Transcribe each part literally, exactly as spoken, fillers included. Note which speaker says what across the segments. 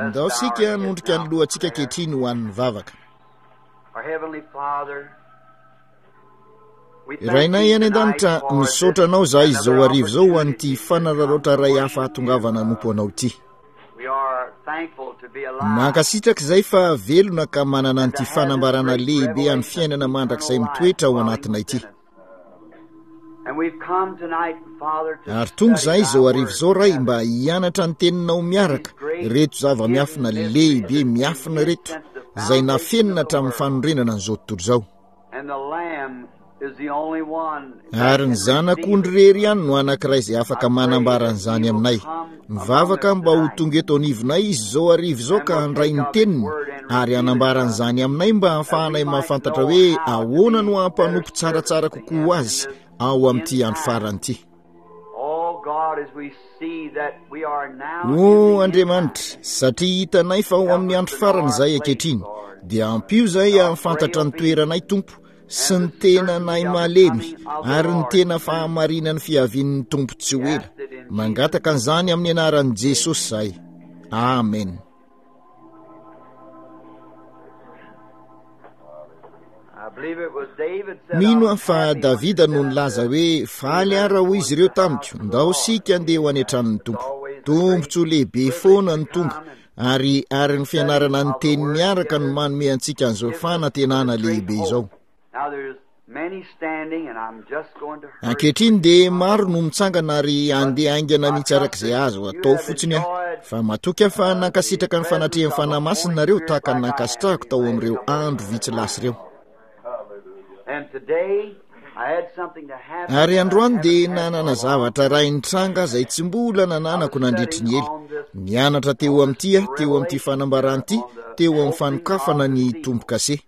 Speaker 1: Ndao isika hanondrika ny lohantsika ankehitriny ho an'ny vavaka. Rainay any an-danitra, misaotra anao izahay izao hariva izao ho an'ity fanararaotra iray hafa hahatongavana hanompo anao ity. Mankasitraka izay fa velona ka manana an'ity fanambarana lehibe an'ny fiainana mandrakizay mitoetra ao anatinay ity. Ary tonga izahay izao hariva izao, Ray, mba hianatra ny Teninao miaraka, ireto zava-miafina lehibe miafina ireto, izay nafenina hatramin'ny fanorenana an'izao tontolo izao. Ary ny Zanak'ondry irery ihany no anankiray izay afaka manambara an'izany aminay. Mivavaka mba ho tonga eto anivonay Izy izao hariva izao ka handray ny Teniny ary hanambara an'izany aminay mba hahafahanay mahafantatra hoe ahoana no hampanompo tsaratsara kokoa ho Azy ao amin'ity andro farany ity. O Andriamanitra, satria hitanay fa ao amin'ny andro farany izahay ankehitriny, dia ampio izahay hahafantatra ny toeranay, Tompo, sy ny tenanay malemy, ary ny tena fahamarinan'ny fiavian'ny Tompo tsy ho ela. Mangataka an'izany amin'ny anaran'i Jesosy izahay. Amen. Mino aho fa Davida no nilaza hoe, Faly aho raha hoy izy ireo tamiko, Ndao isika andeha ho any an-tranon'ny Tompo. Tombontsoa lehibe foana ny tonga, ary ary ny fianarana ny teny miaraka no manome antsika an'izao fanantenana lehibe izao. Ankehitriny dia maro no mitsangana ary handeha haingana mihitsy araka izay azo atao fotsiny aho. Fa matoky aho fa nankasitraka ny fanatrehan'ny Fanahy Masina nareo tahaka ny nankasitrahako tao amin'ireo andro vitsy lasa ireo. Ary androany dia nanana zavatra iray nitranga izay tsy mbola nananako nandritry ny ela. Nianatra teo amin'ity aho, teo amin'ity fanambarana ity, teo amin'ny fanokafana ny tombo-kase.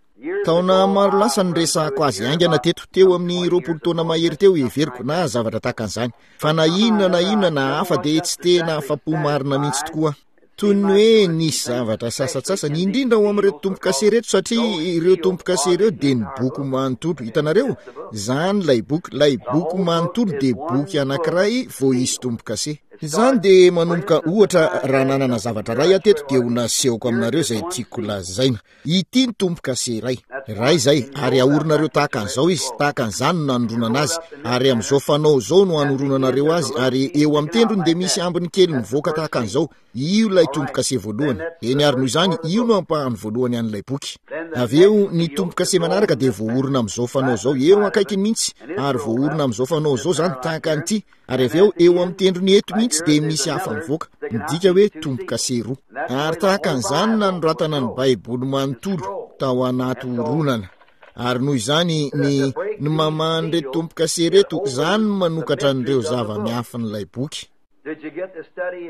Speaker 1: Taona maro lasa niresahako azy haingana teto, teo amin'ny roapolo taona mahery teo heveriko, na zavatra tahaka an'izany. Fa na inona na inona na hafa dia tsy tena afa-po marina mihitsy tokoa aho. Toy ny hoe nisy zavatra sasantsasany, indrindra ao amin'ireto tombo-kase ireto, satria ireo tombo-kase ireo dia ny boky manontolo. Hitanareo? Izany ilay boky, ilay boky manontolo dia boky anankiray vao hisy tombo-kase. Izany dia manomboka, ohatra, raha nanana zavatra iray aho teto dia ho nasehoko aminareo izay tiako lazaina. Ity ny tombo-kase iray. Iray izay, ary ahorinareo tahaka an'izao izy, tahaka an'izany no nanoronana azy, ary amin'izao fanao izao no anoronanareo azy, ary eo amin'ny tendrony dia misy ambiny kely mivoaka tahaka an'izao. Io ilay tombo-kase voalohany. Eny, ary noho izany, io no ampahany voalohany an'ilay boky. Avy eo, ny tombo-kase manaraka dia voaorina amin'izao fanao izao, eo akaikiny mihitsy, ary voaorina amin'izao fanao izao izany, tahaka an'ity. Ary avy eo, eo amin'ny tendrony eto mihitsy dia misy hafa mivoaka, midika hoe tombo-kase roa. Ary tahaka an'izany no nanoratana ny Baiboly manontolo tao anaty horonana. Ary noho izany, ny, ny mamahan'ireto tombo-kase ireto, izany no manokatra an'ireo zava-miafin'ilay boky.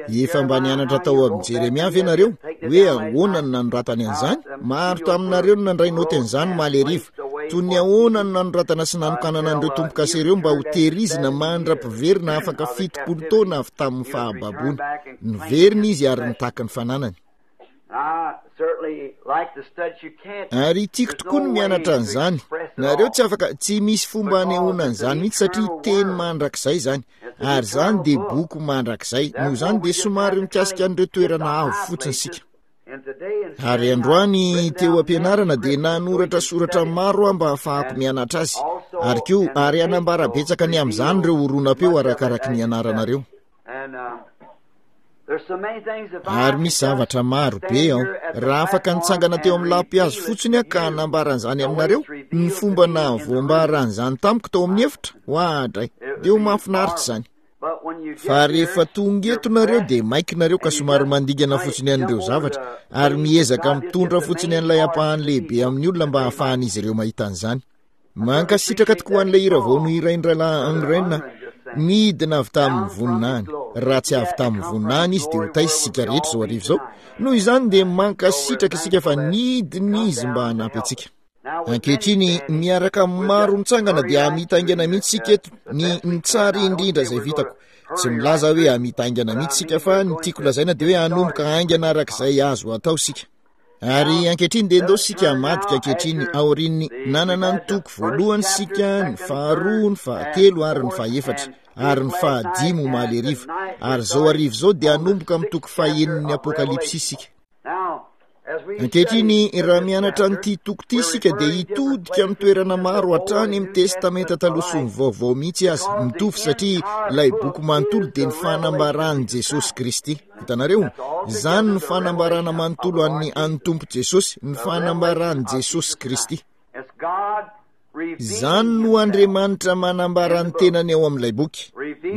Speaker 1: Efa mba nianatra tao amin'ny Jeremia ve nareo hoe ahoana no nanoratany an'izany? Maro taminareo no nandray naoty an'izany omaly hariva. Toy ny ahoana no nanoratana sy nanokanana an'ireo tombo-kase ireo mba ho tehirizina mandra-piverina afaka fitopolo taona avy tamin'ny fahababoana. Niverina izy ary nitaky ny fananany. Ary tiako tokoa ny mianatra an'izany. Nareo tsy afaka, tsy misy fomba hanehoana an'izany mihitsy satria teny mandrakizay izany. Ary izany dia boky mandrakizay. Noho izany dia somary mikasika an'ireo toerana avo fotsiny isika. Ary androany teo am-pianarana dia nanoratra soratra maro aho mba hahafahako mianatra azy. Ary koa, ary hanambara betsaka ny amin'izany ireo horonam-peo arakaraky ny anaranareo. Ary misy zavatra maro be ao. Raha afaka nitsangana teo amin'ny lampihazo fotsiny aho ka hanambara an'izany aminareo, ny fomba nahavoambara an'izany tamiko tao amin'ny efitra, oadray, dia ho mahafinaritra izany. Fa rehefa tonga eto nareo dia maika nareo ka somary mandingana fotsiny an'ireo zavatra, ary miezaka mitondra fotsiny an'ilay ampahany lehibe amin'ny olona mba hahafahan'izy ireo mahita an'izany. Mankasitraka tokoa an'ilay hira vao nohirain'i Rahalahy Ungren aho. Nidina avy tamin'ny voninahiny. Raha tsy avy tamin'ny voninahiny izy dia ho taiza isika rehetra izao hariva izao? Noho izany dia mankasitraka isika fa nidina izy mba hanampy antsika. Ankehitriny, miaraka amin'ny maro mitsangana dia hamita haingana mihitsy isika eto ny ny tsara indrindra izay vitako. Tsy milaza hoe hamita haingana mihitsy isika fa ny tiako lazaina dia hoe hanomboka haingana araka izay azo atao isika. Ary ankehitriny dia ndao isika hamadika ankehitriny aorian'ny nanana ny toko voalohany isika, ny faharoa, ny fahatelo ary ny fahefatra. ary ny fahadimy omaly hariva. Ary izao hariva izao dia hanomboka amin'ny toko fahenin'ny Apokalypsy isika. Ankehitriny, raha mianatra an'ity toko ity isika dia hitodika amin'ny toerana maro hatrany amin'ny Testamenta Taloha sy ny Vaovao mihitsy aza. Mitovy satria ilay boky manontolo dia ny fanambaran'i Jesosy Kristy. Hitanareo? Izany ny fanambarana manontolo an'ny an'ny Tompo Jesosy, ny fanambaran'i Jesosy Kristy. Izany no Andriamanitra manambara ny tenany ao amin'ilay boky.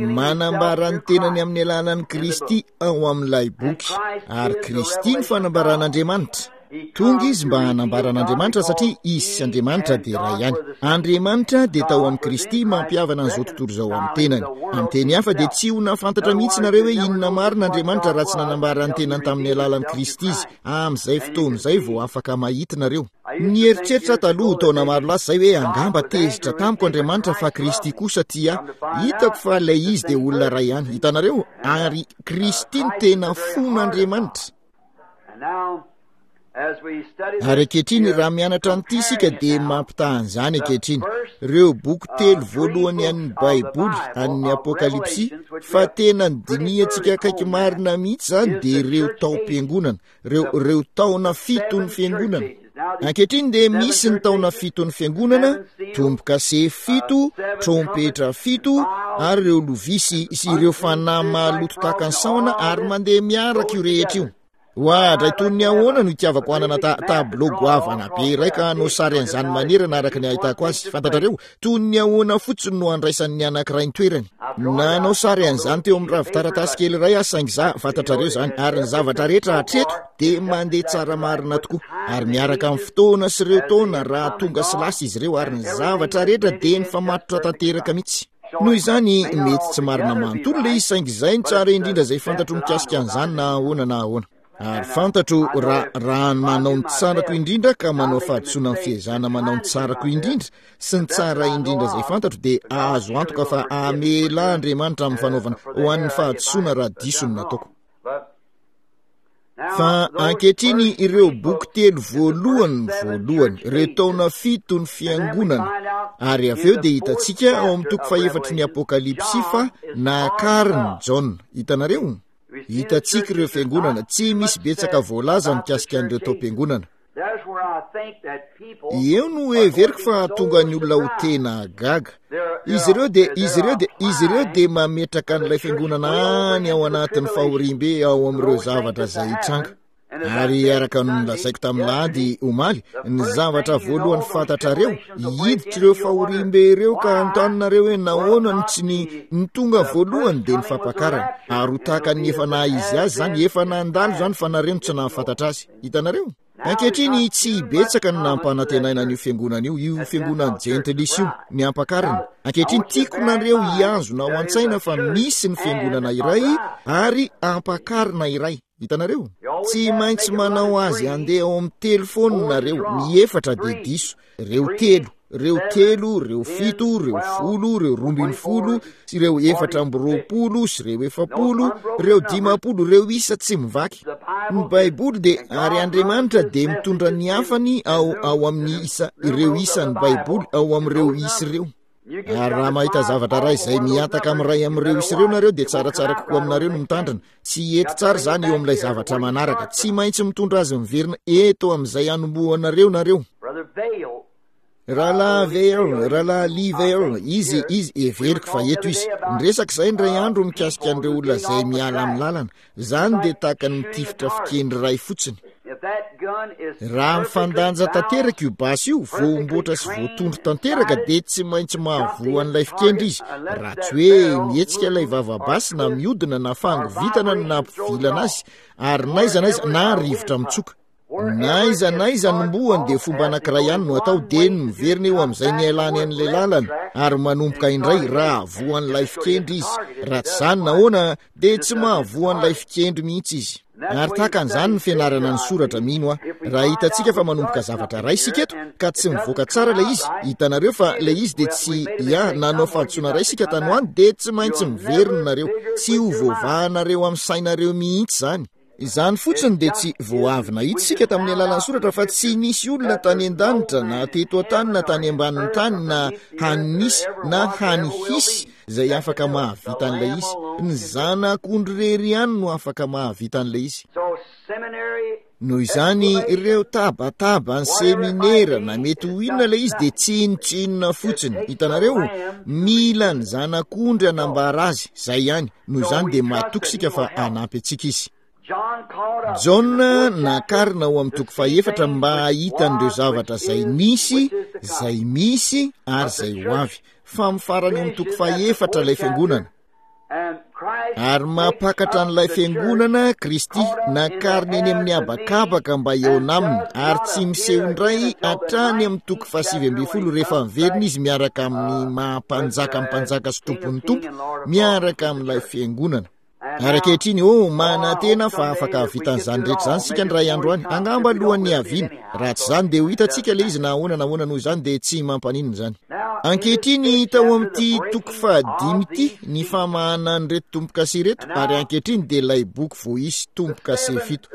Speaker 1: Manambara ny tenany amin'ny alalan'i Kristy ao amin'ilay boky. Ary Kristy ny fanambaran'Andriamanitra. Tonga izy mba hanambara an'Andriamanitra satria izy sy Andriamanitra dia iray ihany. Andriamanitra dia tao amin'i Kristy mampihavana an'izao tontolo izao amin'ny tenany. Amin'ny teny hafa dia tsy ho nahafantatra mihitsy nareo hoe inona marina Andriamanitra raha tsy nanambara ny tenany tamin'ny alalan'i Kristy izy. Amin'izay fotoana izay vao afaka mahita nareo. Nieritreritra taloha taona maro lasa izay hoe angamba tezitra tamiko Andriamanitra fa Kristy kosa tia ahy. Hitako fa ilay izy dia olona iray ihany. Hitanareo? Ary Kristy no tena fon'Andriamanitra. Ary ankehitriny raha mianatra an'ity isika dia mampitaha an'izany ankehitriny. Ireo boky telo voalohany an'ny Baiboly, an'ny Apokalypsy, fa tena nodinihantsika akaiky marina mihitsy izany dia ireo taom-piangonana, ireo, ireo taona fiton'ny fiangonana. Ankehitriny dia misy ny taona fiton'ny fiangonana, tombo-kase fito, trompetra fito, ary ireo lovia sy, sy ireo fanahy maloto tahaka ny sahona, ary mandeha miaraka io rehetra io. Oadray, toy ny ahoana no itiavako hanana ta-, tableau goavana be iray ka hanao sary an'izany manerana araka ny ahitako azy. Fantatrareo, toy ny ahoana fotsiny no handraisan'ny anankiray ny toerany. Nanao sary an'izany teo amin'ny ravin-taratasy kely iray aho, saingy za, fantatrareo izany, ary ny zavatra rehetra hatreto dia mandeha tsara marina tokoa. Ary miaraka amin'ny fotoana sy ireo taona raha tonga sy lasa izy ireo, ary ny zavatra rehetra dia nifamatotra tanteraka mihitsy. Noho izany, mety tsy marina manontolo ilay izy, saingy izay no tsara indrindra izay fantatro mikasika an'izany na ahoana na ahoana. Ary fantatro raha, raha manao ny tsarako indrindra ka manao fahadisoana amin'ny fiezahana manao ny tsarako indrindra sy ny tsara indrindra izay fantatro, dia azo antoka fa hamela Andriamanitra amin'ny fanaovana ho an'ny fahadisoana raha diso ny nataoko. Fa ankehitriny ireo boky telo voalohany voalohany, ireo taona fito ny fiangonana, ary avy eo dia hitantsika ao amin'ny toko fahefatry ny Apokalypsy fa nakarin'i Jaona. Hitanareo? Hitantsika ireo fiangonana, tsy misy betsaka voalaza mikasika an'ireo taom-piangonana. Eo no heveriko fa hahatonga ny olona ho tena gaga. Izy ireo dia, izy ireo dia, izy ireo dia mametraka an'ilay fiangonana any ao anatin'ny fahoriambe ao amin'ireo zavatra izay hitranga. Ary araka ny nolazaiko tamin'ny lahady omaly, ny zavatra voalohany fantatrareo, hiditra ireo fahoriambe ireo ka hanontany nareo hoe nahoana no tsy ny, ny tonga voalohany dia ny fampakarana. Ary ho tahaka ny efa naha izy azy izany, efa nandalo izany fa nareo no tsy nahafantatra azy. Hitanareo? Ankehitriny, tsy betsaka no nampanantenaina an'io fiangonana io, io fiangonan'ny jentilisa io, ny ampakarina. Ankehitriny, tiako nareo hihazona ao an-tsaina fa misy ny fiangonana iray ary ampakarina iray. Hitanareo? Tsy maintsy manao azy handeha ao amin'ny telo foana nareo, ny efatra dia diso. Ireo telo, ireo telo, ireo fito, ireo folo, ireo roa ambin'ny folo, sy ireo efatra amby roapolo, sy ireo efapolo, ireo dimampolo, ireo isa tsy mivaky. Ny Baiboly dia, ary Andriamanitra dia mitondra ny hafany ao, ao amin'ny isa, ireo isan'ny Baiboly ao amin'ireo isa ireo. Ary raha mahita zavatra iray izay mihataka amin'ny iray amin'ireo isa ireo nareo, dia tsaratsara kokoa aminareo no mitandrina. Tsy hety tsara izany eo amin'ilay zavatra manaraka. Tsy maintsy mitondra azy miverina eto amin'izay hanombohanareo nareo. Rahalahy Vayle, Rahalahy Lee Vayle, izy, izy, heveriko fa eto izy. Niresaka izay indray andro mikasika an'ireo olona izay miala amin'ny lalana. Izany dia tahaka ny mitifitra fikendry iray fotsiny. Raha mifandanja tanteraka io basy io, voamboatra sy voatondro tanteraka, dia tsy maintsy mahavoa an'ilay fikendry izy, raha tsy hoe mihetsika ilay vava-basy na mihodina na fangovitana no nampivilana azy, ary n'aiza n'aiza na rivotra mitsoka. N'aiza n'aiza anombohany dia fomba anankiray ihany no atao, dia ny miverina eo amin'izay nialany an'ilay lalana ary manomboka indray raha voan'ilay fikendry izy. Raha tsy izany nahoana dia tsy mahavoa an'ilay fikendry mihitsy izy. Ary tahaka an'izany ny fianarana ny soratra, mino aho. Raha hitantsika fa manomboka zavatra iray isika eto, ka tsy mivoaka tsara ilay izy, hitanareo fa ilay izy dia tsy, ya, nanao fahadisoana iray isika tany ho any, dia tsy maintsy miverina nareo. Tsy ho voavahanareo amin'ny sainareo mihitsy izany. Izany fotsiny dia tsy vao avy nahita isika tamin'ny alalan'ny soratra fa tsy nisy olona tany an-danitra na teto an-tany na tany ambanin'ny tany na hany nisy na hany hisy izay afaka mahavita an'ilay izy. Ny zanak'ondry irery ihany no afaka mahavita an'ilay izy. Noho izany, ireo tabataba ny seminera na mety ho inona ilay izy dia tsinontsinona fotsiny. Hitanareo, mila ny zanak'ondry hanambara azy, izay ihany. Noho izany dia matoky isika fa hanampy antsika izy. Jaona nakarina ao amin'ny toko fahefatra mba hahita an'ireo zavatra izay nisy, izay misy ary izay ho avy. Fa amin'ny farany ao amin'ny toko fahefatra ilay fiangonana. Ary mampakatra an'ilay fiangonana Kristy, nakarina eny amin'ny habakabaka mba hihaona aminy, ary tsy miseho indray hatrany amin'ny toko fahasivy ambin'ny folo rehefa miverina izy miaraka amin'ny maha-mpanjaka ny mpanjaka sy tompon'ny tompo, miaraka amin'ilay fiangonana. Ary ankehitriny, oh, manantena fa afaka hahavita an'izany rehetra izany isika ny ray andro any, angamba alohan'ny haviana. Raha tsy izany dia ho hitantsika ilay izy na ahoana na ahoana, noho izany dia tsy mampaninona izany. Ankehitriny, tao amin'ity toko fahadimy ity, ny famahana an'ireto tombo-kase ireto, ary ankehitriny dia ilay boky voaisy tombo-kase fito.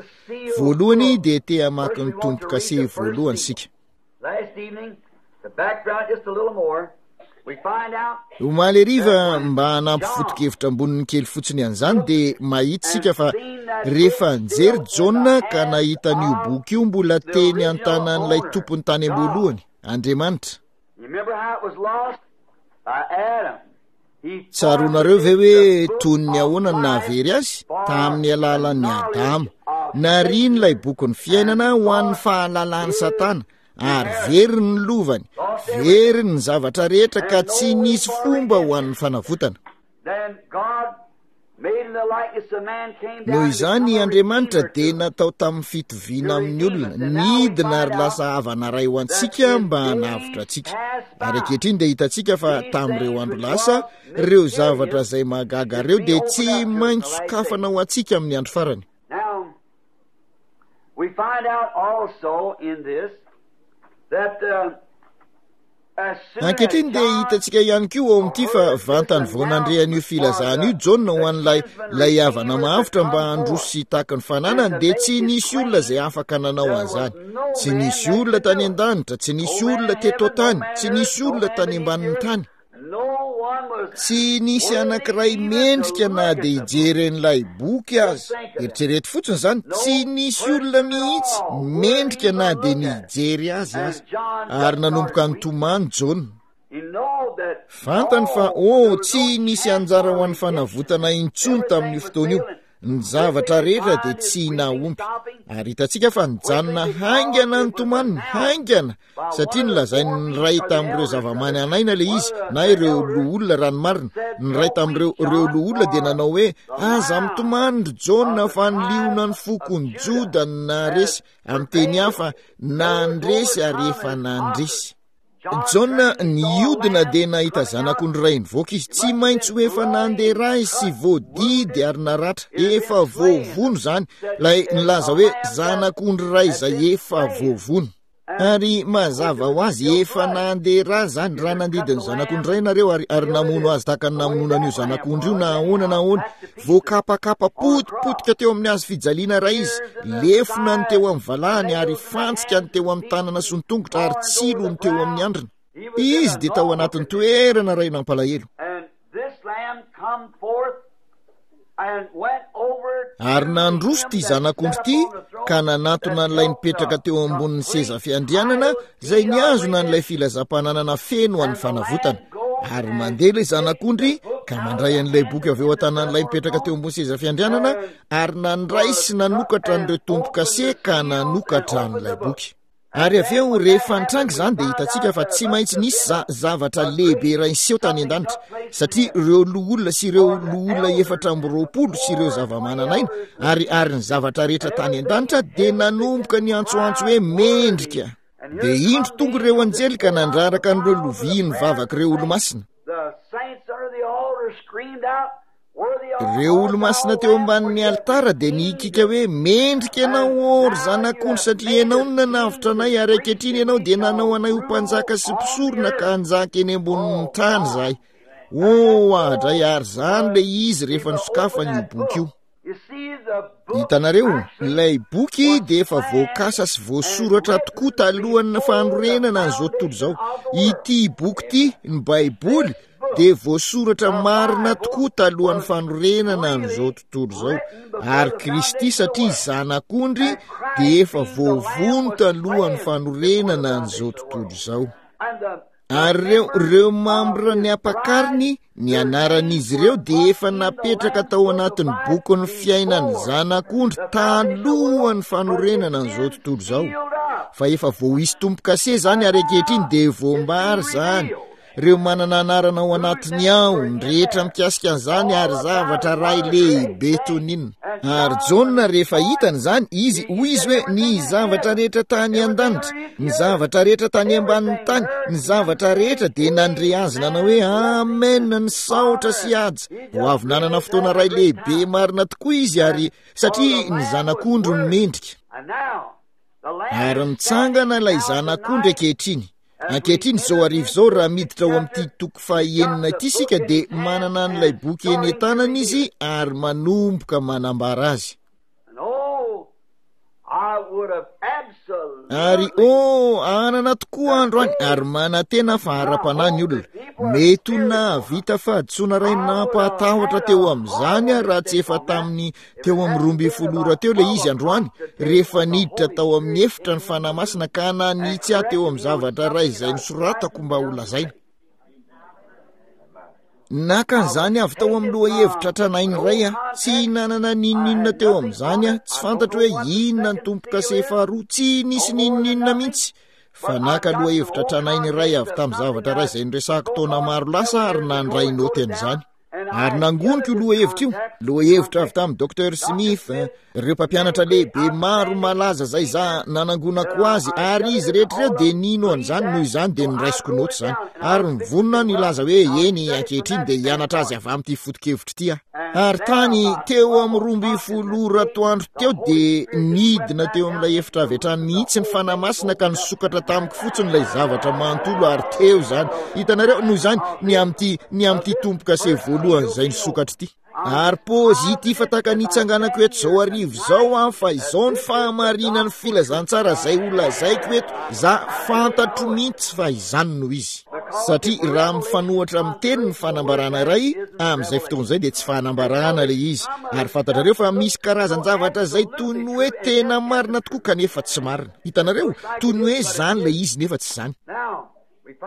Speaker 1: Voalohany dia te hamaky ny tombo-kase voalohany isika. Omaly hariva, mba hanampy foto-kevitra amboniny kely fotsiny an'izany, dia mahita isika fa rehefa nijery Jaona ka nahita an'io boky io mbola teny an-tanan'ilay tompony tany am-boalohany, Andriamanitra. Tsaroanareo ve hoe toy ny ahoana no nahavery azy? Tamin'ny alalan'ny Adama. Nariany ilay bokin'ny fiainana ho an'ny fahalalan'i Satana, ary very ny lovany, very ny zavatra rehetra ka tsy nisy fomba ho an'ny fanavotana. Noho izany, Andriamanitra dia natao tamin'ny fitoviana amin'ny olona, nidina ary lasa havana iray ho antsika mba hanavotra antsika. Ary ankehitriny dia hitantsika fa tamin'ireo andro lasa, ireo zavatra izay mahagaga ireo dia tsy maintsy sokafana ho antsika amin'ny andro farany.
Speaker 2: We find out also in this that uh,
Speaker 1: Ankehitriny dia hitantsika ihany koa ao amin'ity fa vantany vao nandre an'io filazana io Jaona ho an'ilay ilay havana mahavotra mba handroso sy hitaky ny fananany dia tsy nisy olona izay afaka nanao an'izany. Tsy nisy olona tany an-danitra, tsy nisy olona teto an-tany, tsy nisy olona tany ambanin'ny tany. Tsy nisy anankiray mendrika na dia hijery an'ilay boky aza. Eritrereto fotsiny izany, tsy nisy olona mihitsy mendrika na dia ny hijery azy aza. Ary nanomboka nitomany Jaona. Fantany fa, oh, tsy nisy anjara ho an'ny fanavotana intsony tamin'io fotoana io. Ny zavatra rehetra dia tsy nahomby. Ary hitantsika fa nijanona haingana ny tomaniny, haingana, satria nolazain'ny iray tamin'ireo zava-manan'aina ilay izy, na ireo loholona raha ny marina. Ny iray tamin'ireo ireo loholona dia nanao hoe, Aza mitomany ry Jaona fa ny lionan'ny fokon'i Joda no naharesy. Amin'ny teny hafa, nandresy ary efa nandresy. Jaona nihodina dia nahita zanak'ondry iray nivoaka izy. Tsy maintsy ho efa nandeha ra izy sy voadidy ary naratra. Efa voavono izany. Ilay nilaza hoe zanak'ondry iray izay efa voavono. Ary mazava ho azy, efa nandeha ra izany. Raha nandidy ny zanak'ondry iray nareo ary, ary namono azy tahaka ny namonoana an'io zanak'ondry io na ahoana na ahoana, voakapakapa potipotika teo amin'ny hazo fijaliana iray izy, lefona ny teo amin'ny valahany ary fantsika ny teo amin'ny tanana sy ny tongotra ary tsilo ny teo amin'ny andrina. Izy dia tao anatin'ny toerana iray nampalahelo. Ary nandroso ity zanak'ondry ity ka nanatona an'ilay nipetraka teo ambonin'ny seza fiandrianana izay nihazona an'ilay filazam-pananana feno an'ny fanavotana. Ary mandeha ilay zanak'ondry ka mandray an'ilay boky avy eo an-tanan'ilay mipetraka teo ambony seza fiandrianana ary nandray sy nanokatra an'ireo tombo-kase ka nanokatra an'ilay boky. Ary avy eo, rehefa nitranga izany, dia hitantsika fa tsy maintsy nisy za, zavatra lehibe iray niseho tany an-danitra, satria ireo loholona sy ireo loholona efatra amby roapolo sy ireo zava-manan'aina ary, ary ny zavatra rehetra tany an-danitra dia nanomboka niantsoantso hoe mendrika. Dia indro tonga ireo anjely ka nandraraka an'ireo lovia nivavak'ireo olomasina. Ireo olomasina teo ambanin'ny alitara dia nihikika hoe, Mendrika ianao, ô ry Zanak'ondry, satria ianao no nanavotra anay, ary ankehitriny ianao dia nanao anay ho mpanjaka sy mpisorona ka hanjaka eny ambonin'ny tany izahay. Ô, adray, ary izany ilay izy rehefa nosokafany io boky io. Hitanareo, ilay boky dia efa voakasa sy voasoratra tokoa talohan'ny fanorenana an'izao tontolo izao. Ity boky ity, ny Baiboly, dia voasoratra marina tokoa talohan'ny fanorenana an'izao tontolo izao. Ary Kristy, satria Zanak'ondry, dia efa voavono talohan'ny fanorenana an'izao tontolo izao. Ary ireo, ireo mambra ny ampakariny, ny anaran'izy ireo dia efa napetraka tao anatin'ny bokin'ny fiainan'ny Zanak'ondry talohan'ny fanorenana an'izao tontolo izao. Fa efa voaisy tombo-kase izany, ary ankehitriny dia voambary izany. Ireo manana anarana ao anatiny ao, ny rehetra mikasika an'izany, ary zavatra ray lehibe toy ny inona. Ary Jaona rehefa hitany izany, izy hoy izy hoe ny zavatra rehetra tany an-danitra, ny zavatra rehetra tany ambanin'ny tany, ny zavatra rehetra dia nandre azy nanao hoe amen, ny saotra sy haja. Ho avy nanana fotoana ray lehibe marina tokoa izy, ary satria ny Zanak'ondry no mendrika. Ary mitsangana ilay Zanak'ondry ankehitriny. Ankehitriny izao hariva izao, raha miditra ao amin'ity toko fahenina ity isika, dia manana an'ilay boky eny an-tanana izy ary manomboka manambara azy. Ary oh, anana tokoa androany, ary manantena fa ara-panahy ny olona. Mety ho nahavita fahadisoana iray nampahatahotra teo amin'izany aho raha tsy efa tamin'ny teo amin'ny roa ambin'ny folo ora teo ilay izy androany, rehefa niditra tao amin'ny efitra ny Fanahy Masina ka nanitsy ahy teo amin'ny zavatra iray izay nosoratako mba ho lazaina. Naka an'izany avy tao amin'ny lohahevitra tranainy iray aho. Tsy nanana n'inon'inona teo amin'izany aho. Tsy fantatro hoe inona ny tombo-kase faharoa. Tsy nisy n'inon'inona mihitsy. Fa naka lohahevitra tranainy iray avy tamin'ny zavatra iray izay noresahako taona maro lasa ary nandray naoty an'izany. Ary nangoniko io lohahevitra io, lohahevitra avy tamin'ny Docteur Smith, ireo mpampianatra lehibe maro malaza izay za nanangonako azy, ary izy rehetra ireo dia nino an'izany, noho izany dia noraisiko naoty izany. Ary nivonona aho nilaza hoe eny, ankehitriny dia hianatra azy avy amin'ity foto-kevitra ity aho. Ary tany teo amin'ny roa ambin'ny folo ora atoandro teo dia nidina teo amin'ilay efitra avy hatrany mihitsy ny Fanahy Masina ka nisokatra tamiko fotsiny ilay zavatra manontolo, ary teo izany. Hitanareo, noho izany, ny amin'ity, ny amin'ity tombo-kase voalohany izay nisokatra ity. Ary positif tahaka ny hitsanganako eto izao hariva izao aho, fa izao ny fahamarinan'ny filazantsara izay ho lazaiko eto, za fantatro mihitsy fa izany no izy. Satria raha mifanohatra amin'ny teny ny fanambarana iray, amin'izay fotoana izay dia tsy fanambarana ilay izy. Ary fantatrareo fa misy karazan-javatra izay toy ny hoe tena marina tokoa kanefa tsy marina. Hitanareo? Toy ny hoe izany ilay izy nefa tsy izany.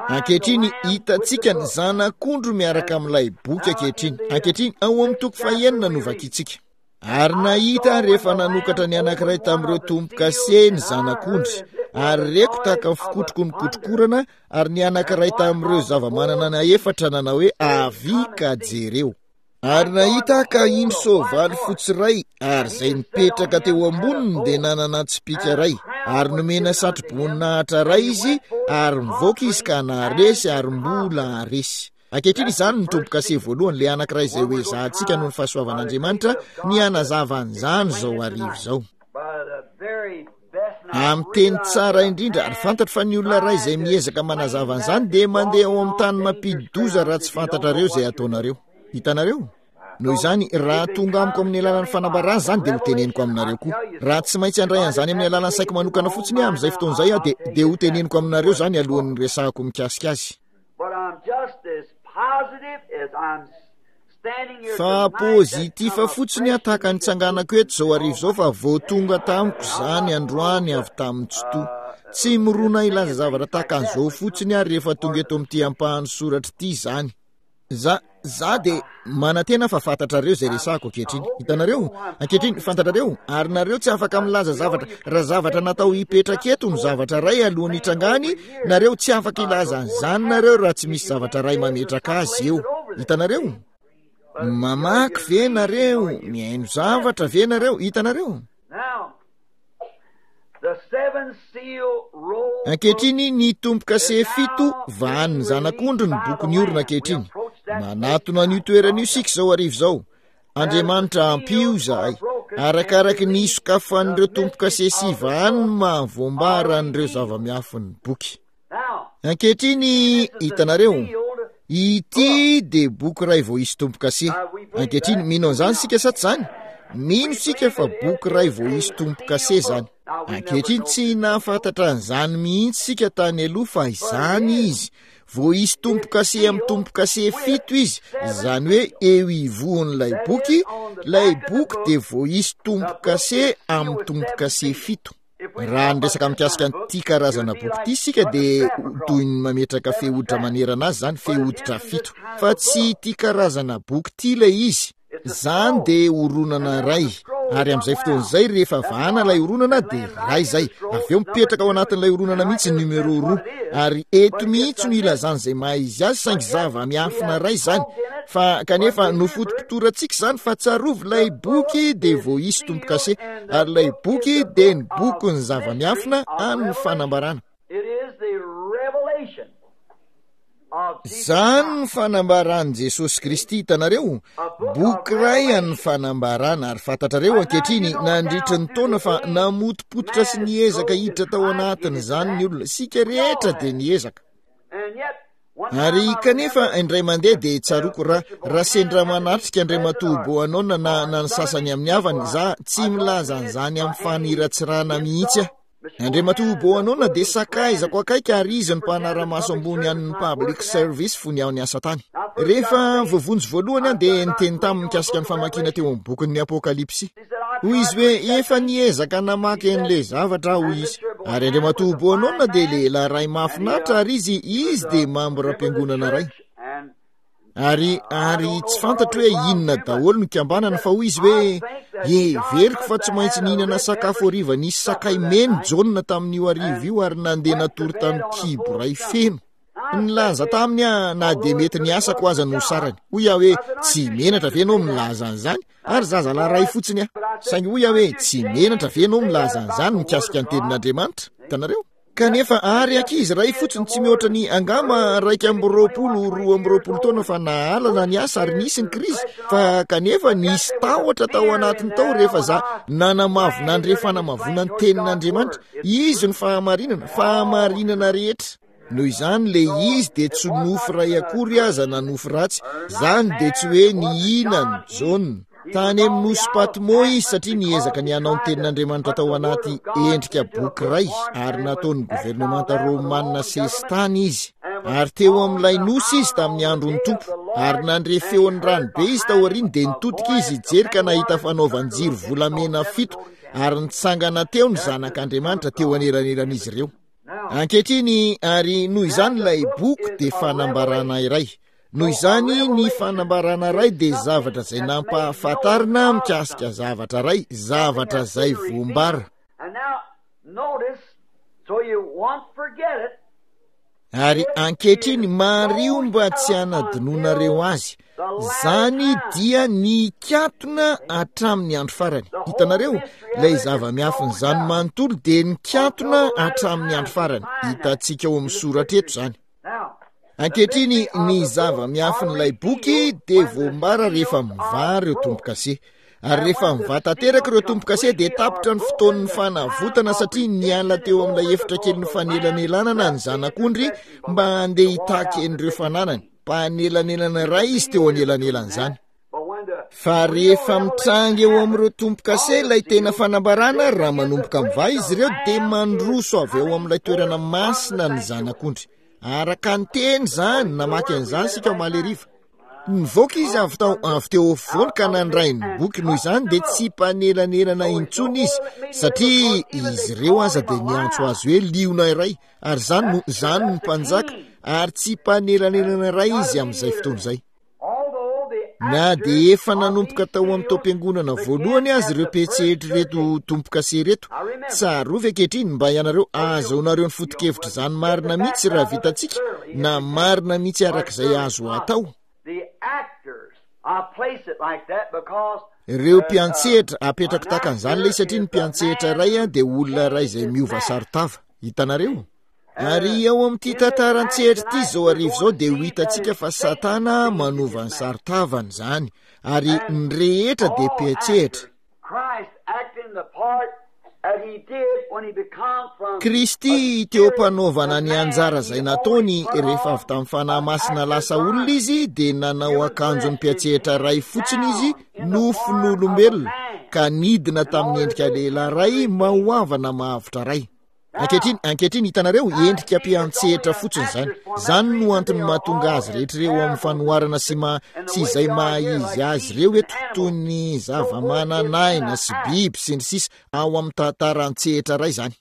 Speaker 1: Ankehitriny hitantsika ny Zanak'ondry miaraka amin'ilay boky ankehitriny. Ankehitriny ao amin'ny toko fahenina no vakintsika. Ary nahita rehefa nanokatra ny anankiray tamin'ireo tombo-kase ny Zanak'ondry, ary reko tahaka ny fikotroky ny kotrokorana, ary ny anankiray tamin'ireo zava-manana na efatra nanao hoe avia ka jereo. Ary nahita ka indro soavaly fotsy iray, ary izay nipetraka teo amboniny dia nanana tsipìka iray, ary nomena satroboninahitra iray izy, ary nivoaka izy ka naharesy ary mbola haharesy. Ankehitriny izany ny tombo-kase voalohany, ilay anankiray izay ho ezahantsika noho ny fahasoavan'Andriamanitra ny hanazava an'izany izao hariva izao. Amin'ny teny tsara indrindra, ary fantatro fa ny olona iray izay miezaka manazava an'izany dia mandeha ao amin'ny tany mampidi-doza raha tsy fantatrareo izay ataonareo. Hitanareo? Noho izany, raha tonga amiko amin'ny alalan'ny fanambarana izany dia ho teneniko aminareo koa. Raha tsy maintsy handray an'izany amin'ny alalan'ny saiko manokana fotsiny aho amin'izay fotoana izay aho dia, dia ho teneniko aminareo izany alohan'ny resahako mikasika azy. Fa positif fotsiny aho tahaka ny tsanganako eto izao hariva izao fa vao tonga tamiko izany androany avy tamin'ny Tsitoha. Tsy mirona hilaza zavatra tahaka an'izao fotsiny aho rehefa tonga eto amin'ity ampahan'ny soratra ity izany. Za, za dia manantena fa fantatrareo izay resahako ankehitriny. Hitanareo? Ankehitriny, fantatrareo, ary nareo tsy afaka milaza zavatra, raha zavatra natao hipetraka eto ny zavatra iray alohan'ny hitrangany, nareo tsy afaka hilaza an'izany nareo raha tsy misy zavatra iray mametraka azy eo. Hitanareo? Mamaky ve nareo? Mihaino zavatra ve nareo? Hitanareo? Ankehitriny ny tombo-kase fito vahan'ny Zanak'ondry ny boky niorina ankehitriny. Manatona an'io toerana io isika izao hariva izao. Andriamanitra ampio izahay. Arakaraky ny hisokafan'ireo tombo-kase sy vahany ny mahavoambara an'ireo zava-miafin'ny boky. Ankehitriny, hitanareo, ity dia boky iray vao hisy tombo-kase. Ankehitriny, mino an'izany isika sa tsy izany? Mino isika fa boky iray vao hisy tombo-kase izany. Ankehitriny, tsy nahafantatra an'izany mihitsy isika tany aloha fa izany izy. Voaisy tombo-kase amin'ny tombo-kase fito izy, izany hoe eo ivohon'ilay boky, ilay boky dia voaisy tombo-kase amin'ny tombo-kase fito. Raha niresaka mikasika an'ity karazana boky ity isika dia toy ny mametraka fehoditra manerana azy izany, fehoditra fito. Fa tsy ity karazana boky ity ilay izy. Izany dia horonana iray, ary amin'izay fotoana izay rehefa vahana ilay horonana dia iray izay. Avy eo mipetraka ao anatin'ilay horonana mihitsy ny numéro roa, ary eto mihitsy no ilazana izay maha izy azy, saingy zava-miafina iray izany. Fa kanefa nofotopotorantsika izany, fa tsarovy ilay boky dia voaisy tombo-kase, ary ilay boky dia ny bokin'ny zava-miafina amin'ny fanambarana. Izany ny fanambaran'i Jesosy Kristy, hitanareo, boky iray an'ny fanambarana. Ary fantatrareo ankehitriny nandritry ny taona fa namotopototra sy niezaka hiditra tao anatin'izany ny olona. Isika rehetra dia niezaka. Ary kanefa indray mandeha dia tsaroako raha, raha sendra manatrika Andriamatoa Bohanona na, na ny sasany amin'ny havany, za tsy milaza an'izany amin'ny faniratsirana mihitsy aho. Andriamatoa Bohanona dia sakaizako akaiky ary izy no mpanara-maso ambony an'ny Public Service fony aho niasa tany. Rehefa voavonjy voalohany aho dia niteny taminy mikasika ny famakiana teo amin'ny bokin'ny Apokalypsy. Hoy izy hoe efa niezaka namaky an'ilay zavatra aho, hoy izy. Ary Andriamatoa Bohanona dia lehilahy iray mahafinaritra ary izy, izy dia mambram-piangonana iray. Ary, ary tsy fantatro hoe inona daholo ny kambanana, fa hoy izy hoe heveriko fa tsy maintsy nihinana sakafo hariva nisy sakay mena Jaona tamin'io hariva io ary nandeha natory tamin'ny kibo iray feno. Nilaza taminy aho na dia mety ny asako aza no sarany. Hoy aho hoe tsy menatra ve ianao milaza an'izany? Ary zazalahy iray fotsiny aho. Saingy hoy aho hoe tsy menatra ve ianao milaza an'izany mikasika ny tenin'Andriamanitra? Hitanareo? Kanefa ary ankizy iray fotsiny tsy mihoatra ny angamba iraika amby roapolo, roa amby roapolo taona fa nahalana ny asa ary nisy ny krizy, fa kanefa nisy tahotra tao anatiny tao rehefa za nanamavo nandre fanamavoana ny tenin'Andriamanitra. Izy no fahamarinana, fahamarinana rehetra. Noho izany le izy dia tsy nofy iray akory aza na nofy ratsy. Zany dia tsy hoe nihinan'i Jaona. Tany amin'ny nosy Patmo izy satria niezaka ny hanao ny tenin'Andriamanitra tao anaty endrika boky iray ary nataon'ny governemanta romanina sesitany izy. Ary teo amin'ilay nosy izy tamin'ny andron'ny Tompo. Ary nandre feon'ny rano be izy tao aoriany dia nitodika izy hijery ka nahita fanaovan-jiro volamena fito ary nitsangana teo ny zanak'Andriamanitra teo anelanelan'izy ireo. Ankehitriny, ary noho izany ilay boky dia fanambarana iray. Noho izany ny fanambarana iray dia zavatra izay nampahafantarina mikasika zavatra iray, zavatra izay voambara. Ary ankehitriny mariho mba tsy hanadinoanareo azy. Izany dia nikatona hatramin'ny andro farany. Hitanareo, ilay zava-miafin'izany manontolo dia nikatona hatramin'ny andro farany. Hitantsika ao amin'ny soratra eto izany. Ankehitriny ny zava-miafin'ilay boky dia voambara rehefa mivaha ireo tombo-kase. Ary rehefa mivaha tanteraka ireo tombo-kase dia tapitra ny fotoan'ny fanavotana satria niala teo amin'ilay efitra kelin'ny fanelanelanana ny zanak'ondry mba handeha hitaky an'ireo fananany. Mpanelanelana iray izy teo anelanelan'izany. Fa rehefa mitranga eo amin'ireo tombo-kase ilay tena fanambarana, raha manomboka mivaha izy ireo dia mandroso avy eo amin'ilay toerana masina ny zanak'ondry. Araka ny teny izany, namaky an'izany isika omaly hariva. Nivoaka izy avy tao, avy teo afovoany ka nandray ny boky. Noho izany dia tsy mpanelanelana intsony izy, satria izy ireo aza dia niantso azy hoe liona iray, ary izany no, izany no mpanjaka, ary tsy mpanelanelana iray izy amin'izay fotoana izay. Na dia efa nanomboka tao amin'ny taom-piangonana voalohany aza ireo mpiantsehetra ireto tombo-kase ireto, tsarovy ankehitriny mba ianareo ahazoanareo ny foto-kevitra izany marina mihitsy raha vitantsika, na marina mihitsy araka izay azo atao. Ireo mpiantsehatra, apetrako tahaka an'izany ilay satria ny mpiantsehatra iray dia olona iray izay miova saron-tava. Hitanareo? Ary ao amin'ity tantara an-tsehatra ity izao hariva izao dia ho hitantsika fa Satana manova ny saron-tavany izany, ary ny rehetra dia mpiantsehatra. Kristy teo am-panaovana ny anjara izay nataony rehefa avy tamin'ny Fanahy Masina lasa olona izy dia nanao akanjon'ny mpiantsehatra iray fotsiny izy, nofon'olombelona, ka nidina tamin'ny endrika lehilahy iray mahoavana mahavotra iray. Ankehitriny, ankehitriny hitanareo, endrika mpiantsehatra fotsiny izany. Izany no antony mahatonga azy rehetra ireo amin'ny fanoharana sy ma, sy izay maha-izy azy ireo eto, toy ny zava-manan'aina sy biby sy ny sisa, ao amin'ny tantara an-tsehatra iray izany.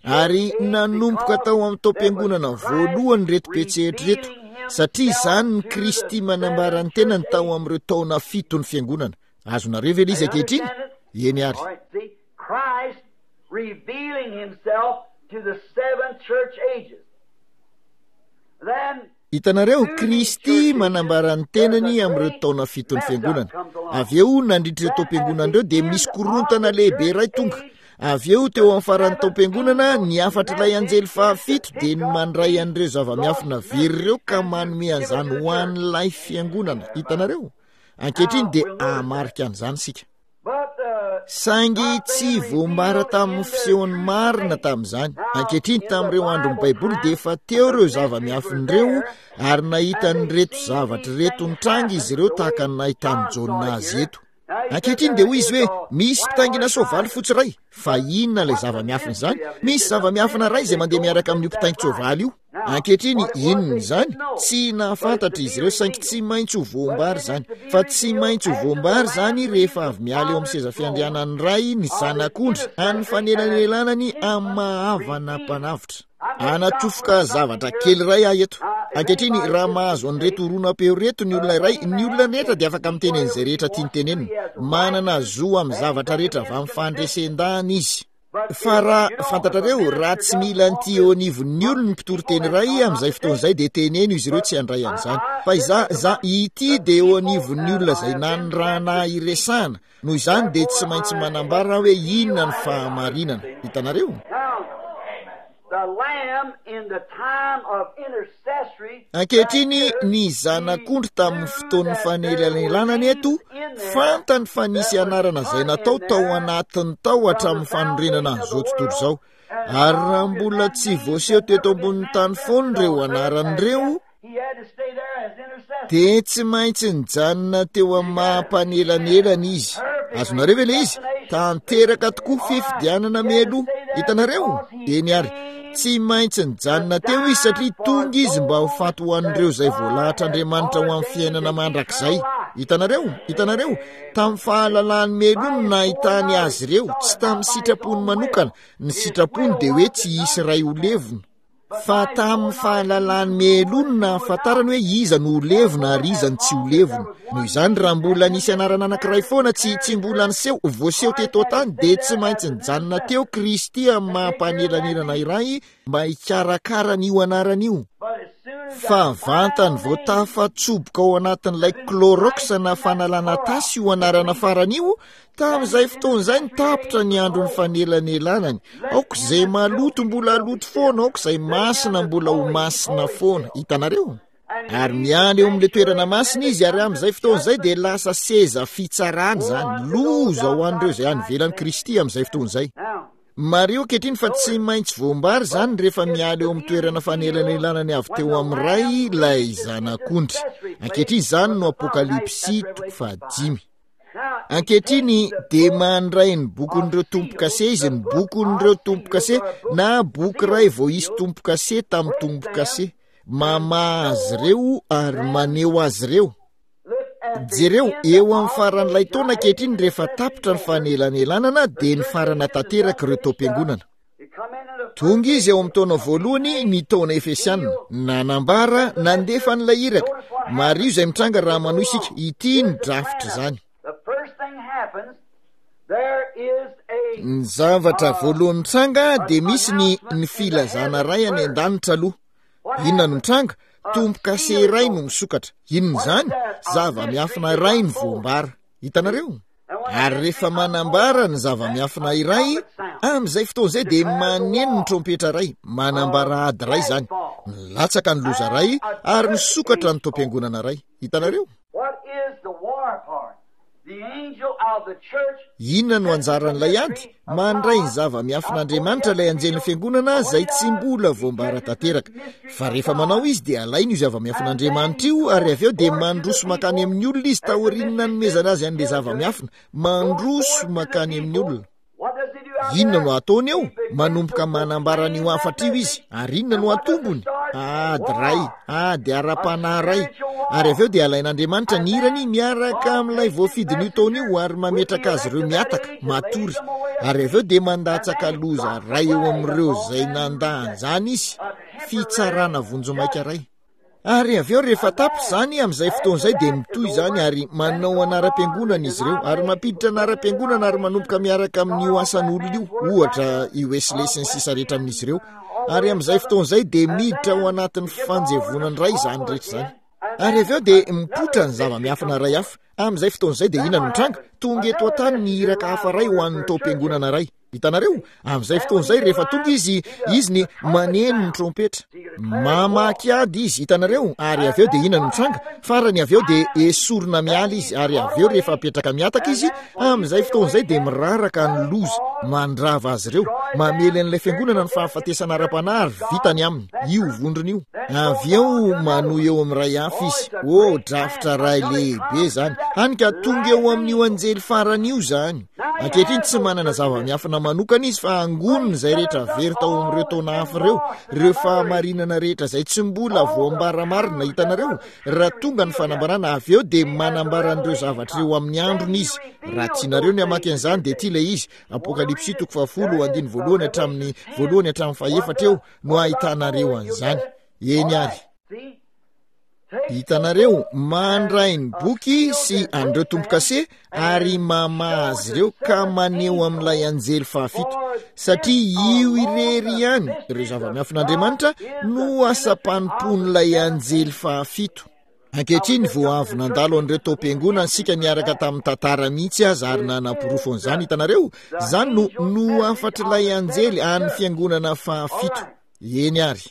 Speaker 1: Ary nanomboka tao amin'ny taom-piangonana voalohany ireto mpiantsehatra ireto, satria izany ny Kristy manambara ny tenany tao amin'ireo taona fito ny fiangonana. Azonareo ve ilay izy ankehitriny? Eny ary. Hitanareo, Kristy manambara ny tenany amin'ireo taona fiton'ny fiangonana. Avy eo, nandritra ireo taom-piangonana ireo, dia misy korontana lehibe iray tonga. Avy eo, teo amin'ny faran'ny taom-piangonana, ny hafatr'ilay anjely fahafito dia ny mandray an'ireo zava-miafina very ireo ka manome an'izany ho an'ilay fiangonana. Hitanareo? Ankehitriny dia hahamarika an'izany isika. Saingy tsy voambara tamin'ny fisehony marina tamin'izany. Ankehitriny, tamin'ireo andron'ny Baiboly dia efa teo ireo zava-miafina ireo, ary nahita an'ireto zavatra ireto nitranga izy ireo tahaka ny nahitan'i Jaona azy eto. Ankehitriny dia hoy izy hoe, misy mpitaingina soavaly fotsy iray. Fa inona ilay zava-miafina izany? Misy zava-miafina iray izay mandeha miaraka amin'io mpitaingin-tsoavaly io. Ankehitriny, inona izany? Tsy nahafantatra izy ireo, saingy tsy maintsy ho voambara izany. Fa tsy maintsy ho voambara izany rehefa avy miala eo amin'ny seza fiandrianan'ny Ray ny Zanak'ondry, any fanelanelanany amin'ny maha-havana mpanavotra. Hanatsofoka zavatra kely iray aho eto. Ankehitriny, raha mahazo an'ireto horonam-peo ireto ny olona iray, ny olona rehetra dia afaka miteny an'izay rehetra tiany tenenina. Manana zo amin'ny zavatra rehetra avy amin'ny fandresen-dahana izy. Fa raha, fantatrareo, raha tsy mila an'ity eo anivon'ny olony ny mpitory teny iray, amin'izay fotoana izay dia teneno izy ireo tsy handray an'izany. Fa izaho, izaho, ity dia eo anivon'ny olona izay nanirahana ahy hiresahana, noho izany dia tsy maintsy manambara aho hoe inona ny fahamarinana. Hitanareo? Ankehitriny, ny Zanak'ondry tamin'ny fotoan'ny fanelanelanana eto, fantany fa nisy anarana izay natao tao anatiny tao hatramin'ny fanorenana an'izao tontolo izao. Ary raha mbola tsy voaseho teto ambonin'ny tany foana ireo anarana ireo, dia tsy maintsy nijanona teo amin'ny maha-mpanelanelana izy. Azonareo ve ilay izy? Tanteraka tokoa fifidianana mialoha. Hitanareo? Eny ary. Tsy maintsy nijanona teo izy satria tonga izy mba ho faty ho an'ireo izay voalahatr'Andriamanitra ho amin'ny fiainana mandrakizay. Hitanareo? Hitanareo? Tamin'ny fahalalany mialoha no nahitany azy ireo, tsy tamin'ny sitrapony manokana. Ny sitrapony dia hoe tsy hisy iray ho levona. Fa tamin'ny fahalalany mialoha no nahafantarany hoe iza no ho levona ary iza no tsy ho levona. Noho izany, raha mbola nisy anarana anankiray foana tsy, tsy mbola niseho, voaseho teto an-tany, dia tsy maintsy nijanona teo Kristy amin'ny maha-mpanelanelana iray mba hikarakara an'io anarana io. Fa vantany vao tafatsoboka ao anatin'ilay Clorox na fanalana tasy io anarana farany io, Tamin'izay fotoana izay no tapitra ny andron'ny fanelanelanany. Aoka izay maloto mbola haloto foana, aoka izay masina mbola ho masina foana. Hitanareo? Ary miala eo amin'ilay toerana masina izy, ary amin'izay fotoana izay dia lasa seza fitsarana izany. Loza ho an'ireo izay any ivelan'i Kristy amin'izay fotoana izay. Mariho ankehitriny fa tsy maintsy voambara izany rehefa miala eo amin'ny toerana fanelanelanany avy teo amin'ny Ray ilay Zanak'ondry. Ankehitriny izany no Apokalypsy toko fahadimy. Ankehitriny dia mandray ny bokin'ireo tombo-kase izy, ny bokin'ireo tombo-kase, na boky iray vao hisy tombo-kase tamin'ny tombo-kase. Mamaha azy ireo ary maneho azy ireo. Jereo, eo amin'ny faran'ilay taona ankehitriny rehefa tapitra ny fanelanelanana dia nifarana tanteraka ireo taom-piangonana. Tonga izy ao amin'ny taona voalohany, ny taona Efesiana. Nanambara, nandefa an'ilay iraka. Mariho izay mitranga raha manohy isika. Ity ny drafitra izany. Ny zavatra voalohany mitranga dia misy ny, ny filazana iray any an-danitra aloha. Inona no mitranga? Tombo-kase iray no misokatra. Inona izany? Zava-miafina iray no voambara. Hitanareo? Ary rehefa manambara ny zava-miafina iray, amin'izay fotoana izay dia maneno ny trompetra iray, manambara ady iray izany. Milatsaka ny loza iray ary misokatra ny taom-piangonana iray. Hitanareo? Inona no anjaran'ilay ady? Mandray ny zava-miafin'Andriamanitra ilay anjelin'ny fiangonana izay tsy mbola voambara tanteraka. Fa rehefa manao izy dia alainy io zava-miafin'Andriamanitra io ary avy eo dia mandroso mankany amin'ny olona izy taorian'ny nanomezana azy an'ilay zava-miafina. Mandroso mankany amin'ny olona. Inona no ataony eo? Manomboka manambara an'io hafatra io izy. Ary inona no atombony? Ady ray, ady ara-panahy ray. Ary avy eo dia alain'Andriamanitra ny irany miaraka amin'ilay voafidin'io taona io ary mametraka azy ireo miataka, matory. Ary avy eo dia mandatsaka loza ray eo amin'ireo izay nandà an'izany izy, fitsarana vonjimaika ray. Ary avy eo rehefa tapitra izany, amin'izay fotoana izay dia mitohy izany ary manao anaram-piangonana izy ireo, ary mampiditra anaram-piangonana ary manomboka miaraka amin'io asan'olona io, ohatra i Wesley sy ny sisa rehetra amin'izy ireo. Ary amin'izay fotoana izay dia miditra ao anatin'ny fanjevonana iray izany rehetra izany. Ary avy eo dia mipoitra ny zava-miafina iray hafa. Amin'izay fotoana izay dia inona no mitranga? Tonga eto an-tany ny iraka hafa iray ho an'ny taom-piangonana iray. Hitanareo? Amin'izay fotoana izay rehefa tonga izy, izy ny maneno ny trompetra. Mamaky ady izy, hitanareo? Ary avy eo dia inona no mitranga? Farany avy eo dia esorina miala izy, ary avy eo rehefa apetraka miataka izy, amin'izay fotoana izay dia miraraka ny loza, mandrava azy ireo, mamely an'ilay fiangonana ny fahafatesana ara-panahy ary vita ny aminy, io vondrona io. Avy eo manohy eo amin'ny ray hafa izy. Oh, drafitra ray lehibe izany. Hany ka tonga eo amin'io anjely farany io izany. Ankehitriny tsy manana zava-miafina manokana izy fa angoniny izay rehetra very tao amin'ireo taona hafa ireo, ireo fahamarinana rehetra izay tsy mbola voambara marina. Hitanareo, raha tonga ny fanambarana avy eo dia manambara an'ireo zavatra ireo amin'ny androny izy. Raha tianareo ny hamaky an'izany dia ity ilay izy, Apokalypsy toko fahafolo andininy voalohany hatramin'ny voalohany hatramin'ny fahefatra eo no ahitanareo an'izany. Eny ary. Hitanareo, mandray ny boky sy an'ireo tombo-kase ary mamaha azy ireo ka maneho amin'ilay anjely fahafito, satria io irery ihany, ireo zava-miafin'Andriamanitra, no asam-panompoan'ilay anjely fahafito. Ankehitriny, vao avy nandalo an'ireo taom-piangonana isika niaraka tamin'ny tantara mihitsy aza ary nanaporofo an'izany, hitanareo, izany no no hafatr'ilay anjely an'ny fiangonana fahafito. Eny ary.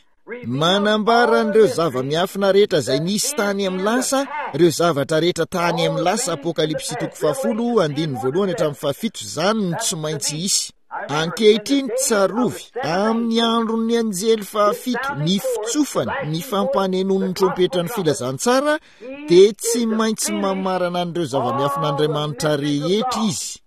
Speaker 1: Manambara an'ireo zava-miafina rehetra izay nisy tany amin'ny lasa, ireo zavatra rehetra tany amin'ny lasa, Apokalypsy toko fahafolo, andininy voalohany hatramin'ny fahafito, izany no tsy maintsy hisy. Ankehitriny tsarovy, amin'ny andron'ny anjely fahafito, ny fitsofany, ny fampanenoan'ny trompetran'ny filazantsara, dia tsy maintsy mamarana an'ireo zava-miafin'Andriamanitra rehetra izy.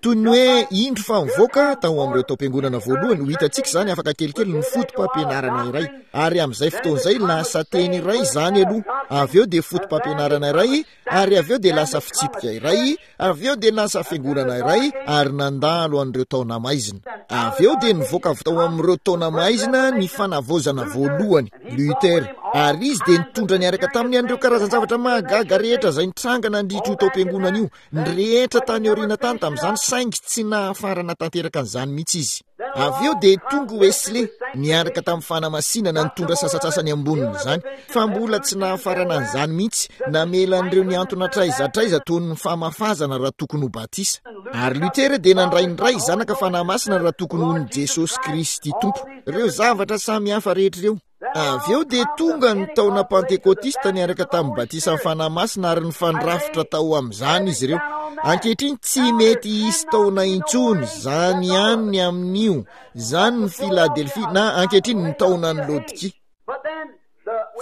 Speaker 1: Toy ny hoe indro fa mivoaka tao amin'ireo taom-piangonana voalohany, ho hitantsika izany afaka kelikely ny foto-pampianarana iray. Ary amin'izay fotoana izay lasa teny iray izany aloha, avy eo dia foto-pampianarana iray, ary avy eo dia lasa fitsipika iray, avy eo dia lasa fiangonana iray, ary nandalo an'ireo taona maizina. Avy eo dia nivoaka avy tao amin'ireo taona maizina ny fanavaozana voalohany, Luther, ary izy dia nitondra niaraka taminy an'ireo karazan-javatra mahagaga rehetra izay nitranga nandritra io taom-piangonana io. Ny rehetra tany aoriana tany tamin'izany, saingy tsy nahafarana tanteraka an'izany mihitsy izy. Avy eo dia tonga Wesley niaraka tamin'ny fanamasinana nitondra sasantsasany ambonin'izany, fa mbola tsy nahafarana an'izany mihitsy, namela an'ireo nihantona hatraiza hatraiza toy ny famafazana raha tokony ho batisa. Ary Luther dia nandray ny Ray, Zanaka, Fanahy Masina raha tokony ho ny Jesosy Kristy Tompo. Ireo zavatra samihafa rehetra ireo. Avy eo dia tonga ny taona Pantekotista niaraka tamin'ny batisan'ny Fanahy Masina ary nifandrafitra tao amin'izany izy ireo. Ankehitriny tsy mety hisy taona intsony, izany ihany ny amin'io, izany ny Filadelfia, na ankehitriny ny taonan'ny Laodikia.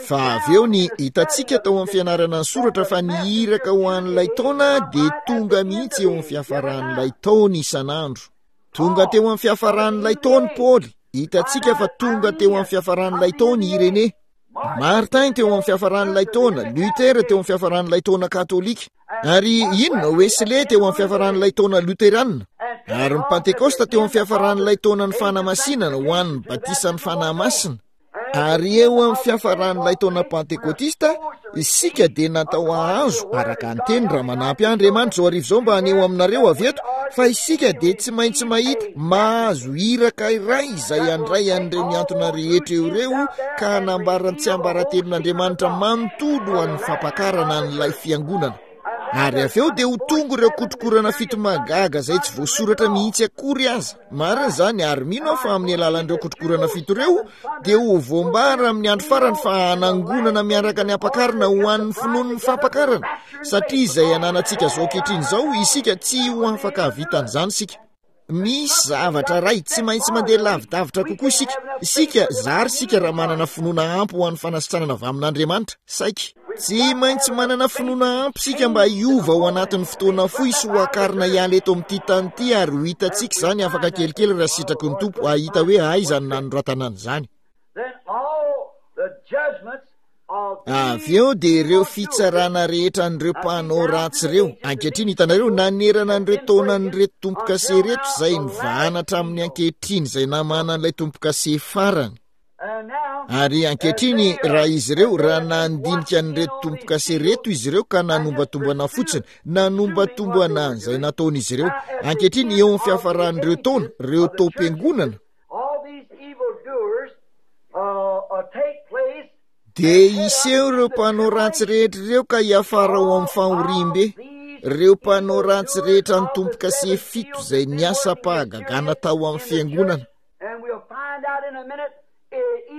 Speaker 1: Fa avy eo ny hitantsika tao amin'ny fianarana ny soratra fa ny iraka ho an'ilay taona dia tonga mihitsy eo amin'ny fiafaran'ilay taona isan'andro. Tonga teo amin'ny fiafaran'ilay taona Paoly. Hitantsika fa tonga teo amin'ny fiafaran'ilay taona i Irénée. Martin teo amin'ny fiafaran'ilay taona, Luther teo amin'ny fiafaran'ilay taona katolika, ary inona Wesley teo amin'ny fiafaran'ilay taona luterana, ary ny Pentekosta teo amin'ny fiafaran'ilay taonan'ny fanamasinana ho an'ny batisan'ny Fanahy Masina. Ary eo amin'ny fiafaran'ilay taona Pantekotista, isika dia natao hahazo, araka ny teny, raha manampy ahy Andriamanitra izao hariva izao mba haneho aminareo avy eto, fa isika dia tsy maintsy mahita, mahazo iraka iray izay handray an'ireo mihantona rehetra eo ireo ka hanambara ny tsiambaratelon'Andriamanitra manontolo ho an'ny fampakarana an'ilay fiangonana. Ary avy eo dia ho tonga ireo kotrokorana fito mahagaga izay tsy voasoratra mihitsy akory aza. Marina izany, ary mino aho fa amin'ny alalan'ireo kotrokorana fito ireo dia ho voambara amin'ny andro farany fa hanangonana miaraka ny ampakarina ho an'ny finoan'ny fampakarana, satria izay ananantsika izao ankehitriny izao, isika tsy ho afaka hahavita an'izany isika. Misy zavatra iray, tsy maintsy mandeha lavidavitra kokoa isika. Isika, zary isika raha manana finoana ampy ho an'ny fanasitranana avy amin'Andriamanitra, saiky. Tsy maintsy manana finoana ampy isika mba hiova ao anatin'ny fotoana fohy sy ho akarina hiala eto amin'ity tany ity, ary ho hitantsika izany afaka kelikely raha sitraky ny Tompo hahita hoe aiza no nanoratana an'izany. Avy eo dia ireo fitsarana rehetra an'ireo mpanao ratsy ireo. Ankehitriny hitanareo, nanerana an'ireo taonan'ireto tombo-kase ireto izay nivahana hatramin'ny ankehitriny izay namana an'ilay tombo-kase farany. Ary ankehitriny raha izy ireo, raha nandinika an'ireto tombo-kase ireto izy ireo ka nanombatombana fotsiny, nanombatombana an'izay nataon'izy ireo. Ankehitriny eo amin'ny fiafaran'ireo taona, ireo taom-piangonana, dia hiseho ireo mpanao ratsy rehetra ireo ka hiafara ao amin'ny fahoriambe. Ireo mpanao ratsy rehetra ny tombo-kase fito izay niasa-pahagagana tao amin'ny fiangonana.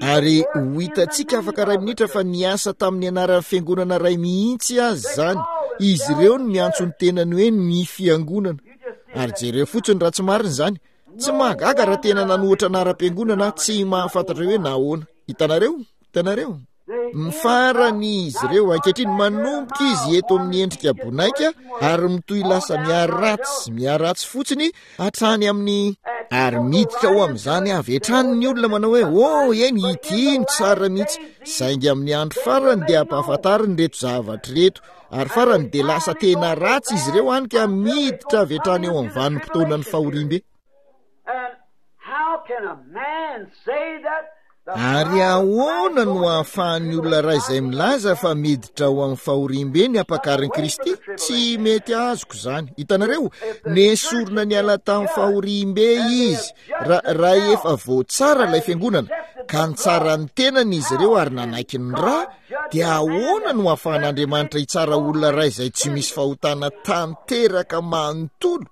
Speaker 1: Ary ho hitantsika afaka iray minitra fa niasa tamin'ny anaran'ny fiangonana iray mihitsy aza izany. Izy ireo no miantso ny tenany hoe ny fiangonana. Ary jereo fotsiny raha tsy marina izany. Tsy mahagaga raha tena nanohitra anaram-piangonana tsy mahafantatra hoe nahoana. Hitanareo? Hitanareo? Mifarany izy ireo. Ankehitriny manomboka izy eto amin'ny endrika bonaika ary mitohy lasa miharatsy, miharatsy fotsiny hatrany amin'ny, ary miditra ao amin'izany avy hatrany ny olona manao hoe, oh, eny, ity no tsara mihitsy. Saingy amin'ny andro farany dia ampahafantariny ireto zavatra ireto. Ary farany dia lasa tena ratsy izy ireo hany ka miditra avy hatrany eo amin'ny vanim-potoanan'ny fahoriambe. Ary ahoana no ahafahan'ny olona iray izay milaza fa miditra ao amin'ny fahoriambe ny ampakarin'i Kristy? Tsy mety azoko izany. Hitanareo, nesorina niala tamin'ny fahoriambe izy, ra-, raha efa voatsara ilay fiangonana, ka nitsara ny tenany izy ireo ary nanaiky ny ra, dia ahoana no ahafahan'Andriamanitra hitsara olona iray izay tsy misy fahotana tanteraka manontolo?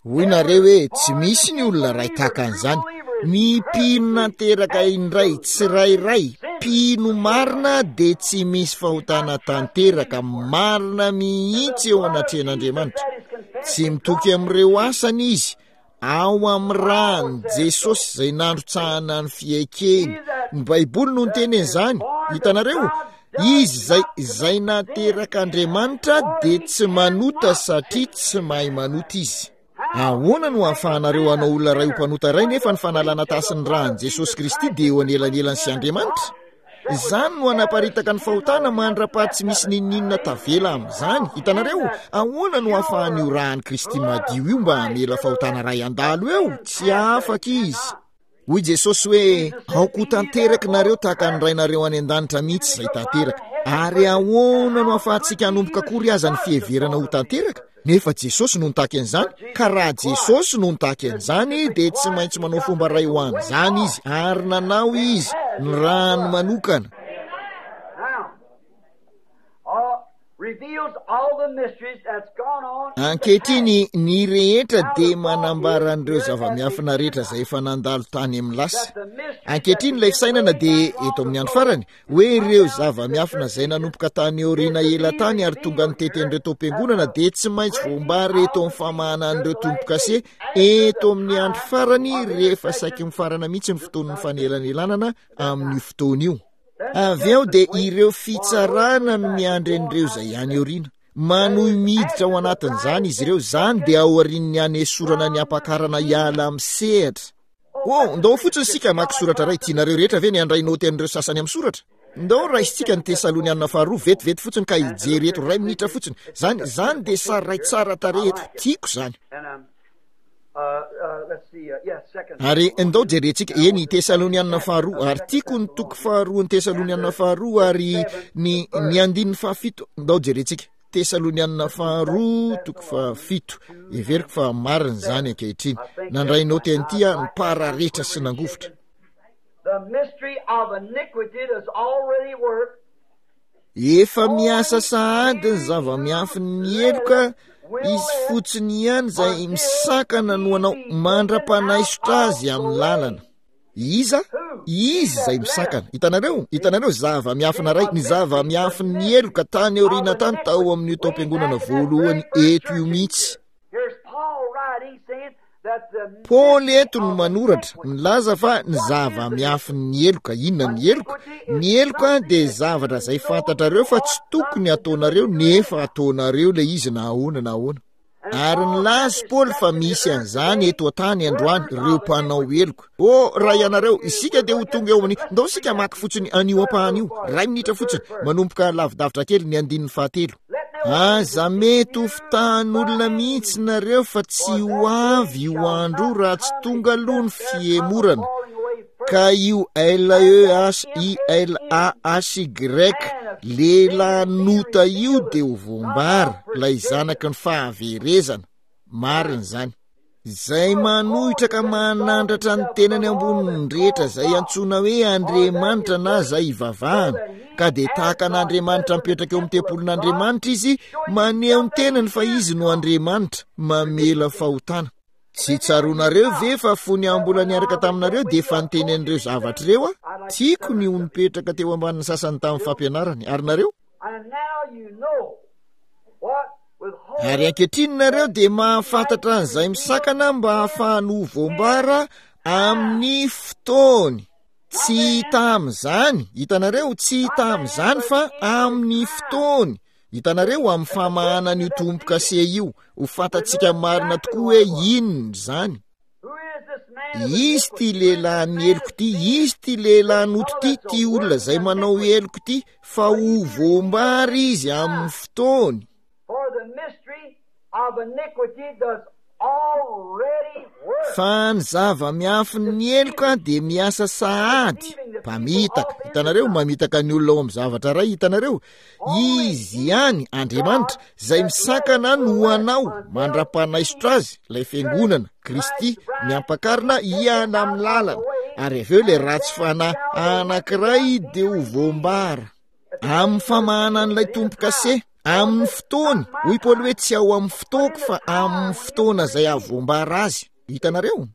Speaker 1: Hoy nareo hoe tsy misy ny olona iray tahaka an'izany. Ny mpino nanteraka indray tsirairay, mpino marina dia tsy misy fahotana tanteraka marina mihitsy eo anatrehan'Andriamanitra. Tsy mitoky amin'ireo asany izy, ao amin'ny ràn'i Jesosy izay nandrotsahana ny fiaikeny. Ny Baiboly no niteny an'izany. Hitanareo? Izy izay, izay naterak'Andriamanitra dia tsy manota satria tsy mahay manota izy. Ahoana no ahafahanareo hanao olona iray ho mpanota iray nefa ny fanalana tasin'ny ràn'i Jesosy Kristy dia eo anelanelany sy Andriamanitra? Izany no hanaparitaka ny fahotana mandra-paha tsy misy n'inon'inona tavela amin'izany. Hitanareo? Ahoana no ahafahan'io ràn'i Kristy madio io mba hamela fahotana iray handalo eo? Tsy afaka izy. Hoy Jesosy hoe, aoka ho tanteraka nareo tahaka ny Rainareo any an-danitra mihitsy izay tanteraka. Ary ahoana no ahafahantsika hanomboka akory aza ny fiheverana ho tanteraka? Nefa Jesosy no nitaky an'izany, ka raha Jesosy no nitaky an'izany dia tsy maintsy manao fomba iray ho an'izany Izy, ary nanao Izy, ny ràny manokana. Ankehitriny, ny rehetra dia manambara an'ireo zava-miafina rehetra izay efa nandalo tany amin'ny lasa. Ankehitriny ilay fisainana dia eto amin'ny andro farany, hoe ireo zava-miafina izay nanomboka tany aoriana ela tany ary tonga nitety an'ireo taom-piangonana dia tsy maintsy voambara eto amin'ny famahana an'ireo tombo-kase eto amin'ny andro farany rehefa saiky mifarana mihitsy ny fotoan'ny fanelanelanana amin'io fotoana io. Avy eo dia ireo fitsarana no miandry an'ireo izay any aoriana. Manohy miditra ao anatin'izany izy ireo. Izany dia aorian'ny hanesorana ny ampakarana hiala amin'ny sehatra. Oh, ndao fotsiny isika hamaky soratra iray. Tianareo rehetra ve ny handray naoty an'ireo sasany amin'ny soratra? Ndao raisintsika ny Tesaloniana faharoa vetivety fotsiny ka hijery eto iray minitra fotsiny. Izany, izany dia sary iray tsara tarehy eto. Tiako izany. Ary ndao jerentsika, eny, Tesaloniana faharoa, ary tiako ny toko faharoan'ny Tesaloniana faharoa ary ny, ny andininy fahafito. Ndao jerentsika. Tesaloniana faharoa, toko fahafito. Heveriko fa marina izany ankehitriny. Nandray naoty an'ity aho, nipararetra sy nangovitra.
Speaker 2: The mystery of iniquity does already work.
Speaker 1: Efa miasa sahady ny zava-miafin'ny heloka, izy fotsiny ihany izay misakana no hanao mandra-panaisotra azy amin'ny lalana. Iza? Izy izay misakana. Hitanareo? Hitanareo? Zava-miafina iray, ny zava-miafin'ny heloka tany aoriana tany tao amin'io taom-piangonana voalohany eto io mihitsy. Paoly eto no manoratra, milaza fa ny zava-miafin'ny heloka. Inona ny heloka? Ny heloka dia zavatra izay fantatrareo fa tsy tokony ataonareo, nefa ataonareo ilay izy na ahoana na ahoana. Ary nilaza Paoly fa misy an'izany eto an-tany androany, ireo mpanao heloka. Oh, raha ianareo, isika dia ho tonga eo amin'ny, ndao isika maka fotsiny an'io ampahany io, iray minitra fotsiny, manomboka lavidavitra kely ny andininy fahatelo. Aza mety ho fitahan'olona mihitsy nareo fa tsy ho avy io andro raha tsy tonga aloha ny fihemorana. Ka io L E H I L A H Y lehilahy io dia ho voambara, ilay zanaky ny fahaverezana. Marina izany. Izay manohitra ka manandratra ny tenany ambonin'ny rehetra izay antsoina hoe Andriamanitra na izay ivavahana, ka dia tahaka an'Andriamanitra mipetraka eo amin'ny tempolin'Andriamanitra izy, maneho ny tenany fa izy no Andriamanitra, mamela fahotana. Tsy tsaroanareo ve fa fony aho mbola niaraka taminareo dia efa niteny an'ireo zavatra ireo aho? Tiako ny ho nipetraka teo ambanin'ny sasany tamin'ny fampianarany. Ary nareo? Ary ankehitriny nareo dia mahafantatra an'izay misakana mba hahafahany ho voambara amin'ny fotoany. Tsy hita amin'izany, hitanareo, tsy hita amin'izany fa amin'ny fotoany. Hitanareo, amin'ny famahanana io tombo-kase io, ho fantatsika marina tokoa hoe inona izany. Izy ty lehilahy heloka ity, izy ty lehilahy noto ity, ty olona izay manao heloka ity, fa ho voambara izy amin'ny fotoany. Fa ny zava-miafin'ny heloka dia miasa sahady, mpamitaka. Hitanareo, mamitaka ny olona ao amin'ny zavatra iray, hitanareo. Izy ihany, Andriamanitra, izay misakana no ho anao mandra-panaisotra azy, ilay fiangonana, Kristy, miampakarina hiala amin'ny lalana. Ary avy eo ilay ratsy fanahy anankiray dia ho voambara. Amin'ny famahanan'ilay tombo-kase, amin'ny fotoany, hoy Paoly hoe tsy ao amin'ny fotoako fa amin'ny fotoana izay hahavoambara azy. Hitanareo?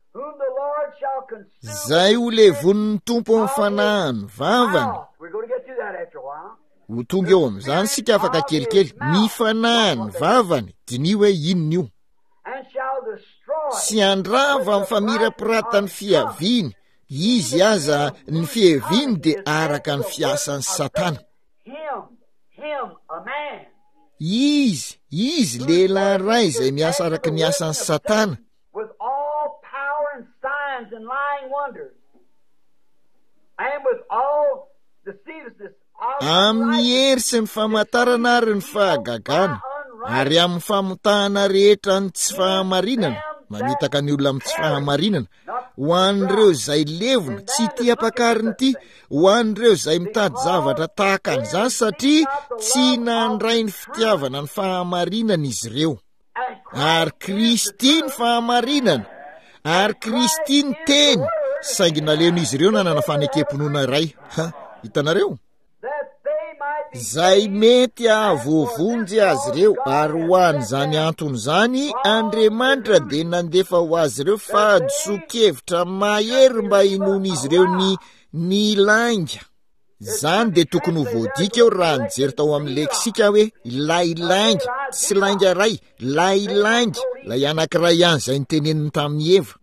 Speaker 1: Izay ho levonin'ny Tompo amin'ny fanahiny vavany. Ho tonga eo amin'izany isika afaka kelikely. Ny fanahiny vavany, diniho hoe inona io. Sy handrava amin'ny famirapiratan'ny fiaviany. Izy aza ny fiaviany dia araka ny fiasan'ny Satana. Izy, izy lehilahy iray izay miasa araka ny asan'ny Satana. Amin'ny hery sy ny famantarana ary ny fahagagana, ary amin'ny famotahana rehetra ny tsy fahamarinana, mamitaka ny olona amin'ny tsy fahamarinana, ho an'ireo izay levona, tsy ity ampakariny ity, ho an'ireo izay mitady zavatra tahaka an'izany, satria tsy nandray ny fitiavana ny fahamarinana izy ireo. Ary Kristy ny fahamarinana, ary Kristy ny teny, saingy naleon'izy ireo nanana fanekem-pinoana iray. Ha, hitanareo? Izay mety hahavoavonjy azy ireo, ary ho an'izany antony izany, Andriamanitra dia nandefa ho azy ireo fahadisoan-kevitra mahery mba hinoan'izy ireo ny ny lainga. Izany dia tokony ho voadika eo raha nijery tao amin'ny leksika hoe ilay lainga, tsy lainga iray, ilay lainga, ilay anankiray ihany izay niteneniny tamin'i Eva.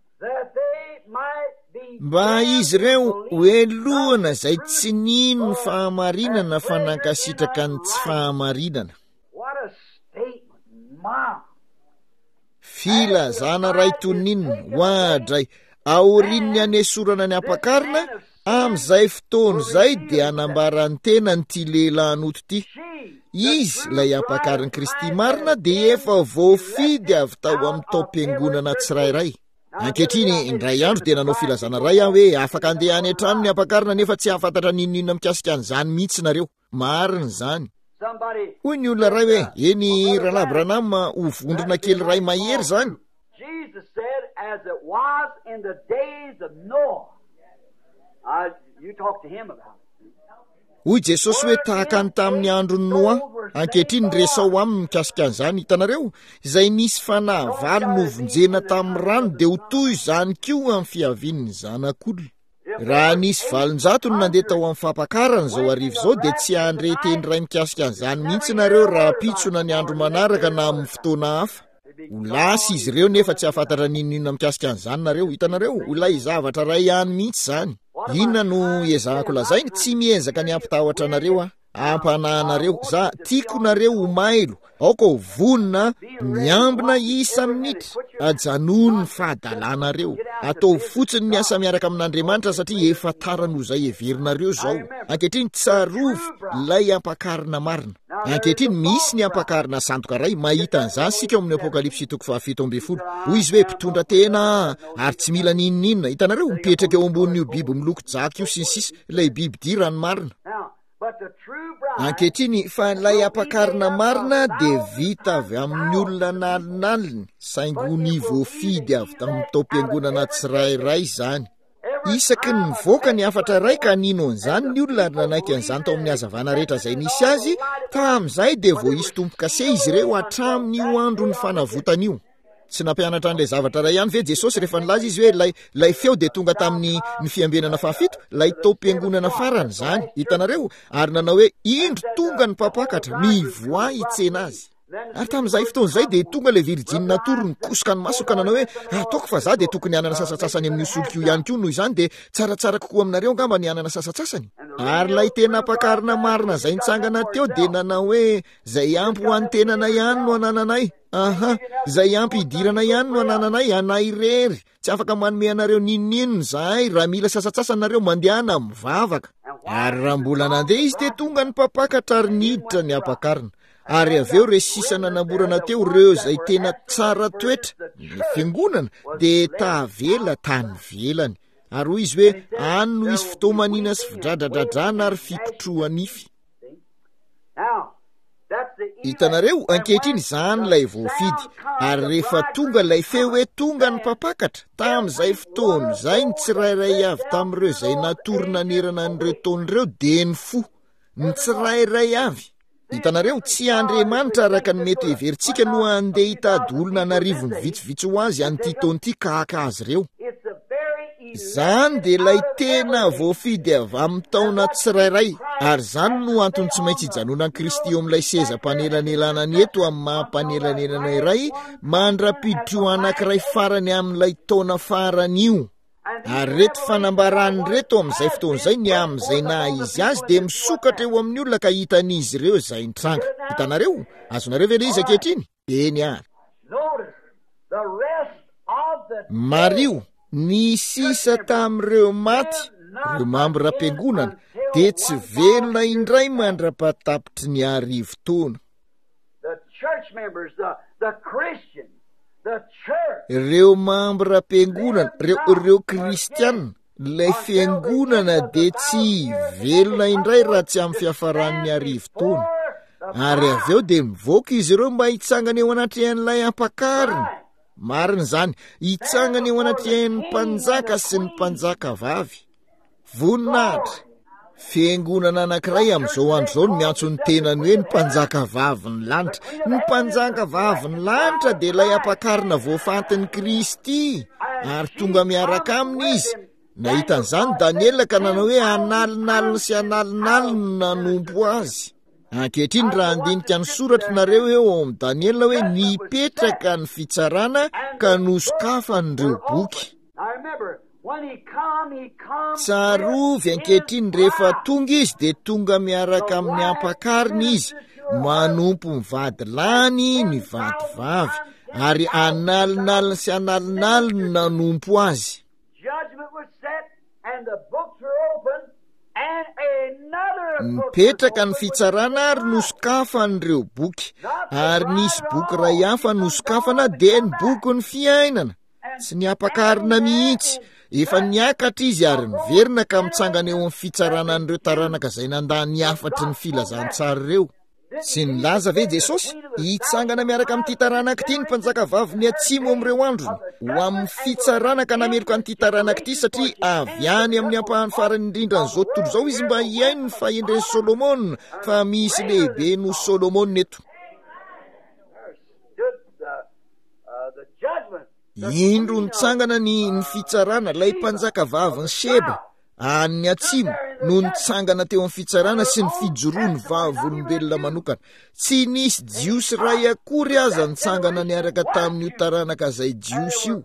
Speaker 1: Mba izy ireo ho helohana izay tsy nino ny fahamarinana fa nankasitraka ny tsy fahamarinana. Filazana iray toy ny inona, oadray, aorian'ny hanesorana ny ampakarina, amin'izay fotoana izay dia hanambara ny tenany ity lehilahy noto ity. Izy, ilay ampakarin'i Kristy marina, dia efa voafidy avy tao amin'ny taom-piangonana tsirairay. Ankehitriny, indray andro dia nanao filazana iray aho hoe afaka handeha any an-trano ny ampakarina nefa tsy hahafantatra n'inon'inona mikasika an'izany mihitsy nareo. Marina izany. Hoy ny olona iray hoe, eny, Rahalahy Branham, ho vondrona kely iray mahery izany. Hoy Jesosy hoe tahaka ny tamin'ny andron'i Noa. Ankehitriny resaho aminy mikasika an'izany, hitanareo? Izay nisy fanahy valo novonjena tamin'ny rano dia ho toy izany koa amin'ny fiavian'ny Zanak'olona. Raha nisy valonjato no nandeha tao amin'ny fampakarana izao hariva izao dia tsy handre teny iray mikasika an'izany mihitsy nareo rahampitso na ny andro manaraka na amin'ny fotoana hafa. Ho lasa izy ireo nefa tsy hahafantatra n'inon'inona mikasika an'izany nareo. Hitanareo, ilay zavatra iray ihany mihitsy izany. Inona no ezahako lazaina? Tsy miezaka ny hampitahotra anareo aho, hampanahy anareo. Za tiako nareo ho mailo, aoka ho vonona miambina isa-minitra. Ajanony ny fahadalanareo. Ataovy fotsiny ny asa miaraka amin'Andriamanitra satria efa tara noho izay heverinareo izao. Ankehitriny tsarovy ilay ampakarina marina. Ankehitriny misy ny ampakarina sandoka iray, mahita an'izany isika ao amin'ny Apokalypsy toko fahafito ambin'ny folo. Hoy izy hoe mpitondra tena ary tsy mila n'inon'inona. Hitanareo, mipetraka eo ambonin'io biby miloko jaky io sy ny sisa, ilay biby dia raha ny marina. Ankehitriny, fa ilay ampakarina marina dia vita avy amin'ny olona nalinaliny, saingy ho ny voafidy avy tamin'ny taom-piangonana tsirairay izany. Isaky ny nivoaka ny hafatra iray ka nino an'izany ny olona ary nanaiky an'izany tao amin'ny hazavana rehetra izay nisy azy, tamin'izay dia voaisy tombo-kase izy ireo hatramin'io andron'ny fanavotana io. Tsy nampianatra an'ilay zavatra iray ihany ve Jesosy rehefa nilaza izy hoe ilay, ilay feo dia tonga tamin'ny ny fiambenana fahafito, ilay taom-piangonana farany izany, hitanareo, ary nanao hoe indro tonga ny mpampakatra, mivoaha hitsena azy. Ary tamin'izay fotoana izay dia tonga ilay virjiny natory nikosoka ny masony ka nanao hoe ataoko fa za dia tokony hanana sasantsasany amin'io solika io ihany koa, noho izany dia tsaratsara kokoa aminareo angamba ny hanana sasantsasany. Ary ilay tena ampakarina marina izay nitsangana teo dia nanao hoe izay ampy ho an'ny tenanay ihany no anananay. Aha, izay ampy hidirana ihany no anananay, anay irery. Tsy afaka manome anareo n'inon'inona izahay. Raha mila sasantsasany nareo, mandehana mivavaka. Ary raha mbola nandeha izy dia tonga ny mpampakatra ary niditra ny ampakarina. Ary avy eo ireo sisa nanamborana teo, ireo izay tena tsara toetra, ny fiangonana, dia tavela tany ivelany. Ary hoy izy hoe, any no hisy fitomanina sy fidradradradrana ary fikotroha-nify. Hitanareo, ankehitriny izany ilay voafidy. Ary rehefa tonga ilay feo hoe tonga ny mpampakatra, tamin'izay fotoana izay ny tsirairay avy tamin'ireo izay natory nanerana an'ireo taona ireo dia nifoha. Ny tsirairay avy. Hitanareo, tsy Andriamanitra araka ny mety heverintsika no handeha hitady olona an'arivony vitsivitsy ho azy an'ity taona ity ka haka azy ireo. Izany dia ilay tena voafidy avy amin'ny taona tsirairay, ary izany no antony tsy maintsy hijanonan'i Kristy eo amin'ilay seza mpanelanelana eto amin'ny maha mpanelanelana iray mandra-piditro anankiray farany amin'ilay taona farany io. Ary ireto fanambarany ireto amin'izay fotoana izay ny amin'izay naha izy azy dia misokatra eo amin'ny olona ka hitan'izy ireo izay nitranga. Hitanareo? Azonareo ve ilay izy ankehitriny? Eny ary. Mariho, ny sisa tamin'ireo maty, ireo mambram-piangonana, dia tsy velona indray mandra-pahatapitry ny arivo taona. Ireo mambram-piangonana, ireo, ireo kristiana, ilay fiangonana dia tsy velona indray raha tsy amin'ny fiafaran'ny arivo taona. Ary avy eo dia mivoaka izy ireo mba hitsangana eo anatrehan'ilay ampakarina. Marina izany, hitsangana eo anatrehan'ny mpanjaka sy ny mpanjaka vavy. Voninahitra! Fiangonana anankiray amin'izao andro izao no miantso ny tenany hoe ny mpanjaka vavin'ny lanitra. Ny mpanjaka vavin'ny lanitra dia ilay ampakarina voafantin'i Kristy, ary tonga miaraka aminy izy. Nahita an'izany Daniela ka nanao hoe analinaliny sy analinaliny no nanompo azy. Ankehitriny raha handinika ny soratra nareo eo ao amin'i Daniela hoe nipetraka ny fitsarana ka nosokafan'ireo boky. Tsarovy ankehitriny rehefa tonga izy dia tonga miaraka amin'ny ampakarina izy, manompo ny vady lany ny vady vavy, ary analinaliny sy analinaliny nanompo azy. Nipetraka ny fitsarana ary nosokafan'ireo boky, ary nisy boky iray hafa nosokafana dia ny bokin'ny fiainana. Tsy niampakarina mihitsy, efa niakatra izy ary niverina ka mitsangana eo amin'ny fitsarana an'ireo taranaka izay nandà ny hafatry ny filazantsara ireo. Tsy nilaza ve Jesosy, hitsangana miaraka amin'ity taranaka ity ny mpanjaka vavin'ny atsimo amin'ireo androny, ho amin'ny fitsarana ka nameloka an'ity taranaka ity satria avy any amin'ny ampahany farany indrindra an'izao tontolo izao izy mba hihaino ny fahendren'i Solomona, fa misy lehibe noho Solomona eto. Indro nitsangana ny ny fitsarana, ilay mpanjaka vavin'i Sheba, any atsimo, no nitsangana teo amin'ny fitsarana sy ny fijoroany vavolombelona manokana. Tsy nisy Jiosy iray akory aza nitsangana niaraka tamin'io taranaka izay Jiosy io,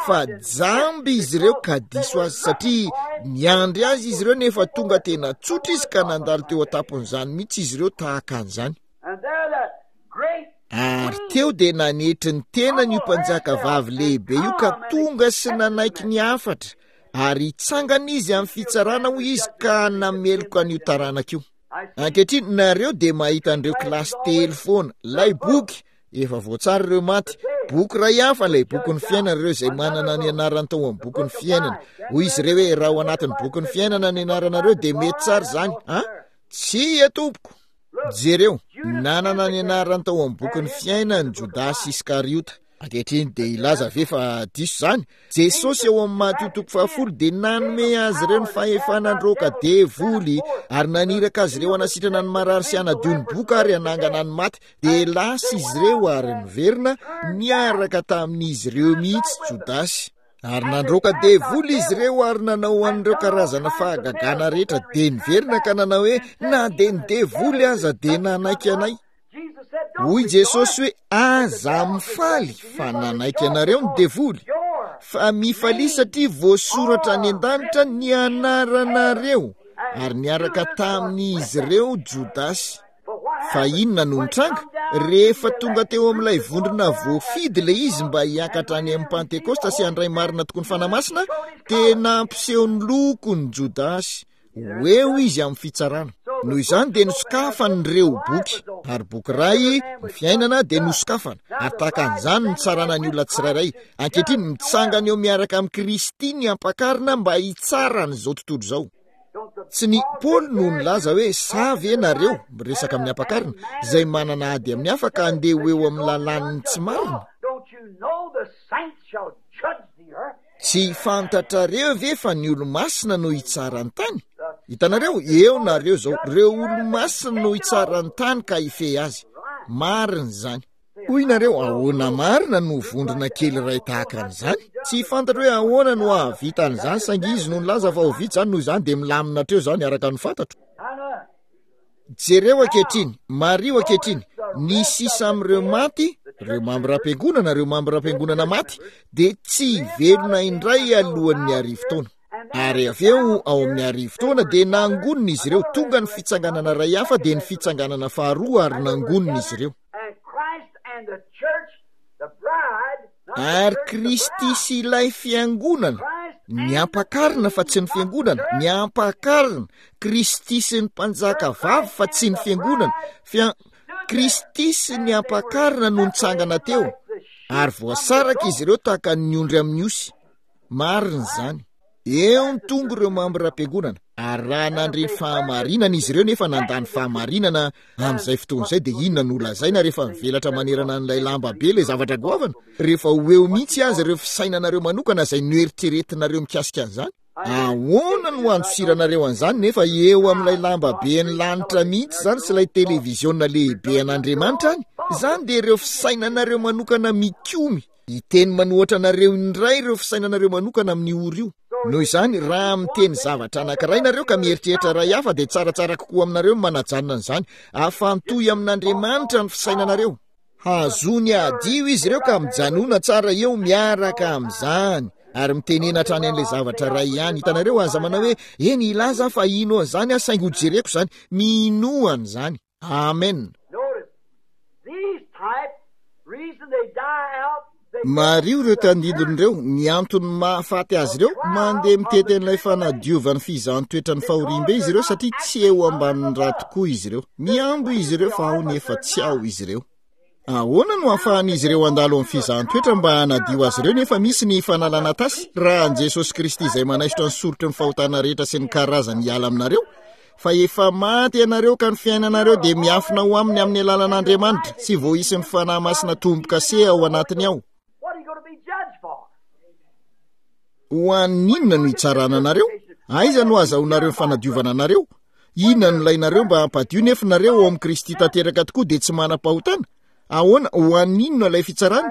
Speaker 1: fa jamba izy ireo ka diso azy, satria niandry azy izy ireo nefa tonga tena tsotra izy ka nandalo teo an-tampon'izany mihitsy izy ireo tahaka an'izany. Ary teo dia nanetry ny tenany io mpanjaka vavy lehibe io ka tonga sy nanaiky ny hafatra, ary hitsangana izy amin'ny fitsarana hoy izy ka nameloka an'io taranaka io. Ankehitriny nareo dia mahita an'ireo kilasy telo foana, ilay boky efa voatsara ireo maty, boky iray hafa ilay bokin'ny fiainana ireo izay manana ny anarany tao amin'ny bokin'ny fiainana. Hoy izy ireo hoe raha ao anatin'ny bokin'ny fiainana ny anaranareo dia mety tsara izany. Ha? Tsia tompoko. Jereo, nanana ny anarany tao amin'ny bokin'ny fiainany Jodasy Iskariota. Ankehitriny dia hilaza ve fa diso izany? Jesosy eo amin'ny Matio toko fahafolo dia nanome azy ireo ny fahefana handroaka devoly ary naniraka azy ireo hanasitrana ny marary sy hanadio ny boka ary hanangana ny maty. Dia lasa izy ireo ary niverina niaraka tamin'izy ireo mihitsy Jodasy. Ary nandroaka devoly izy ireo ary nanao an'ireo karazana fahagagana rehetra, dia niverina ka nanao hoe na dia ny devoly aza dia nanaiky anay. Hoy Jesosy hoe aza mifaly fa nanaiky anareo ny devoly, fa mifalia satria voasoratra any an-danitra ny anaranareo. Ary niaraka tamin'izy ireo Jodasy. Fa inona no nitranga? Rehefa tonga teo amin'ilay vondrona voafidy ilay izy mba hiakatra any amin'ny Pantekosta sy handray marina tokoa ny Fanahy Masina, dia nampiseho ny lokony Jodasy. Ho eo izy amin'ny fitsarana. Noho izany dia nosokafany ireo boky, ary boky iray, ny fiainana, dia nosokafana. Ary tahaka an'izany no nitsarana ny olona tsirairay. Ankehitriny, mitsangana eo miaraka amin'i Kristy ny ampakarina mba hitsara an'izao tontolo izao. Tsy ny Paoly no nilaza hoe sa ve nareo, miresaka amin'ny ampakarina, izay manana ady amin'ny hafa ka handeha ho eo amin'ny lalàn'ny tsy marina? Tsy fantatrareo ve fa ny olo-masina no hitsara ny tany? Hitanareo, eo nareo izao, ireo olo-masina no hitsara ny tany ka hifehy azy. Marina izany. Hoy nareo, ahoana marina no vondrona kely iray tahaka an'izany? Tsy fantatro hoe ahoana no hahavita an'izany, saingy izy no nilaza fa ho vita izany, noho izany dia milamina hatreo izany araka ny fantatro. Jereo ankehitriny, mariho ankehitriny, ny sisa amin'ireo maty, ireo mambram-piangonana, ireo mambram-piangonana maty, dia tsy hivelona indray alohan'ny arivo taona. Ary avy eo, ao amin'ny arivo taona, dia nangonina izy ireo, tonga ny fitsanganana iray hafa, dia ny fitsanganana faharoa, ary nangonina izy ireo. Ary Kristy sy ilay fiangonana, ny ampakarina fa tsy ny fiangonana, ny ampakarina, Kristy sy ny mpanjaka vavy fa tsy ny fiangonana, Fia-, Kristy sy ny ampakarina no nitsangana teo, ary voasaraka izy ireo tahaka ny ondry amin'ny osy. Marina izany. Eo ny tongo ireo mambram-piangonana, ary raha nandre ny fahamarinana izy ireo nefa nandà ny fahamarinana amin'izay fotoana izay, dia inona no lazaina rehefa mivelatra manerana an'ilay lamba be ilay zavatra goavana? Rehefa ho eo mihitsy aza ireo fisainanareo manokana izay noeritreretinareo mikasika an'izany, ahoana no handosiranareo an'izany nefa eo amin'ilay lamba be ny lanitra mihitsy izany sy ilay televiziona lehibe an'Andriamanitra any? Izany dia ireo fisainanareo manokana mikomy. Hiteny manohatra anareo indray ireo fisainanareo manokana amin'io ora io. Noho izany, raha miteny zavatra anankiray nareo ka mieritreritra iray hafa, dia tsaratsara kokoa aminareo ny manajanona an'izany. Afantohy amin'Andriamanitra ny fisainanareo. Hazony hadio izy ireo ka mijanona tsara eo miaraka amin'izany. Ary mitenena hatrany an'ilay zavatra iray ihany. Hitanareo, aza manao hoe, Eny, hilaza aho fa hino an'izany aho, saingy hojereko izany. Minoa an'izany. Amen. Mariho ireo tandindona ireo, ny antony mahafaty azy ireo, mandeha mitety an'ilay fanadiovan'ny fizahan-toetra ny fahoriambe izy ireo satria tsy eo ambanin'ny ra tokoa izy ireo. Mihambo izy ireo fa ao nefa tsy ao izy ireo. Ahoana no ahafahan'izy ireo handalo amin'ny fizahan-toetra mba hanadio azy ireo nefa misy ny fanalana tasy raha an'i Jesosy Kristy izay manaisotra ny sorotry ny fahotana rehetra sy ny karazany hiala aminareo? Fa efa maty ianareo ka ny fiainanareo dia miafina ho aminy amin'ny alalan'Andriamanitra sy voahisin'ny Fanahy Masina tombo-kase ao anatiny ao. Ho an'ny inona no hitsarana anareo? Aiza no azahoanareo ny fanadiovana anareo? Inona no ilainareo mba hampadio nefa nareo ao amin'i Kristy tanteraka tokoa dia tsy manam-pahotana? Ahoana, ho an'ny inona ilay fitsarana?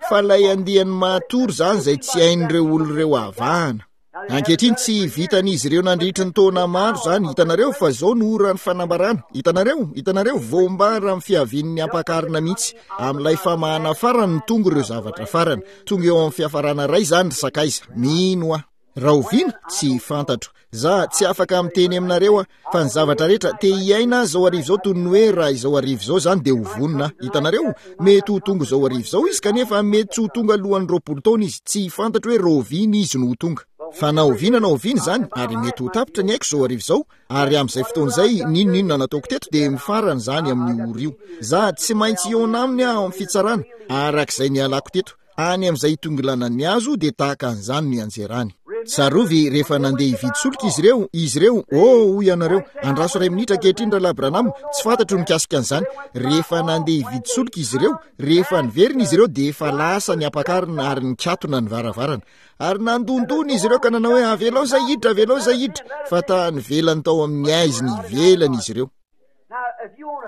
Speaker 1: Fa ilay andiany matory izany izay tsy hain'ireo olona ireo avahana. Ankehitriny tsy vitan'izy ireo nandritry ny taona maro izany, hitanareo, fa izao no oran'ny fanambarana. Hitanareo, hitanareo, voambara amin'ny fiavian'ny ampakarina mihitsy. Amin'ilay famahana farany no tonga ireo zavatra farany. Tonga eo amin'ny fiafarana iray izany ry sakaiza. Mino aho. Rahoviana? Tsy fantatro. Za tsy afaka miteny aminareo aho, fa ny zavatra rehetra te hiaina aho izao hariva izao toy ny hoe raha izao hariva izao izany dia ho vonona aho. Hitanareo? Mety ho tonga izao hariva izao izy kanefa mety tsy ho tonga alohan'ny roapolo taona izy. Tsy fantatro hoe rahoviana izy no ho tonga. Fa na oviana na oviana izany, ary mety ho tapitra ny aiko izao hariva izao, ary amin'izay fotoana izay, n'inon'inona nataoko teto dia mifarana izany amin'io ora io. Za tsy maintsy hihaona aminy aho amin'ny fitsarana, arak'izay nialako teto. Any amin'izay hitongilanan'ny hazo dia tahaka an'izany no ianjerany. Tsarovy rehefa nandeha hividy solika izy ireo, izy ireo, oh, hoy ianareo, andraso iray minitra ankehitriny Rahalahy Branham, tsy fantatro ny mikasika an'izany. Rehefa nandeha hividy solika izy ireo, rehefa niverina izy ireo dia efa lasa ny ampakarina ary nikatona ny varavarana. Ary nandondona izy ireo ka nanao hoe, avelao izay hiditra, avelao izay hiditra, fa tany ivelany tao amin'ny haizina ivelany izy ireo.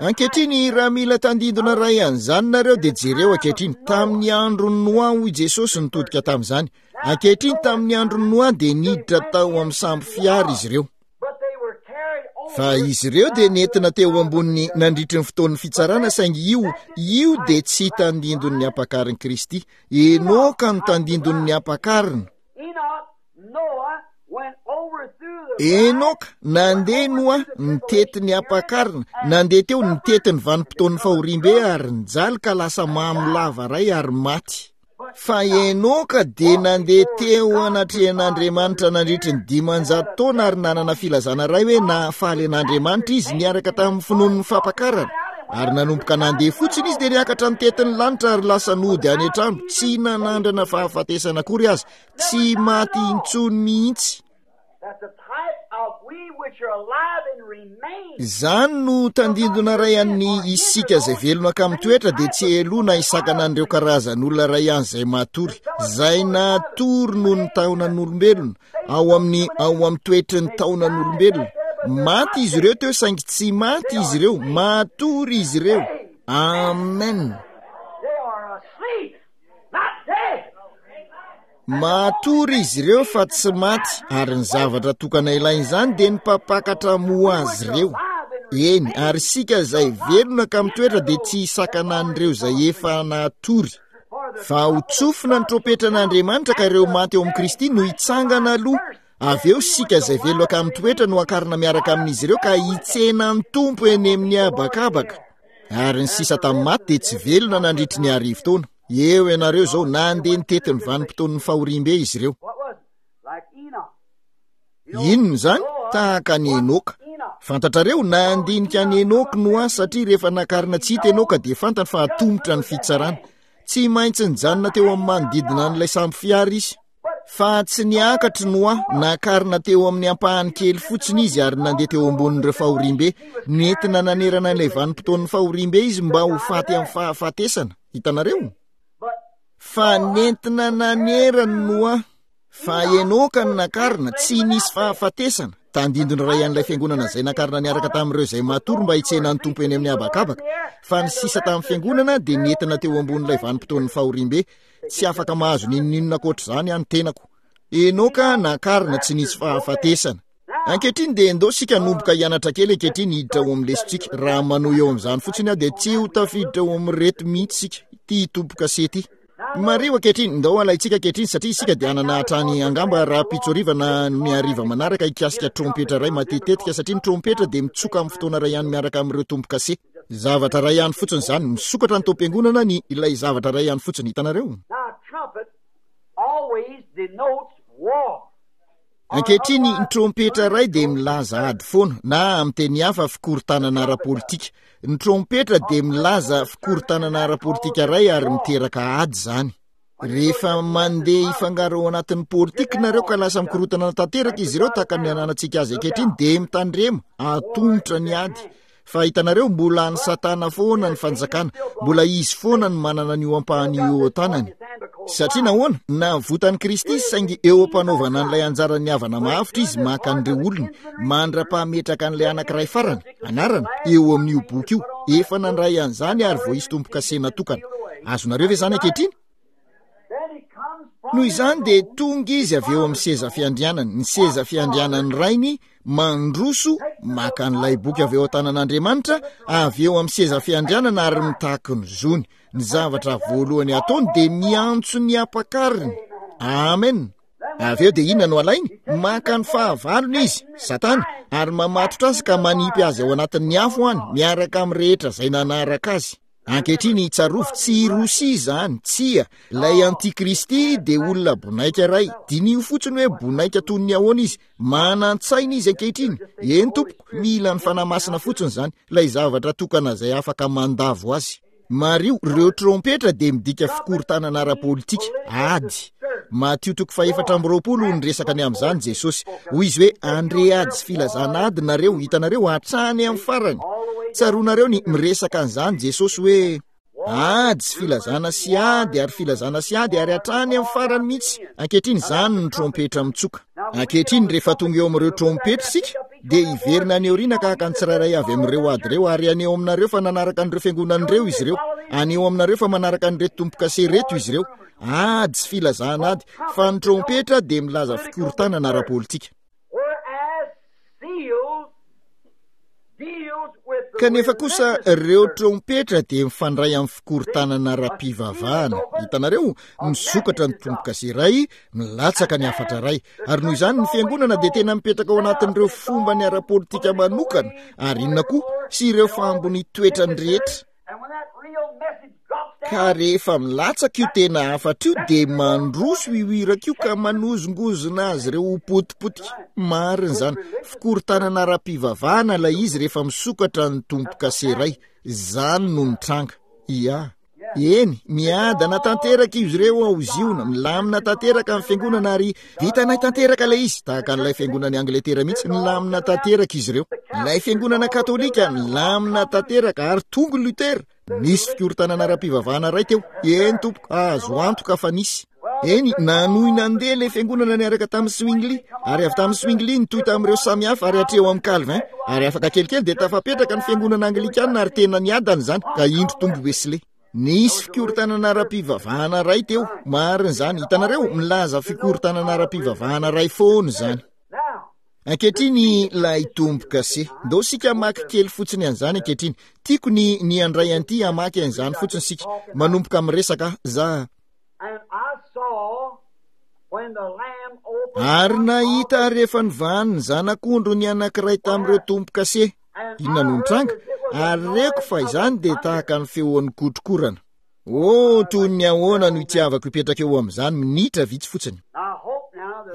Speaker 1: Ankehitriny, raha mila tandindona iray an'izany nareo dia jereo ankehitriny, tamin'ny andron'i Noa, hoy Jesosy nitodika tamin'izany. Ankehitriny, tamin'ny andron'i Noa dia niditra tao amin'ny sambo fiara izy ireo. Fa izy ireo dia nentina teo amboniny nandritry ny fotoan'ny fitsarana, saingy io, io dia tsy tandindon'ny ampakarin'i Kristy. Enoka no tandindon'ny ampakarina. Enoka, nandeha Noa, nitety ny ampakarina, nandeha teo nitety ny vanim-potoan'ny fahoriambe ary nijaly ka lasa mamo lava iray ary maty. Fa Enoka dia nandeha teo anatrehan'Andriamanitra nandritry ny dimanjato taona ary nanana filazana iray hoe nahafaly an'Andriamanitra izy niaraka tamin'ny finoan'ny fampakarana. Ary nanomboka nandeha fotsiny izy dia niakatra nitety ny lanitra ary lasa nody any an-trano, tsy nanandrana fahafatesana akory aza, tsy maty intsony mihitsy. Izany no tandindona iray an'ny isika izay velona ka mitoetra dia tsy heloha na hisakana an'ireo karazan'olona iray any izay matory, izay natory noho ny taonan'olombelona, ao amin'ny ao amin'ny toetry ny taonan'olombelona. Maty izy ireo teo saingy tsy maty izy ireo, matory izy ireo. Amen. Matory izy ireo fa tsy maty, ary ny zavatra tokana ilain'izany dia ny mpampakatra hamoha azy ireo. Eny, ary isika izay velona ka mitoetra dia tsy hisakana an'ireo izay efa natory. Fa ho tsofina ny trompetran'Andriamanitra ka ireo maty ao amin'i Kristy no hitsangana aloha. Avy eo isika izay velona ka mitoetra no hakarina miaraka amin'izy ireo ka hitsena ny Tompo eny amin'ny habakabaka. Ary ny sisa tamin'ny maty dia tsy velona nandritry ny arivo taona. Eo ianareo izao, nandeha nitety ny vanim-potoan'ny fahoriambe izy ireo. Inona izany? Tahaka an'i Enoka. Fantatrareo, nandinika an'i Enoka Noa satria rehefa nakarina tsy hita Enoka dia fantany fa atomotra ny fitsarana. Tsy maintsy nijanona teo amin'ny manodidina an'ilay sambo fiara izy. Fa tsy niakatra Noa, nakarina teo amin'ny ampahany kely fotsiny izy ary nandeha teo ambonin'ireo fahoriambe. Nentina nanerana ilay vanim-potoan'ny fahoriambe izy mba ho faty amin'ny fahafatesana. Hitanareo? Fa nentina nanerana Noa. Fa Enoka no nakarina, tsy nisy fahafatesana. Tandindona iray an'ilay fiangonana izay nakarina niaraka tamin'ireo izay matory mba hitsena ny Tompo eny amin'ny habakabaka. Fa ny sisa tamin'ny fiangonana dia nentina teo ambonin'ilay vanim-potoan'ny fahoriambe. Tsy afaka mahazo n'inon'inona ankoatr'izany aho ny tenako. Enoka nakarina tsy nisy fahafatesana. Ankehitriny dia ndao isika hanomboka hianatra kely ankehitriny hiditra ao amin'ny lesontsika. Raha manohy eo amin'izany fotsiny aho dia tsy ho tafiditra ao amin'ireto mihitsy isika, ity tombo-kase ity. Mariho ankehitriny, ndao alaintsika ankehitriny satria isika dia hanana hatrany angamba rahampitso hariva na ny hariva manaraka hikasika trompetra iray matetitetika satria ny trompetra dia mitsoka amin'ny fotoana iray ihany miaraka amin'ireo tombo-kase. Zavatra iray ihany fotsiny izany, misokatra ny taom-piangonana ny ilay zavatra iray ihany fotsiny, hitanareo? Ankehitriny, ny trompetra iray dia milaza ady foana, na amin'ny teny hafa fikorontanana ara-politika. Ny trompetra dia milaza fikorontanana ara-politika iray ary miteraka ady izany. Rehefa mandeha hifangaro ao anatin'ny politika nareo ka lasa mikorontana tanteraka izy ireo tahaka ny ananantsika azy ankehitriny, dia mitandrema, atomotra ny ady. Fa hitanareo, mbola an'i Satana foana ny fanjakana, mbola izy foana no manana an'io ampahany io eo an-tanany. Satria nahoana? Navotan'i Kristy izy, saingy eo am-panaovana an'ilay anjaran'ny havana mahavitra izy maka an'ireo olony, mandra-pahametraka an'ilay anankiray farany, anarana, eo amin'io boky io. Efa nandray an'izany ary voaisy tombo-kase natokana. Azonareo ve izany ankehitriny? Noho izany dia tonga izy avy eo amin'ny seza fiandrianany, ny seza fiandrianan'ny rainy, mandroso, maka an'ilay boky avy eo an-tanan'Andriamanitra, avy eo amin'ny seza fiandrianana ary mitaky ny zony. Ny zavatra voalohany ataony dia miantso ny ampakariny. Amen. Avy eo dia inona no alainy? Maka ny fahavalony izy, Satana, ary mamatotra azy ka manipy azy ao anatin'ny afo any, miaraka amin'ny rehetra izay nanaraka azy. Ankehitriny tsarovy, tsy i Rosia izany, tsia, ilay antikristy dia olona bonaika iray. Diniho fotsiny hoe bonaika toy ny ahoana izy, manan-tsaina izy ankehitriny. Eny tompoko, mila ny Fanahy Masina fotsiny izany, ilay zavatra tokana izay afaka mandavo azy. Mariho, ireo trompetra dia midika fikorontanana ara-politika, ady. Matio toko fahefatra amby roapolo no niresaka ny amin'izany Jesosy. Hoy izy hoe, andre ady sy filazana ady nareo, hitanareo, hatrany amin'ny farany. Tsaroanareo ny miresaka an'izany Jesosy hoe, ady sy filazana sy ady ary filazana sy ady ary hatrany amin'ny farany mihitsy. Ankehitriny izany ny trompetra mitsoka. Ankehitriny rehefa tonga eo amin'ireo trompetra isika, dia hiverina any aoriana ka haka ny tsirairay avy amin'ireo ady ireo, ary haneho aminareo fa nanaraka an'ireo fiangonana ireo izy ireo. Haneho aminareo fa manaraka an'ireto tombo-kase ireto izy ireo. Ady sy filazana ady, fa ny trompetra dia milaza fikorontanana ara-politika. Kanefa kosa ireo trompetra dia mifandray amin'ny fikorontanana ara-pivavahana. Hitanareo, misokatra ny tombo-kase iray, milatsaka ny hafatra iray. Ary noho izany ny fiangonana dia tena mipetraka ao anatin'ireo fombany ara-politika manokana, ary inona koa, sy ireo fambony toetrany rehetra. Ka rehefa milatsaka io tena hafatra io dia mandroso io iraka io ka manozongozona azy ireo ho potipotika. Marina izany. Fikorontanana ara-pivavahana ilay izy rehefa misokatra ny tombo-kase iray. Izany no mitranga. Ia. Eny, miadana tanteraka izy ireo ao Ziona, milamina tanteraka ny fiangonana ary vitanay tanteraka ilay izy, tahaka an'ilay fiangonan'i Angletera mihitsy, milamina tanteraka izy ireo. Ilay fiangonana katolika milamina tanteraka ary tonga Luther. Nisy fikorontanana ara-pivavahana iray teo. Eny tompoko, azo antoka fa nisy. Eny, nanohy nandeha ilay fiangonana niaraka tamin'i Zwingli, ary avy tamin'i Zwingli nitohy tamin'ireo samihafa ary hatreo amin'ny Calvin, ary afaka kelikely dia tafapetraka ny fiangonana anglikana ary tena niadana izany, ka indro tombo Wesley. Nisy fikorontanana ara-pivavahana iray teo, marina izany, hitanareo, milaza fikorontanana ara-pivavahana iray foana izany. Ankehitriny ilay tombo-kase. Ndao isika hamaky kely fotsiny an'izany ankehitriny. Tiako ny, ny handray an'ity hamaky an'izany fotsiny isika. Manomboka miresaka za. Ary nahita rehefa nivahany ny zanak'ondry ny anankiray tamin'ireo tombo-kase. Inona no nitranga? Ary reko fa izany dia tahaka ny feon'ny kotrokorana. Oh, toy ny ahoana no itiavako hipetraka eo amin'izany minitra vitsy fotsiny.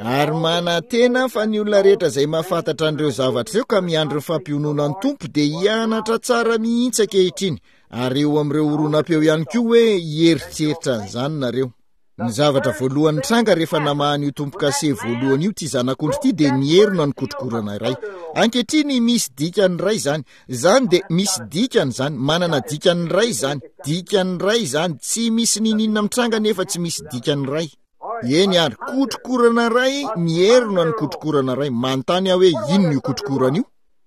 Speaker 1: Ary manantena fa ny olona rehetra izay mahafantatra an'ireo zavatra ireo ka miandry ny fampiononan'ny Tompo dia hianatra tsara mihitsy ankehitriny, ary eo amin'ireo horonam-peo ihany koa hoe hieritreritra an'izany nareo. Ny zavatra voalohany nitranga rehefa namaha an'io tombo-kase voalohany io ity zanak'ondry ity dia nierona ny kotrokorana iray. Ankehitriny misy dikany iray izany. Izany dia misy dikany izany, manana dikany iray izany, dikany iray izany, tsy misy niniana mitranga nefa tsy misy dikany iray. Eny ary, kotrokorana iray, mierona ny kotrokorana iray. Manontany aho hoe inona io kotrokorana io?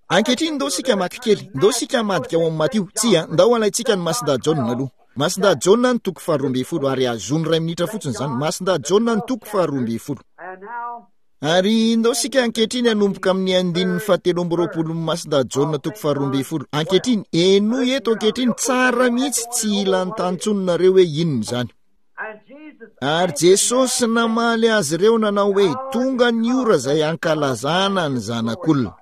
Speaker 1: Ankehitriny ndao isika hamaky kely, ndao isika hamadika ao amin'ny Matio. Tsia, ndao alaintsika ny Masindahy Jaona aloha. Masindahy Jaona ny toko faharoa ambin'ny folo, ary azony iray minitra fotsiny izany. Masindahy Jaona ny toko faharoa ambin'ny folo. Ary ndao isika ankehitriny hanomboka amin'ny andininy fahatelo amby roapolo ny Masindahy Jaona toko faharoa ambin'ny folo. Ankehitriny, henoy eto ankehitriny tsara mihitsy, tsy hila anontany intsony nareo hoe inona izany. Ary Jesosy namaly azy ireo nanao hoe, tonga ny ora izay hankalazana ny Zanak'olona.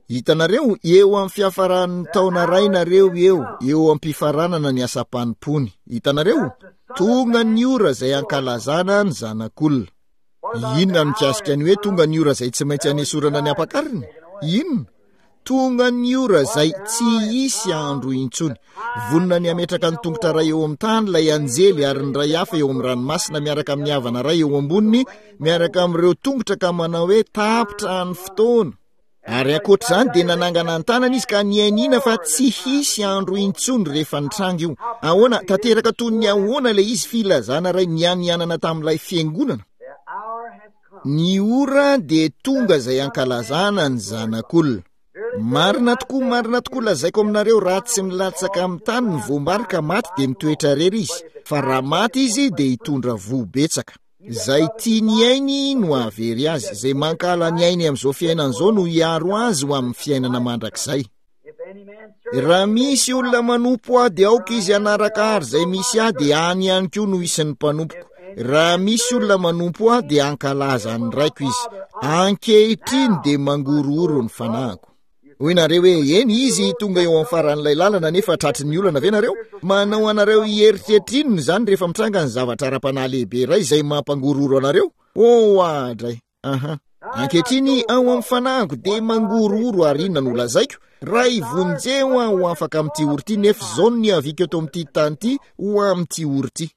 Speaker 1: Hitanareo, eo amin'ny fiafaran'ny taona iray nareo eo, eo am-pifaranana ny asam-panompoany. Hitanareo, tonga ny ora izay hankalazana ny Zanak'olona. Inona no mikasika ny hoe tonga ny ora izay tsy maintsy hanesorana ny ampakariny? Inona? Tonga ny ora izay tsy hisy andro intsony. Vonona ny hametraka ny tongotra iray eo amin'ny tany ilay anjely ary ny iray hafa eo amin'ny ranomasina miaraka amin'ny havana iray eo amboniny miaraka amin'ireo tongotra ka manao hoe tapitra ny fotoana. Ary ankoatr'izany dia nanangana ny tanany izy ka niainiana fa tsy hisy andro intsony rehefa nitranga io. Ahoana, tanteraka toy ny ahoana ilay izy filazana iray nianianana tamin'ilay fiangonana? Ny ora dia tonga izay hankalazana ny Zanak'olona. Marina tokoa, marina tokoa, lazaiko aminareo, raha tsy milatsaka amin'ny tany ny voambary ka maty dia mitoetra irery izy, fa raha maty izy dia hitondra voa betsaka. Izay tia ny ainy no hahavery azy, izay mankahala ny ainy amin'izao fiainana izao no hiaro azy ho amin'ny fiainana mandrakizay. Raha misy olona manompo ahy dia aoka izy hanaraka ahy, ary izay misy ahy dia any ihany koa no isin'ny mpanompoko. Raha misy olona manompo ahy dia hankalaza ny raiko izy. Ankehitriny dia mangorohoro ny fanahiko. Hoy nareo hoe eny, izy tonga eo amin'ny faran'ilay lalana nefa tratry ny olana ve nareo? Manao anareo hieritreritra inona izany rehefa mitranga ny zavatra ara-panahy lehibe iray izay mampangorohoro anareo? Oh, adray. Aha. Ankehitriny ao amin'ny fanahiko dia mangorohoro, ary inona no lazaiko? Ray, vonjeo aho ho afaka amin'ity ory ity, nefa izao no niaviako eto amin'ity tany ity ho amin'ity ory ity.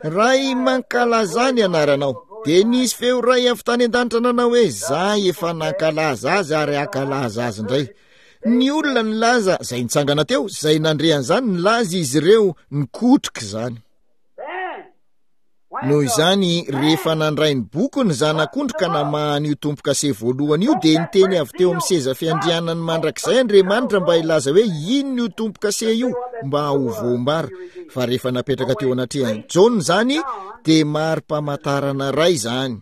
Speaker 1: Ray, mankalaza ny anaranao. Dia nisy feo iray avy tany an-danitra nanao hoe, za efa nankalaza azy ary hankalaza azy indray. Ny olona nilaza, izay nitsangana teo, izay nandre an'izany, nilaza izy ireo, nikotroka izany. Noho izany, rehefa nandray ny boky ny zanak'ondry ka namaha an'io tombo-kase voalohany io, dia niteny avy teo amin'ny seza fiandrianany mandrakizay Andriamanitra mba hilaza hoe inona io tombo-kase io mba ho voambara. Fa rehefa napetraka teo anatrehan'i Jaona izany, dia mari-pamantarana iray izany.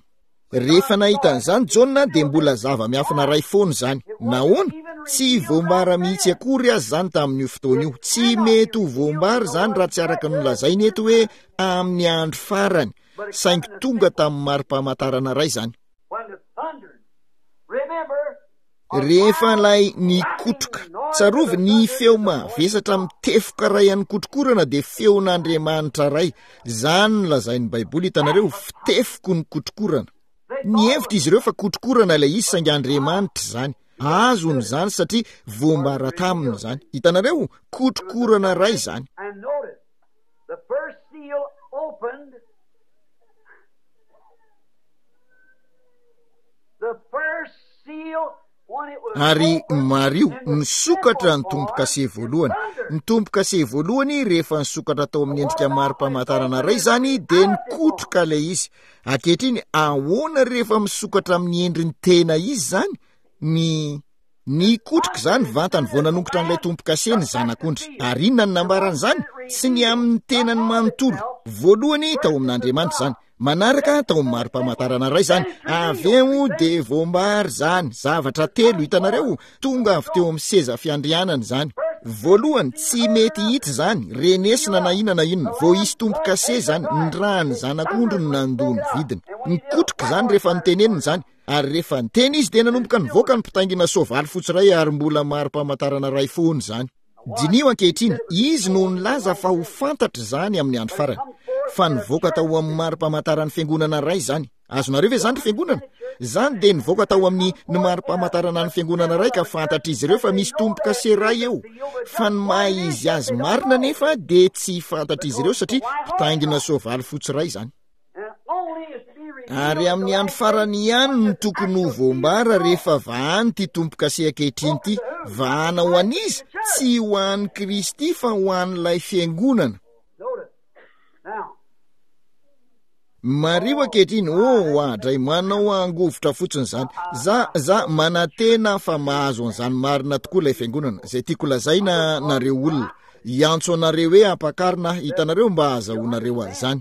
Speaker 1: Rehefa nahita an'izany Jaona dia mbola zava-miafina iray foana izany. Nahoana? Tsy voambara mihitsy akory aza izany tamin'io fotoana io. Tsy mety ho voambara izany raha tsy araka ny nolazainy eto hoe amin'ny andro farany. Saingy tonga tamin'ny mari-pamantarana iray izany. Rehefa ilay nikotroka, tsarovy ny feo mavesatra mitefoka iray an'ny kotrokorana dia feon'Andriamanitra iray. Izany no lazain'ny Baiboly, hitanareo, fitefoko ny kotrokorana. Nihevitra izy ireo fa kotrokorana ilay izy, saingy Andriamanitra izany. Azony izany satria voambara taminy izany. Hitanareo, kotrokorana iray izany. Ary mariho, nisokatra ny tombo-kase voalohany. Ny tombo-kase voalohany, rehefa nisokatra tao amin'ny endrika mari-pamantarana iray izany, dia nikotroka ilay izy. Ankehitriny, ahoana rehefa misokatra amin'ny endriny tena izy izany? Ny... Nikotroka izany vantany vao nanongotra an'ilay tombo-kase ny zanak'ondry. Ary inona no nambaran'izany? Tsy ny amin'ny tenany manontolo. Voalohany, tao amin'Andriamanitra izany. Manaraka, tao amin'ny mari-pamantarana iray izany. Avy eo dia voambara izany. Zavatra telo, hitanareo, tonga avy teo amin'ny seza fiandrianana izany. Voalohany, tsy mety hita izany, renesina na inona na inona. Vao hisy tombo-kase izany, ny ràn'ny zanak'ondry no nandoa ny vidiny. Nikotroka izany rehefa notenenina izany. Ary rehefa niteny izy dia nanomboka nivoaka ny mpitaingina soavaly fotsy iray, ary mbola mari-pamantarana iray foana izany. Diniho ankehitriny, izy no nilaza fa ho fantatra izany amin'ny andro farany. Fa nivoaka tao amin'ny mari-pamantaran'ny fiangonana iray izany. Azonareo ve izany ry fiangonana? Izany dia nivoaka tao amin'ny ny mari-pamantarana ny fiangonana iray ka fantatr'izy ireo fa misy tombo-kase iray eo. Fa ny maha izy azy marina anefa dia tsy fantatr'izy ireo satria mpitaingina soavaly fotsy iray izany. Ary amin'ny andro farany ihany no tokony ho voambara rehefa vahany ity tombo-kase ankehitriny ity. Vahana ho an'iza? Tsy ho an'i Kristy fa ho an'ilay fiangonana. Mariho ankehitriny, oh, oadray, manao angovitra fotsiny izany. Za, za manantena fa mahazo an'izany marina tokoa ilay fiangonana. Izay tiako lazaina nareo olona. Hiantso anareo hoe ampakarina aho, hitanareo, mba hahazahoanareo an'izany.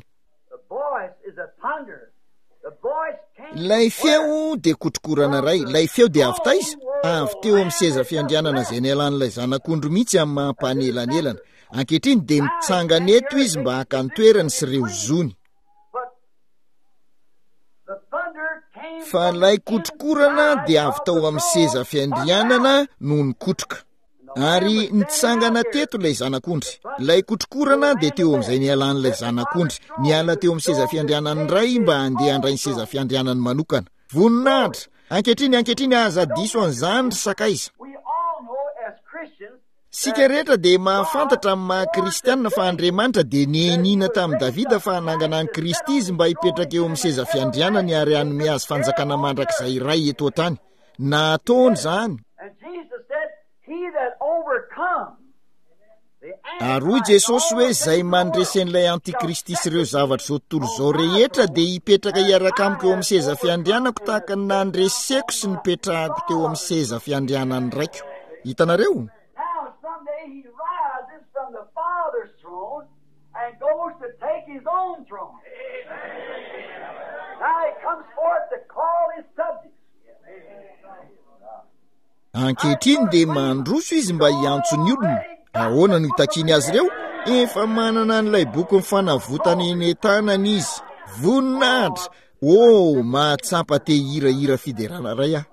Speaker 1: Ilay feo dia kotrokorana iray. Ilay feo dia avy taiza? Avy teo amin'ny seza fiandrianana izay nialan'ilay zanak'ondry mihitsy amin'ny maha mpanelanelana. Ankehitriny dia mitsangana eto izy mba haka ny toerany sy ireo zony. Fa ilay kotrokorana dia avy tao amin'ny seza fiandrianana no nikotroka. Ary nitsangana teto ilay zanak'ondry. Ilay kotrokorana dia teo amin'izay nialan'ilay zanak'ondry. Niala teo amin'ny seza fiandrianan'ny Ray mba handeha handray ny seza fiandrianany manokana. Voninahitra! Ankehitriny, ankehitriny aza diso an'izany ry sakaiza. Isika rehetra dia mahafantatra amin'ny maha kristianina fa Andriamanitra dia nianiana tamin'i Davida fa hanangana an'i Kristy izy mba hipetraka eo amin'ny seza fiandrianany ary hanome azy fanjakana mandrakizay iray eto an-tany. Nataony izany. Ary hoy Jesosy hoe izay mandresy an'ilay antikristy sy ireo zavatra izao tontolo izao rehetra dia hipetraka hiaraka amiko eo amin'ny seza fiandrianako tahaka ny nandreseko sy nipetrahako teo amin'ny seza fiandrianan'ny Raiko. Hitanareo?
Speaker 2: Now someday he rises from the Father's throne and goes to take his own throne. Now he comes forth to call his subjects.
Speaker 1: Ankehitriny dia mandroso izy mba hiantso ny olona. Ahoana no hitakiany azy ireo? Efa manana an'ilay boky ny fanavotana eny an-tanany izy. Voninahitra! Oh, mahatsapa te hirahira fiderana iray aho.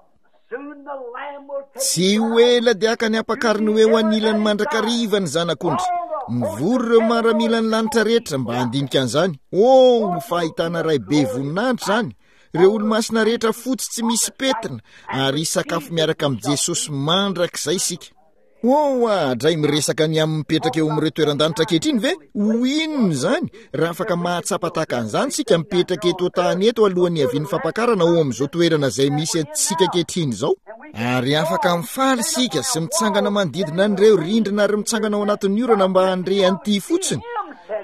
Speaker 2: Soon the Lamb will take
Speaker 1: Tsy ho ela dia haka ny ampakariny ho eo anilany mandrakariva ny zanak'ondry. Mivory ireo maramilan'ny lanitra rehetra mba handinika an'izany. Oh, fahitana iray be voninahitra izany. Ireo olo-masina rehetra fotsy tsy misy pentina ary hisakafo miaraka amin'i Jesosy mandrakizay isika. Oh, adray miresaka ny amin'ny mipetraka eo amin'ireo toeran-danitra ankehitriny ve? Ho inona izany? Raha afaka mahatsapa tahaka an'izany isika mipetraka eto an-tany eto alohan'ny havian'ny fampakarana ao amin'izao toerana izay misy antsika ankehitriny izao. Ary afaka mifaly isika sy mitsangana manodidina an'ireo rindrina ary mitsangana ao anatin'ny orana mba handre an'ity fotsiny.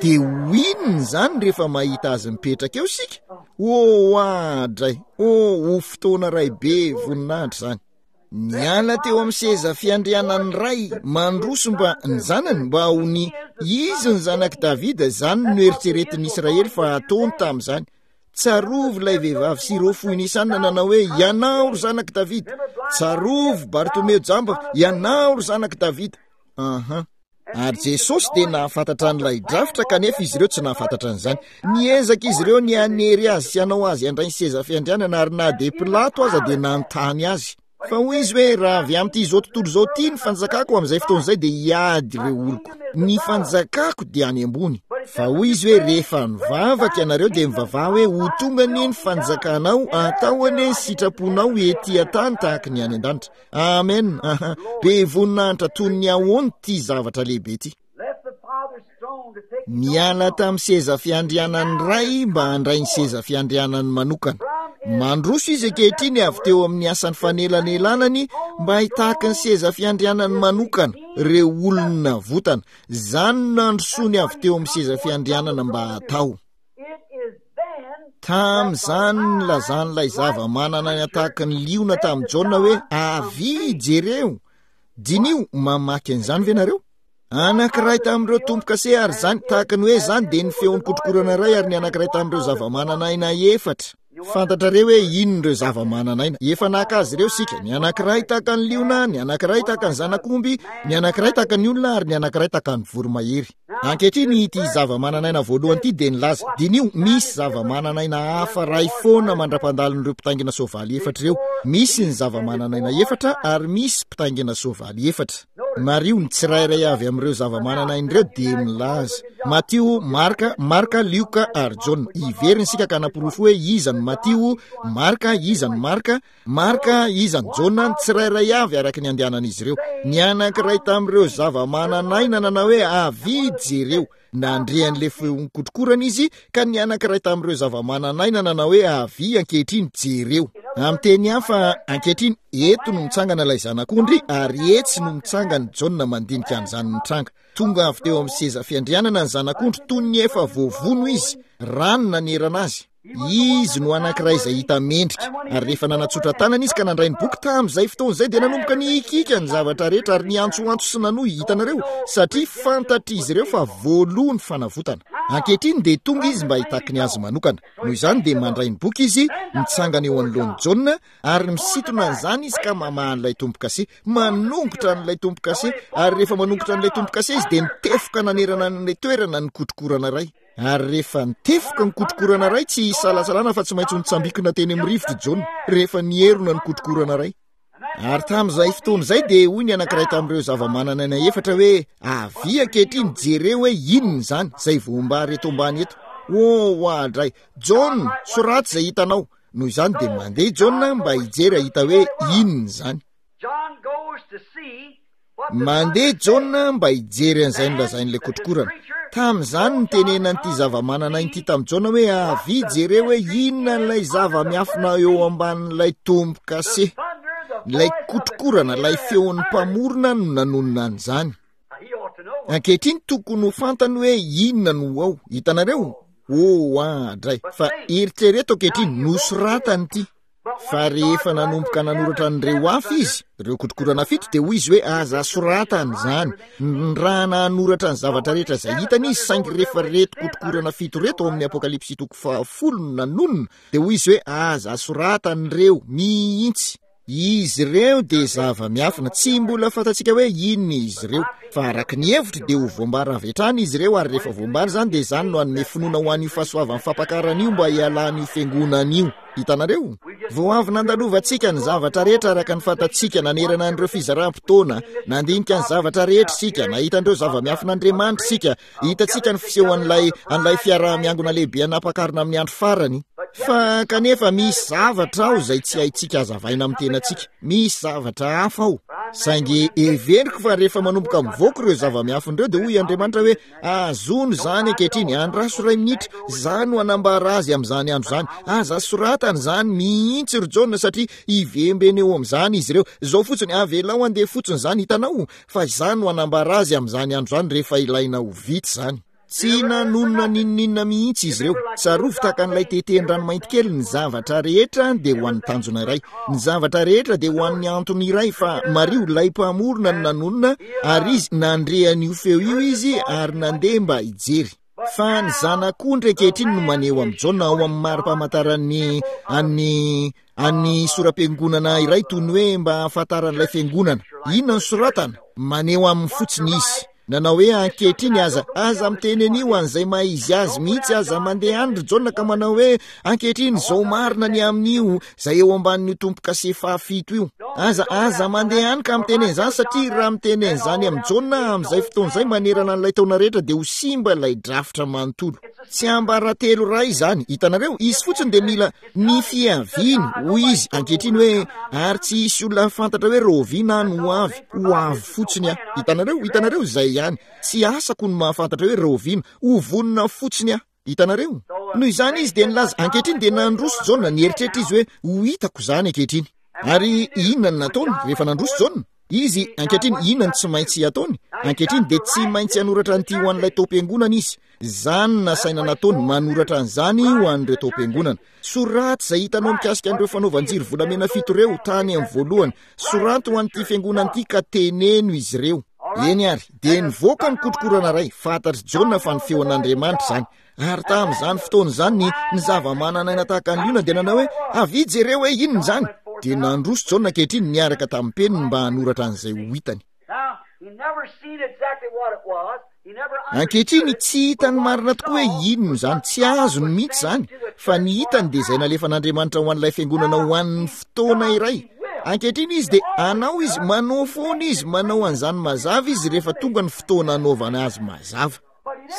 Speaker 1: Dia ho inona izany rehefa mahita azy mipetraka eo isika? Oh, adray! Oh, ho fotoana iray be voninahitra izany. Niala teo amin'ny seza fiandrianan'ny Ray, mandroso mba ny zanany mba ho ny izy ny zanak'i Davida, izany no eritreretin'ny Israely fa ataony tamin'izany. Tsarovy ilay vehivavy Syro-Foinisanina nanao hoe ianao ry zanak'i Davida. Tsarovy Bartomeo jamba, ianao ry zanak'i Davida. Aha. Ary Jesosy dia nahafantatra an'ilay drafitra kanefa izy ireo tsy nahafantatra an'izany. Niezaka izy ireo ny hanery azy sy hanao azy handray ny seza fiandrianana ary na dia Pilato aza dia nanontany azy. Fa hoy izy hoe raha avy amin'ity izao tontolo izao ity ny fanjakako amin'izay fotoana izay dia hiady ireo oloko. Ny fanjakako dia any ambony. Fa hoy izy hoe rehefa mivavaka ianareo dia mivavaha hoe ho tonga anie ny fanjakanao, atao anie ny sitraponao ety an-tany tahaka ny any an-danitra. Amen. Aha. Be voninahitra toy ny ahoana ity zavatra lehibe ity.
Speaker 2: Left the Father's throne to take his
Speaker 1: Niala tamin'ny seza fiandrianan'ny Ray mba handray ny seza fiandrianany manokana. Mandroso izy ankehitriny avy teo amin'ny asan'ny fanelanelanany mba hitaky ny seza fiandrianany manokana, ireo olona navotana. Izany no nandrosoany avy teo amin'ny seza fiandrianana mba hatao.
Speaker 2: It is then
Speaker 1: Tamin'izany nilazan'ilay zava-manana ny ataky ny liona tamin'i Jaona hoe avia jereo. Diniho, mamaky an'izany ve nareo? Anankiray tamin'ireo tombo-kase ary izany tahaka ny hoe izany dia ny feon'ny kotrokorana iray ary ny anankiray tamin'ireo zava-manana aina efatra. Fantatrareo hoe inona ireo zava-manana aina? Efa naka azy ireo isika. Ny anankiray tahaka ny liona, ny anankiray tahaka ny zanak'omby, ny anankiray tahaka ny olona ary ny anankiray tahaka ny voromahery. Ankehitriny ity zava-manana aina voalohany ity dia nilaza, diniho, misy zava-manana aina hafa iray foana mandra-pandalin'ireo mpitaingina soavaly efatra ireo. Misy ny zava-manana aina efatra ary misy mpitaingina soavaly efatra. Mariho, ny tsirairay avy amin'ireo zava-manana aina ireo dia milaza. Matio, Marka, Marka, Lioka ary Jaona. Hiverina isika ka hanaporofo hoe iza no Matio, Marka, iza no Marka, Marka, iza no Jaona, ny tsirairay avy araka ny andehanan'izy ireo. Ny anankiray tamin'ireo zava-manana aina nanao hoe avia jereo. Nandre an'ilay feon'ny kotrokorana izy ka ny anankiray tamin'ireo zava-manana aina nanao hoe avia ankehitriny jereo. Amin'ny teny hafa, ankehitriny eto no mitsangana ilay zanak'ondry ary etsy no mitsangana Jaona mandinika an'izany mitranga. Tonga avy teo amin'ny seza fiandrianana ny zanak'ondry toy ny efa voavono izy, rano nanerana azy. Izy no anankiray izay hita mendrika, ary rehefa nanatsotra tanana izy ka nandray ny boky tamin'izay fotoana izay dia nanomboka nihikiaka ny zavatra rehetra ary niantsoantso sy nanohy, hitanareo, satria fantatr'izy ireo fa voaloha ny fanavotana. Ankehitriny dia tonga izy mba hitaky ny azy manokana. Noho izany dia mandray ny boky izy, mitsangana eo anoloan'i Jaona, ary misintona an'izany izy ka mamaha an'ilay tombo-kase, manongotra an'ilay tombo-kase, ary rehefa manongotra an'ilay tombo-kase izy dia mitefoka nanerana an'ilay toerana ny kotrokorana iray. Ary rehefa nitefoka ny kotrokorana iray, tsy isalasalana fa tsy maintsy nitsambikina teny amin'ny rivotra i Jaona rehefa nierona ny kotrokorana iray. Ary tamin'izay fotoana izay dia hoy ny anankiray tamin'ireo zava-manana aina efatra hoe avia ankehitriny jereo hoe inona izany izay voambary eto ambany eto. Oh, oadray! Jaona, soraty izay hitanao. Noho izany dia mandeha i Jaona mba hijery hahita hoe inona izany.
Speaker 2: John goes to see what the
Speaker 1: Mandeha Jaona mba hijery an'izay nolazain'ilay kotrokorana. Tamin'izany nitenenan'ity zava-manana aina ity tamin'i Jaona hoe avia jereo hoe inona ilay zava-miafina eo ambanin'ilay tombo-kase. Ilay kotrokorana, ilay feon'ny mpamorona no nanonona an'izany.
Speaker 2: He ought to know.
Speaker 1: Ankehitriny tokony ho fantany hoe inona no ao. Hitanareo? Oh, andray. Fa eritrereto ankehitriny, nosoratany ity. Fa rehefa nanomboka nanoratra an'ireo hafa izy, ireo kotrokorana fito, dia hoy izy hoe aza soratana izany. Raha nanoratra ny zavatra rehetra izay hitany izy, saingy rehefa reto kotrokorana fito reto ao amin'ny Apokalypsy toko fahafolo no nanonona, dia hoy izy hoe aza soratana ireo mihitsy. Izy ireo dia zava-miafina, tsy mbola fantatsika hoe inona izy ireo. Fa araka ny hevitro dia ho voambara avy hatrany izy ireo, ary rehefa voambara izany dia izany no hanome finoana ho an'io fahasoavan'ny fampakarana io mba hialan'io fiangonana io. Hitanareo? Vao avy nandalovantsika ny zavatra rehetra araka ny fantatsika nanerana an'ireo fizaram-potoana, nandinika ny zavatra rehetra isika, nahita an'ireo zava-miafin'Andriamanitra isika, hitantsika ny fisehoan'ilay an'ilay fiaraha-miangona lehibe anampakarina amin'ny andro farany. Fa kanefa misy zavatra ao izay tsy haintsika hazavaina amin'ny tenantsika, misy zavatra hafa ao. Saingy heveriko fa rehefa manomboka mivoaka ireo zava-miafina ireo dia hoy Andriamanitra hoe ahazono izany ankehitriny, andraso iray minitra, izaho no hanambara azy amin'izany andro izany. Aza soratana izany mihitsy ry Jaona satria hivembena eo amin'izany izy ireo. Izao fotsiny, avelao handeha fotsiny izany, hitanao, fa izaho no hanambara azy amin'izany andro izany rehefa ilaina ho vita izany. Tsy nanonona n'inon'inona mihitsy izy ireo. Tsarovy tahaka an'ilay teten-dranomainty kely, ny zavatra rehetra dia ho an'ny tanjona iray. Ny zavatra rehetra dia ho an'ny antony iray, fa mariho ilay mpamorona no nanonona, ary izy nandre an'io feo io izy ary nandeha mba hijery. Fa ny zanak'ondry ankehitriny no maneho amin'i Jaona ao amin'ny mari-pamantaran'ny an'ny an'ny sora-piangonana iray toy ny hoe mba hahafantaran'ilay fiangonana. Inona no soratana? Maneho aminy fotsiny izy. Nanao hoe ankehitriny aza, aza miteny an'io an'izay maha izy azy mihitsy, aza mandeha any ry Jaona ka manao hoe ankehitriny izao marina ny amin'io izay eo ambanin'io tombo-kase fahafito io. Aza, aza mandeha any ka miteny an'izany, satria raha miteny an'izany amin'i Jaona amin'izay fotoana izay manerana an'ilay taona rehetra dia ho simba ilay drafitra manontolo. Tsy ambaratelo iray izany, hitanareo, izy fotsiny dia mila ny fiaviany, hoy izy ankehitriny hoe ary tsy hisy olona fantatra hoe rahoviana aho no ho avy, ho avy fotsiny aho. Hitanareo, hitanareo izay ihany, tsy asako ny mahafantatra hoe rahoviana, ho vonona fotsiny aho. Hitanareo? Noho izany izy dia nilaza, ankehitriny dia nandroso Jaona, nieritreritra izy hoe ho hitako izany ankehitriny. Ary inona no nataony rehefa nandroso Jaona? Izy, ankehitriny, inona no tsy maintsy ataony? Ankehitriny dia tsy maintsy hanoratra an'ity ho an'ilay taom-piangonana izy. Izany no nasaina nataony, manoratra an'izany ho an'ireo taom-piangonana. Soraty izay hitanao mikasika an'ireo fanaovan-jiro volamena fito ireo tany amin'ny voalohany. Soraty ho an'ity fiangonana ity ka teneno izy ireo. Eny ary, dia nivoaka ny kotrokorana iray. Fantatr'i Jaona fa ny feon'Andriamanitra izany. Ary tamin'izany fotoana izany ny, ny zava-manan'aina tahaka ny liona dia nanao hoe, avia jereo hoe inona izany. Dia nandroso Jaona ankehitriny niaraka tamin'ny peniny mba hanoratra an'izay ho hitany. Ankehitriny tsy hitany marina tokoa hoe inona izany, tsy azony mihitsy izany, fa ny hitany dia izay nalefan'Andriamanitra ho an'ilay fiangonana ho an'ny fotoana iray. Ankehitriny izy dia hanao izy, manao foana izy, manao an'izany mazava izy rehefa tonga ny fotoana hanaovana azy mazava.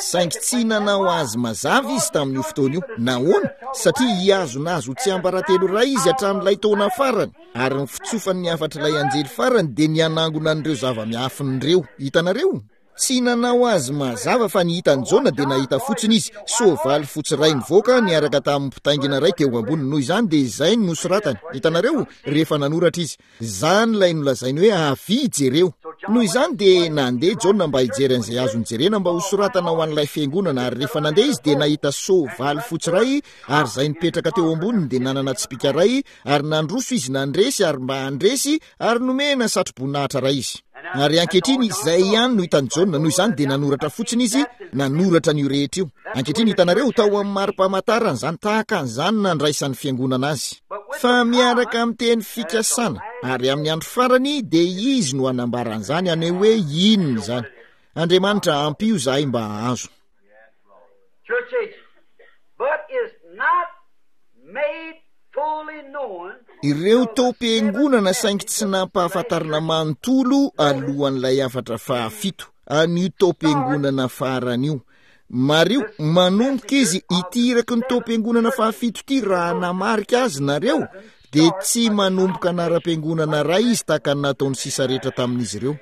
Speaker 1: Saingy tsy nanao azy mazava izy tamin'io fotoana io. Nahoana? Satria hihazona azy ho tsiambaratelo iray izy hatramin'ilay taona farany, ary ny fitsofan'ny hafatr'ilay anjely farany dia ny hanangona an'ireo zava-miafina ireo. Hitanareo? Tsy nanao azy mazava fa ny hitan'i Jaona dia nahita fotsiny izy, soavaly fotsy iray nivoaka niaraka tamin'ny mpitaingina iray teo amboniny. Noho izany dia izay no nosoratany. Hitanareo? Rehefa nanoratra izy. Izany ilay nolazainy hoe avia jereo. Noho izany dia nandeha Jaona mba hijery an'izay azony jerena mba hosoratana ho an'ilay fiangonana, ary rehefa nandeha izy dia nahita soavaly fotsy iray, ary izay nipetraka teo amboniny dia nanana tsipìka iray, ary nandroso izy nandresy ary mba handresy, ary nomena satroboninahitra iray izy. Ary ankehitriny izay ihany no hitan'i Jaona, noho izany dia nanoratra fotsiny izy, nanoratra an'io rehetra io. Ankehitriny hitanareo, tao amin'ny mari-pamantarana izany, tahaka an'izany nandraisan'ny fiangonana azy. Fa miaraka amin'ny teny fikasana, ary amin'ny andro farany dia Izy no hanambara an'izany, haneho hoe inona izany. Andriamanitra, ampio izahay mba hahazo. Ireo taom-piangonana saingy tsy nampahafantarina manontolo alohan'ilay hafatra fahafito, an'io taom-piangonana farany io. Mariho, manomboka izy ity iraky ny taom-piangonana fahafito ity, raha namarika azy nareo, dia tsy manomboka anaram-piangonana iray izy tahaka ny nataon'ny sisa rehetra tamin'izy ireo.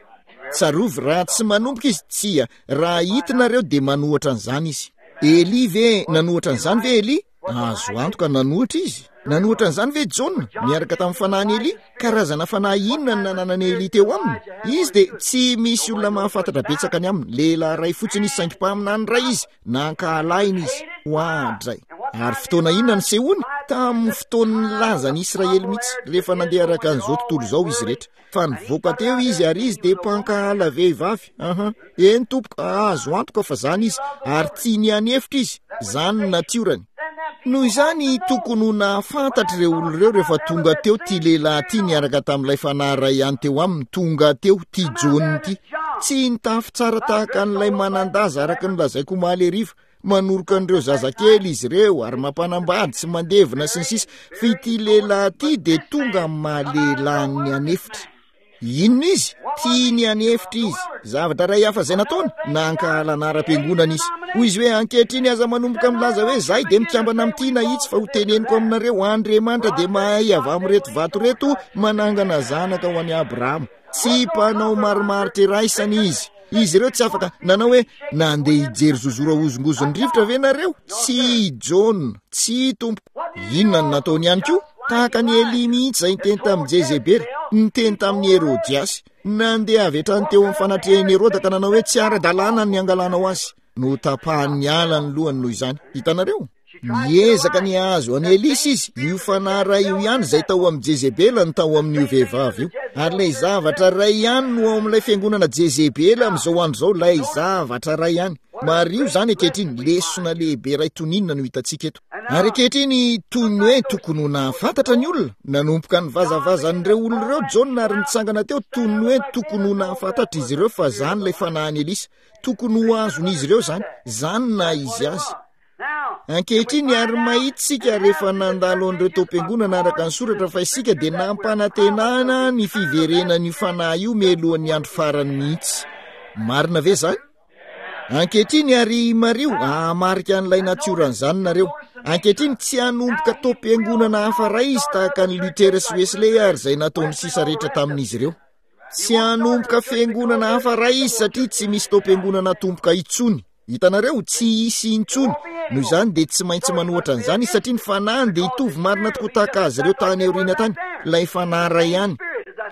Speaker 1: Tsarovy, raha tsy manomboka izy, tsia, raha hita nareo dia manohatra an'izany izy. Elia ve, nanohatra an'izany ve Elia? Azo antoka nanohitra izy. Nanohitra an'izany ve Jaona niaraka tamin'ny fanahin'i Elia? Karazana fanahy inona no nananan'i Elia teo aminy? Izy dia tsy misy olona mahafantatra betsaka ny aminy. Lehilahy iray fotsiny izy, saingy mpaminany iray izy. Nankahalaina izy. Oadray! Ary fotoana inona nisehoany? Tamin'ny fotoan'ny lazan'i Israely mihitsy, rehefa nandeha araka an'izao tontolo izao izy rehetra. Fa nivoaka teo izy ary izy dia mpankahala vehivavy. Aha. Eny tompoko, azo antoka fa zany izy, ary tia ny hanefitra izy. Zany ny natiorany. Noho izany, tokony ho nahafantatra ireo olona ireo rehefa tonga teo ity lehilahy ity niaraka tamin'ilay fanahy iray ihany teo aminy, tonga teo ity Jaona ity. Tsy nitafy tsara tahaka an'ilay manan-daza araka ny lazaiko omaly hariva. Manoroka an'ireo zazakely izy ireo ary mampanambady sy mandevina sy ny sisa. Fa ity lehilahy ity dia tonga amin'ny maha lehilahin'ny hanefitra. Inona izy? Tia ny hanefitra izy. Zavatra iray hafa izay nataony, nankahala anaram-piangonana izy. Hoy izy hoe, ankehitriny aza manomboka milaza hoe zahay dia mikambana amin'ity na itsy, fa ho teneniko aminareo, Andriamanitra dia mahay avy amin'ireto vato ireto manangana zanaka ho an'i Abrahama. Tsy mpanao marimaritra iraisana izy. Izy ireo tsy afaka nanao hoe, nandeha hijery zozoro ahozongozon'ny rivotra ve nareo? Tsy Jaona, tsy tompoko. Inona no nataony ihany koa? Tahaka an'i Elia mihitsy izay niteny tamin'i Jezebela, niteny tamin'i Herodiasy. Nandeha avy hatrany teo amin'ny fanatrehan'i Heroda ka nanao hoe, tsy ara-dalàna ny hangalanao azy. Notapahan'ny ala ny lohany noho izany. Hitanareo? Niezaka ny hahazo an'i Elisa izy, io fanahy iray io ihany izay tao amin'i Jezebela no tao amin'io vehivavy io. Ary ilay zavatra iray ihany no ao amin'ilay fiangonana Jezebela amin'izao andro izao, ilay zavatra iray ihany. Mariho izany ankehitriny, lesona lehibe iray toy ny inona no hitantsika eto. Ary ankehitriny, toy ny hoe tokony ho nahafantatra ny olona, nanomboka nivazavazan'ireo olona ireo Jaona ary nitsangana teo toy ny hoe tokony ho nahafantatra izy ireo fa izany ilay fanahin'i Elisa. Tokony ho azon'izy ireo izany, izany na izy azy. Ankehitriny, ary mahita isika rehefa nandalo an'ireo taom-piangonana araka ny soratra fa isika dia nampanantenana ny fiverenan'io fanahy io mialohan'ny andro farany mihitsy. Marina ve izany? Ankehitriny, ary mariho, hahamarika an'ilay natioran'izany nareo. Ankehitriny, tsy hanomboka taom-piangonana hafa iray izy tahaka an'i Luther sy Wesley ary izay nataon'ny sisa rehetra tamin'izy ireo. Tsy hanomboka fiangonana hafa iray izy satria tsy misy taom-piangonana atomboka intsony. Hitanareo, tsy hisy intsony. Noho izany dia tsy maintsy manohatra an'izany izy satria ny fanahiny dia hitovy marina tokoa tahaka azy ireo tany aoriana tany, ilay fanahy iray ihany.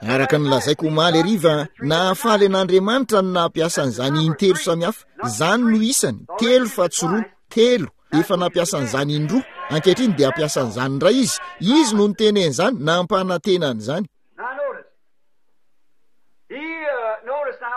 Speaker 1: Araka ny lazaiko omaly hariva, nahafaly an'Andriamanitra ny nampiasa an'izany intelo samihafa. Izany no isany, telo fa tsy roa, telo. Efa nampiasa an'izany indroa, ankehitriny dia hampiasa an'izany indray izy. Izy no niteny an'izany, nampanantena an'izany.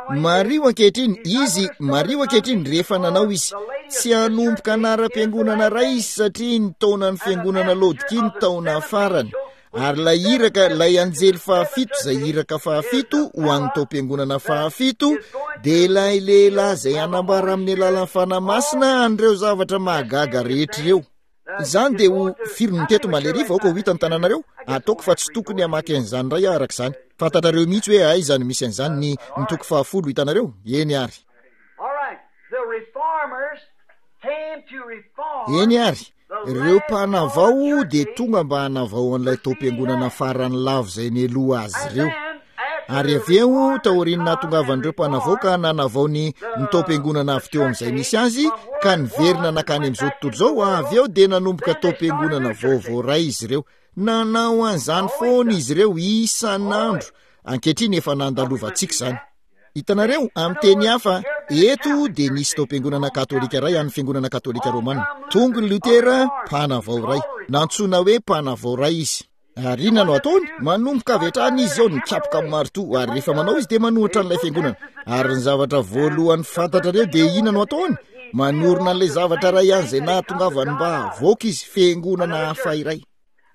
Speaker 1: Mariho ankehitriny, izy, mariho ankehitriny, rehefa nanao izy. Tsy hanomboka anaram-piangonana iray izy satria ny taonan'ny fiangonana Laodikia ny taona farany. Ary ilay iraka, ilay anjely fahafito, izay iraka fahafito ho an'ny taom-piangonana fahafito, dia ilay lehilahy izay hanambara amin'ny alalan'ny Fanahy Masina an'ireo zavatra mahagaga rehetra ireo. Izany dia ho firy no teto Maleria vahoaka ho hita ny tanànareo? Ataoko fa tsy tokony hamaky an'izany indray aho araka izany. Fantatrareo mihitsy hoe aiza no misy an'izany, ny, ny toko fahafolo, hitanareo? Eny ary. Eny ary, ireo mpanavao dia tonga mba hanavao an'ilay taom-piangonana farany lavo izay nialoha azy ireo. Ary avy eo, taorian'ny nahatongavan'ireo mpanavao ka nanavao ny ny taom-piangonana avy teo amin'izay nisy azy, ka niverina nankany amin'izao tontolo izao, avy eo dia nanomboka taom-piangonana vaovao iray izy ireo. Nanao an'izany foana izy ireo isan'andro. Ankehitriny efa nandalovantsika izany. Hitanareo, amin'ny teny hafa, eto dia nisy taom-piangonana katolika iray an'ny fiangonana katolika romana. Tonga i Lotera, mpanavao iray. Nantsoina hoe mpanavao iray izy. Ary inona no ataony? Manomboka avy hatrany izy eo nikapoka amin'ny maritoa, ary rehefa manao izy dia manohitra an'ilay fiangonana. Ary ny zavatra voalohany fantatrareo dia inona no ataony? Manorina an'ilay zavatra iray ihany izay nahatongavany mba havoaka izy, fiangonana hafa iray.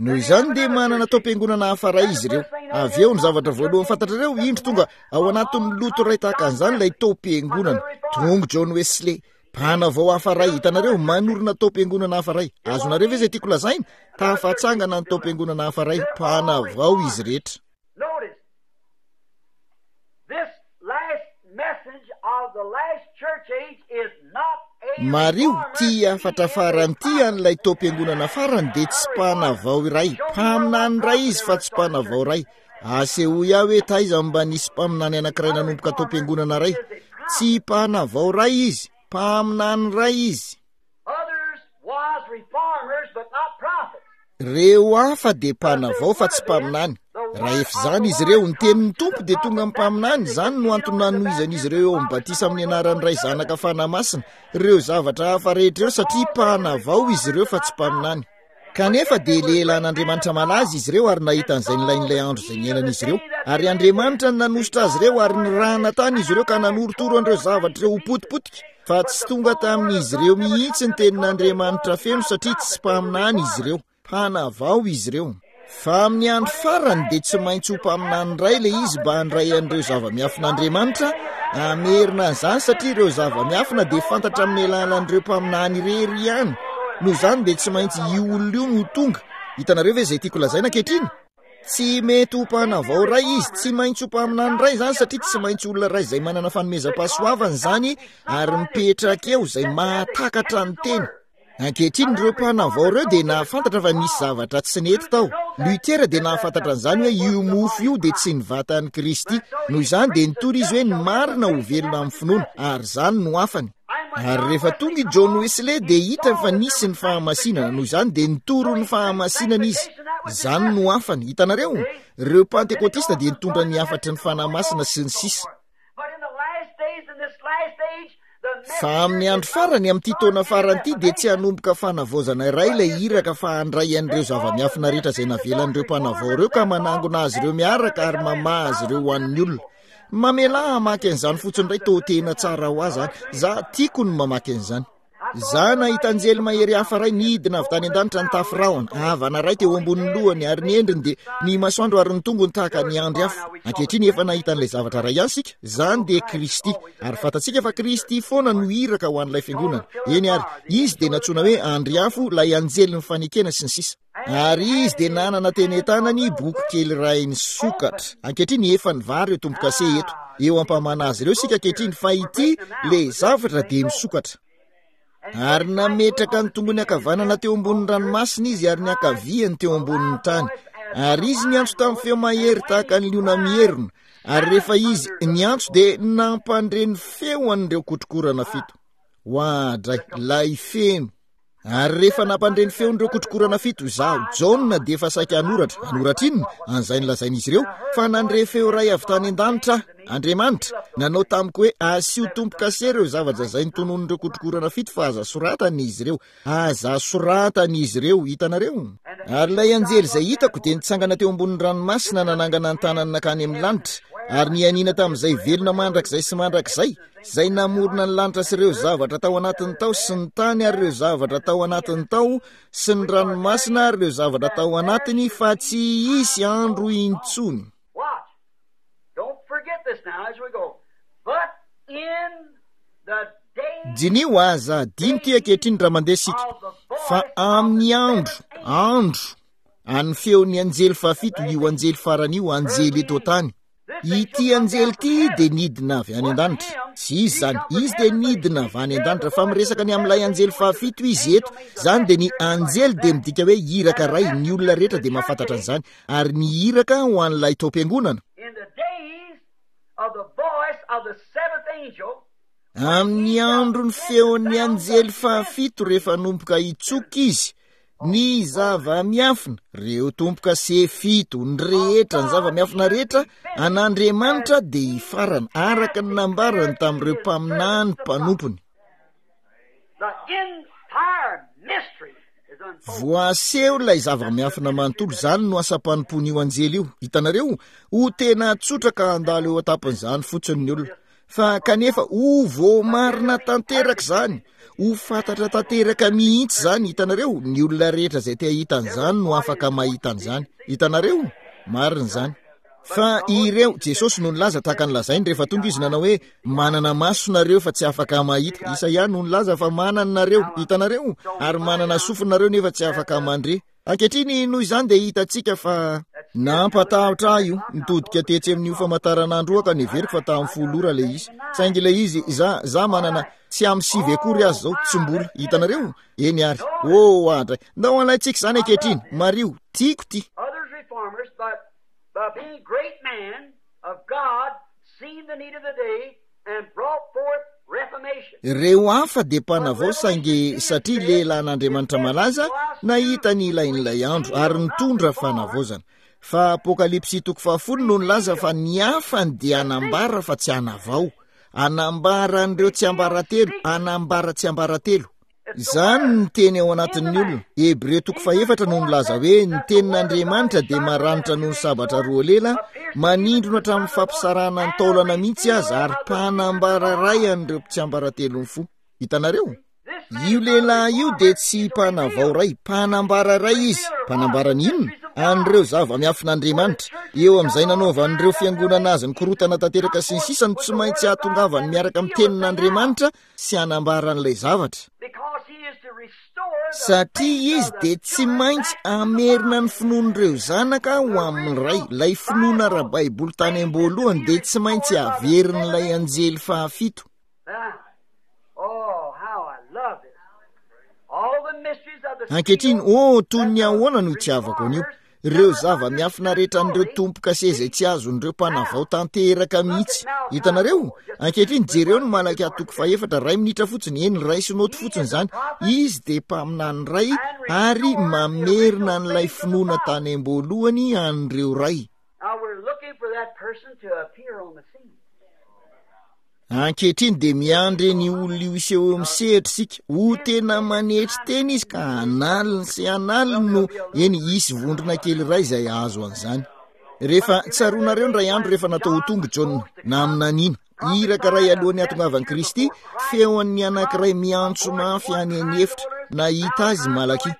Speaker 1: Noho izany dia manana taom-piangonana hafa iray izy ireo. Avy eo ny zavatra voalohany fantatrareo, indro tonga ao anatin'ny loto iray tahaka an'izany ilay taom-piangonana. Tonga John Wesley, Mpanavao hafa iray, hitanareo, manorina taom-piangonana hafa iray. Azonareo ve izay tiako lazaina? Tafatsangana ny taom-piangonana hafa iray, mpanavao izy rehetra. Mariho, ity hafatra farany ity an'ilay taom-piangonana farany dia tsy mpanavao iray, mpaminany iray izy fa tsy mpanavao iray. Asehoy ahy hoe taiza no mba nisy mpaminany anankiray nanomboka tao am-piangonana iray. Tsy mpanavao iray izy, mpaminany iray izy. Ireo hafa dia mpanavao fa tsy mpaminany. Raha efa izany izy ireo, ny tenin'ny Tompo dia tonga amin'ny mpaminany. Izany no antony nanohizan'izy ireo eo amin'ny batisa amin'ny anaran'ny Ray, Zanaka, Fanahy Masina. Ireo zavatra hafa rehetra ireo satria mpanavao izy ireo fa tsy mpaminany. Kanefa dia lehilahin'Andriamanitra malaza izy ireo ary nahita an'izay nilain'ilay andro izay niainan'izy ireo. Ary Andriamanitra no nanosotra azy ireo ary nirahana tany izy ireo ka nanorotoro an'ireo zavatra ireo ho potipotika. Fa tsy tonga tamin'izy ireo mihitsy ny tenin'Andriamanitra feno satria tsy mpaminany izy ireo. Mpanavao izy ireo. Fa amin'ny andro farany dia tsy maintsy ho mpaminany iray ilay izy mba handray an'ireo zava-miafin'Andriamanitra, hamerina an'izany satria ireo zava-miafina dia fantatra amin'ny alalan'ireo mpaminany irery ihany. Noho izany dia tsy maintsy io olona io no tonga. Hitanareo ve izay tiako lazaina ankehitriny? Tsy mety ho mpanavao iray izy, tsy maintsy ho mpaminany iray izany satria tsy maintsy olona iray izay manana fanomezam-pahasoavana izany ary mipetraka eo izay mahatakatra ny teny. Ankehitriny ireo mpanavao ireo dia nahafantatra fa nisy zavatra tsy nety tao. Luther dia nahafantatra an'izany hoe io mofo io dia tsy ny vatan'i Kristy. Noho izany dia nitory izy hoe ny marina ho velona amin'ny finoana, ary izany no hafany. Ary rehefa tonga i John Wesley dia hitany fa nisy ny fahamasinana, noho izany dia nitory ny fahamasinana izy. Izany no hafany. Hitanareo? Ireo Pantekotista dia nitondra ny hafatry ny Fanahy Masina sy ny sisa. Fa amin'ny andro farany, amin'ity taona farany ity, dia tsy hanomboka fanavaozana iray ilay iraka fa handray an'ireo zava-miafina rehetra izay navelan'ireo mpanavao ireo ka manangona azy ireo miaraka ary mamaha azy ireo ho an'ny olona. Mamelà hamaky an'izany fotsiny indray, toa tena tsara ho ahy izany. Za tiako ny mamaky an'izany. Za nahita anjely mahery hafa iray nidina avy tany an-danitra nitafy rahona, havana iray teo ambonin'ny lohany, ary ny endriny dia ny masoandro ary ny tongony tahaka ny andry afo. Ankehitriny efa nahita an'ilay zavatra iray ihany isika, izany dia Kristy. Ary fantatsika fa Kristy foana no iraka ho an'ilay fiangonana. Eny ary, Izy dia nantsoina hoe andry afo, ilay anjelin'ny fanekena sy ny sisa. Ary izy dia nanana teny an-tanany boky kely iray nisokatra. Ankehitriny efa nivaha ireo tombo-kase eto. Eo am-pamana azy ireo isika ankehitriny, fa ity ilay zavatra dia misokatra. Ary nametraka ny tongony ankavanana teo ambonin'ny ranomasina izy ary ny ankaviany teo ambonin'ny tany. Ary izy niantso tamin'ny feo mahery tahaka ny liona mierona. Ary rehefa izy niantso dia nampandre ny feo an'ireo kotrokorana fito. Oadray, ilay feno. Ary rehefa nampandre ny feon'ireo kotrokorana fito, izaho, Jaona, dia efa saika hanoratra. Hanoratra inona? An'izay nolazain'izy ireo, fa nandre feo iray avy tany an-danitra aho, Andriamanitra, nanao tamiko hoe, asio tombo-kase ireo zavatra izay notononin'ireo kotrokorana fito, fa aza soratana izy ireo. Aza soratana izy ireo. Hitanareo? Ary ilay anjely izay hitako dia nitsangana teo ambonin'ny ranomasina nanangana ny tanany nankany amin'ny lanitra, ary nianiana tamin'izay velona mandrakizay sy mandrakizay, izay namorona ny lanitra sy ireo zavatra tao anatiny tao sy ny tany ary ireo zavatra tao anatiny tao sy ny ranomasina ary ireo zavatra tao anatiny, fa tsy hisy andro intsony. Diniho, aza adino ity ankehitriny raha mandeha isika, fa amin'ny andro, andro, an'ny feon'ny anjely fahafito, io anjely farany io, anjely eto an-tany. Ity anjely ity dia nidina avy any an-danitra. Tsy izy izany, izy dia nidina avy any an-danitra, fa miresaka ny amin'ilay anjely fahafito izy eto. Izany dia ny anjely dia midika hoe iraka iray, ny olona rehetra dia mahafantatra an'izany, ary ny iraka ho an'ilay taom-piangonana. Amin'ny andron'ny feon'ny anjely fahafito rehefa hanomboka hitsoka izy, ny zava-miafina, ireo tombo-kase fito, ny rehetra, ny zava-miafina rehetra an'Andriamanitra dia hifarana, araka ny nambarany tamin'ireo mpaminany mpanompony. Voaseho ilay zava-miafina manontolo, izany no asam-panompoan'io anjely io. Hitanareo? Ho tena tsotra ka handalo eo an-tampon'izany fotsiny ny olona. Fa kanefa ho voamarina tanteraka izany, ho fantatra tanteraka mihitsy izany, hitanareo, ny olona rehetra izay te hahita an'izany no afaka mahita an'izany. Hitanareo? Marina izany. Fa ireo, Jesosy no nilaza tahaka ny lazainy rehefa tonga Izy nanao hoe, manana maso nareo fa tsy afaka mahita. Isaia no nilaza fa manana nareo, hitanareo, ary manana sofina nareo nefa tsy afaka mandre. Ankehitriny, noho izany dia hitantsika fa nampatahotra ahy io. Nitodika tetsy amin'io famantaranandro io aho ka neveriko fa tamin'ny folo ora ilay izy. Saingy ilay izy, za, za manana, tsy amin'ny sivy akory aza izao, tsy mbola. Hitanareo? Eny ary. Oh, adray. Ndao halaintsika izany ankehitriny. Mariho, tiako ity.
Speaker 2: By being great men of God, seen the need of the day, and brought forth
Speaker 1: Ireo hafa dia mpanavao, saingy satria lehilahin'Andriamanitra malaza, nahita ny ilain'ilay andro ary nitondra fanavaozana. Fa Apokalypsy toko fahafolo no nilaza fa ny hafany dia hanambara fa tsy hanavao. Hanambara an'ireo tsiambaratelo, hanambara tsiambaratelo. Izany ny teny ao anatin'ny olona. Hebreo toko fahefatra no nilaza hoe ny tenin'Andriamanitra dia maranitra noho ny sabatra roa lela, manindrona hatramin'ny fampisarahana ny taolana mihitsy aza, ary mpanambara iray an'ireo tsiambaratelon'ny fo. Hitanareo? Io lehilahy io dia tsy mpanavao iray, mpanambara iray izy. Mpanambara ny inona? An'ireo zava-miafin'Andriamanitra. Eo amin'izay nanaovan'ireo fiangonana azy ny korotana tanteraka sy ny sisa no tsy maintsy hahatongavany miaraka amin'ny tenin'Andriamanitra sy hanambara an'ilay zavatra. Satria izy dia tsy maintsy hamerina ny finoan'ireo zanaka ho amin'ny ray. Ilay finoana ara-baiboly tany am-boalohany dia tsy maintsy haverin'ilay anjely fahafito. Ankehitriny, oh, toy ny ahoana no itiavako an'io. Ireo zava-miafina rehetra an'ireo tompo-kase izay tsy azon'ireo mpanavao tanteraka mihitsy. Hitanareo? Ankehitriny, jereo ny Malakia toko fahefatra, iray minitra fotsiny, eny, raiso noty fotsiny izany. Izy dia mpaminany iray ary mamerina an'ilay finoana tany am-boalohany an'ireo ray. Ankehitriny dia miandry ny olona io hiseho eo amin'ny sehatra isika. Ho tena manetry tena izy ka hanaliny sy hanaliny no eny hisy vondrona kely iray izay hahazo an'izany. Rehefa tsaroanareo ny iray andro rehefa natao ho tonga Jaona, naminaniana, iraka iray alohan'ny hatongavan'i Kristy, feon'ny anankiray miantso mafy any an'efitra, nahita azy Malakia.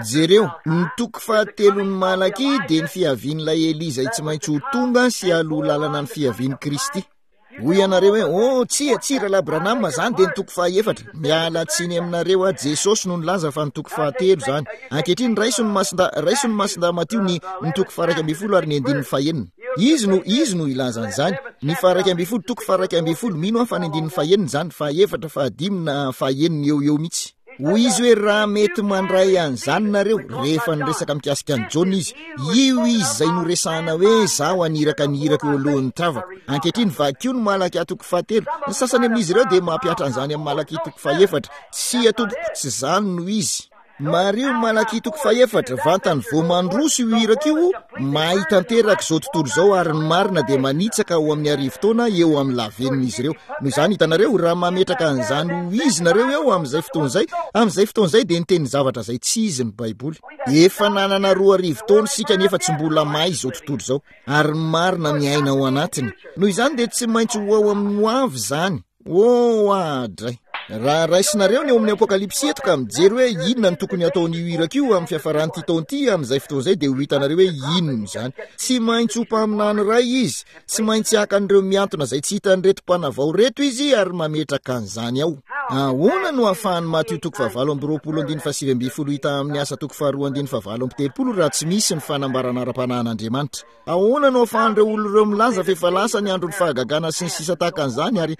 Speaker 1: Jereo, ny toko fahatelon'ny Malakia dia ny fiavian'ilay Elia izay tsy maintsy ho tonga sy haloha lalana ny fiavian'i Kristy. Hoy ianareo hoe, oh, tsia, tsia, Rahalahy Branham, izany dia ny toko fahefatra. Miala tsiny aminareo aho, Jesosy no nilaza fa ny toko fahatelo izany. Ankehitriny, raiso ny masinda, raiso ny masinda Matio ny, ny toko faharaika ambin'ny folo ary ny andininy fahenina. Izy no, izy no hilaza an'izany. Ny faharaika ambin'ny folo, toko faharaika ambin'ny folo, mino aho fa ny andininy fahenina izany, fahefatra, fahadimy na fahenina eo eo mihitsy. Hoy izy hoe, raha mety mandray an'izany nareo, rehefa niresaka mikasika an'i Jaona izy, io izy izay noresahana hoe, zaho haniraka ny irako eo alohan'ny tavako. Ankehitriny, vakio ny Malakia toko fahatelo. Ny sasany amin'izy ireo dia mampihatra an'izany amin'ny Malakia toko fahefatra. Tsia tompoko, tsy izany no izy. Mariho Malakia toko fahefatra, vantany vao mandroso io iraka io, mahay tanteraka izao tontolo izao ary ny marina dia manitsaka ao amin'ny arivo taona eo amin'ny lavenon'izy ireo. Noho izany, hitanareo, raha mametraka an'izany ho izy nareo eo amin'izay fotoana izay, amin'izay fotoana izay dia niteny zavatra izay tsy izy ny Baiboly. Efa nanana roa arivo taona isika nefa tsy mbola mahay izao tontolo izao, ary ny marina miaina ao anatiny. Noho izany dia tsy maintsy ho ao amin'ny ho avy izany. Oh, adray. Raha raisinareo ny ao amin'ny Apokalypsy eto ka mijery hoe inona no tokony hataon'io iraka io amin'ny fiafaran'ity taona ity, amin'izay fotoana izay dia ho hitanareo hoe inona izany. Tsy maintsy ho mpaminany iray izy. Tsy maintsy haka an'ireo mihantona izay tsy hitan'ireto mpanavao ireto izy ary mametraka an'izany ao. Ahoana no ahafahan'i Matio toko fahavalo amby roapolo andininy fahasivy ambin'ny folo hita amin'ny Asa toko faharoa andininy fahavalo amby telopolo raha tsy misy ny fanambarana ara-panahin'Andriamanitra? Ahoana no ahafahan'ireo olona ireo milaza fa efa lasa ny andron'ny fahagagana sy ny sisa tahaka an'izany ary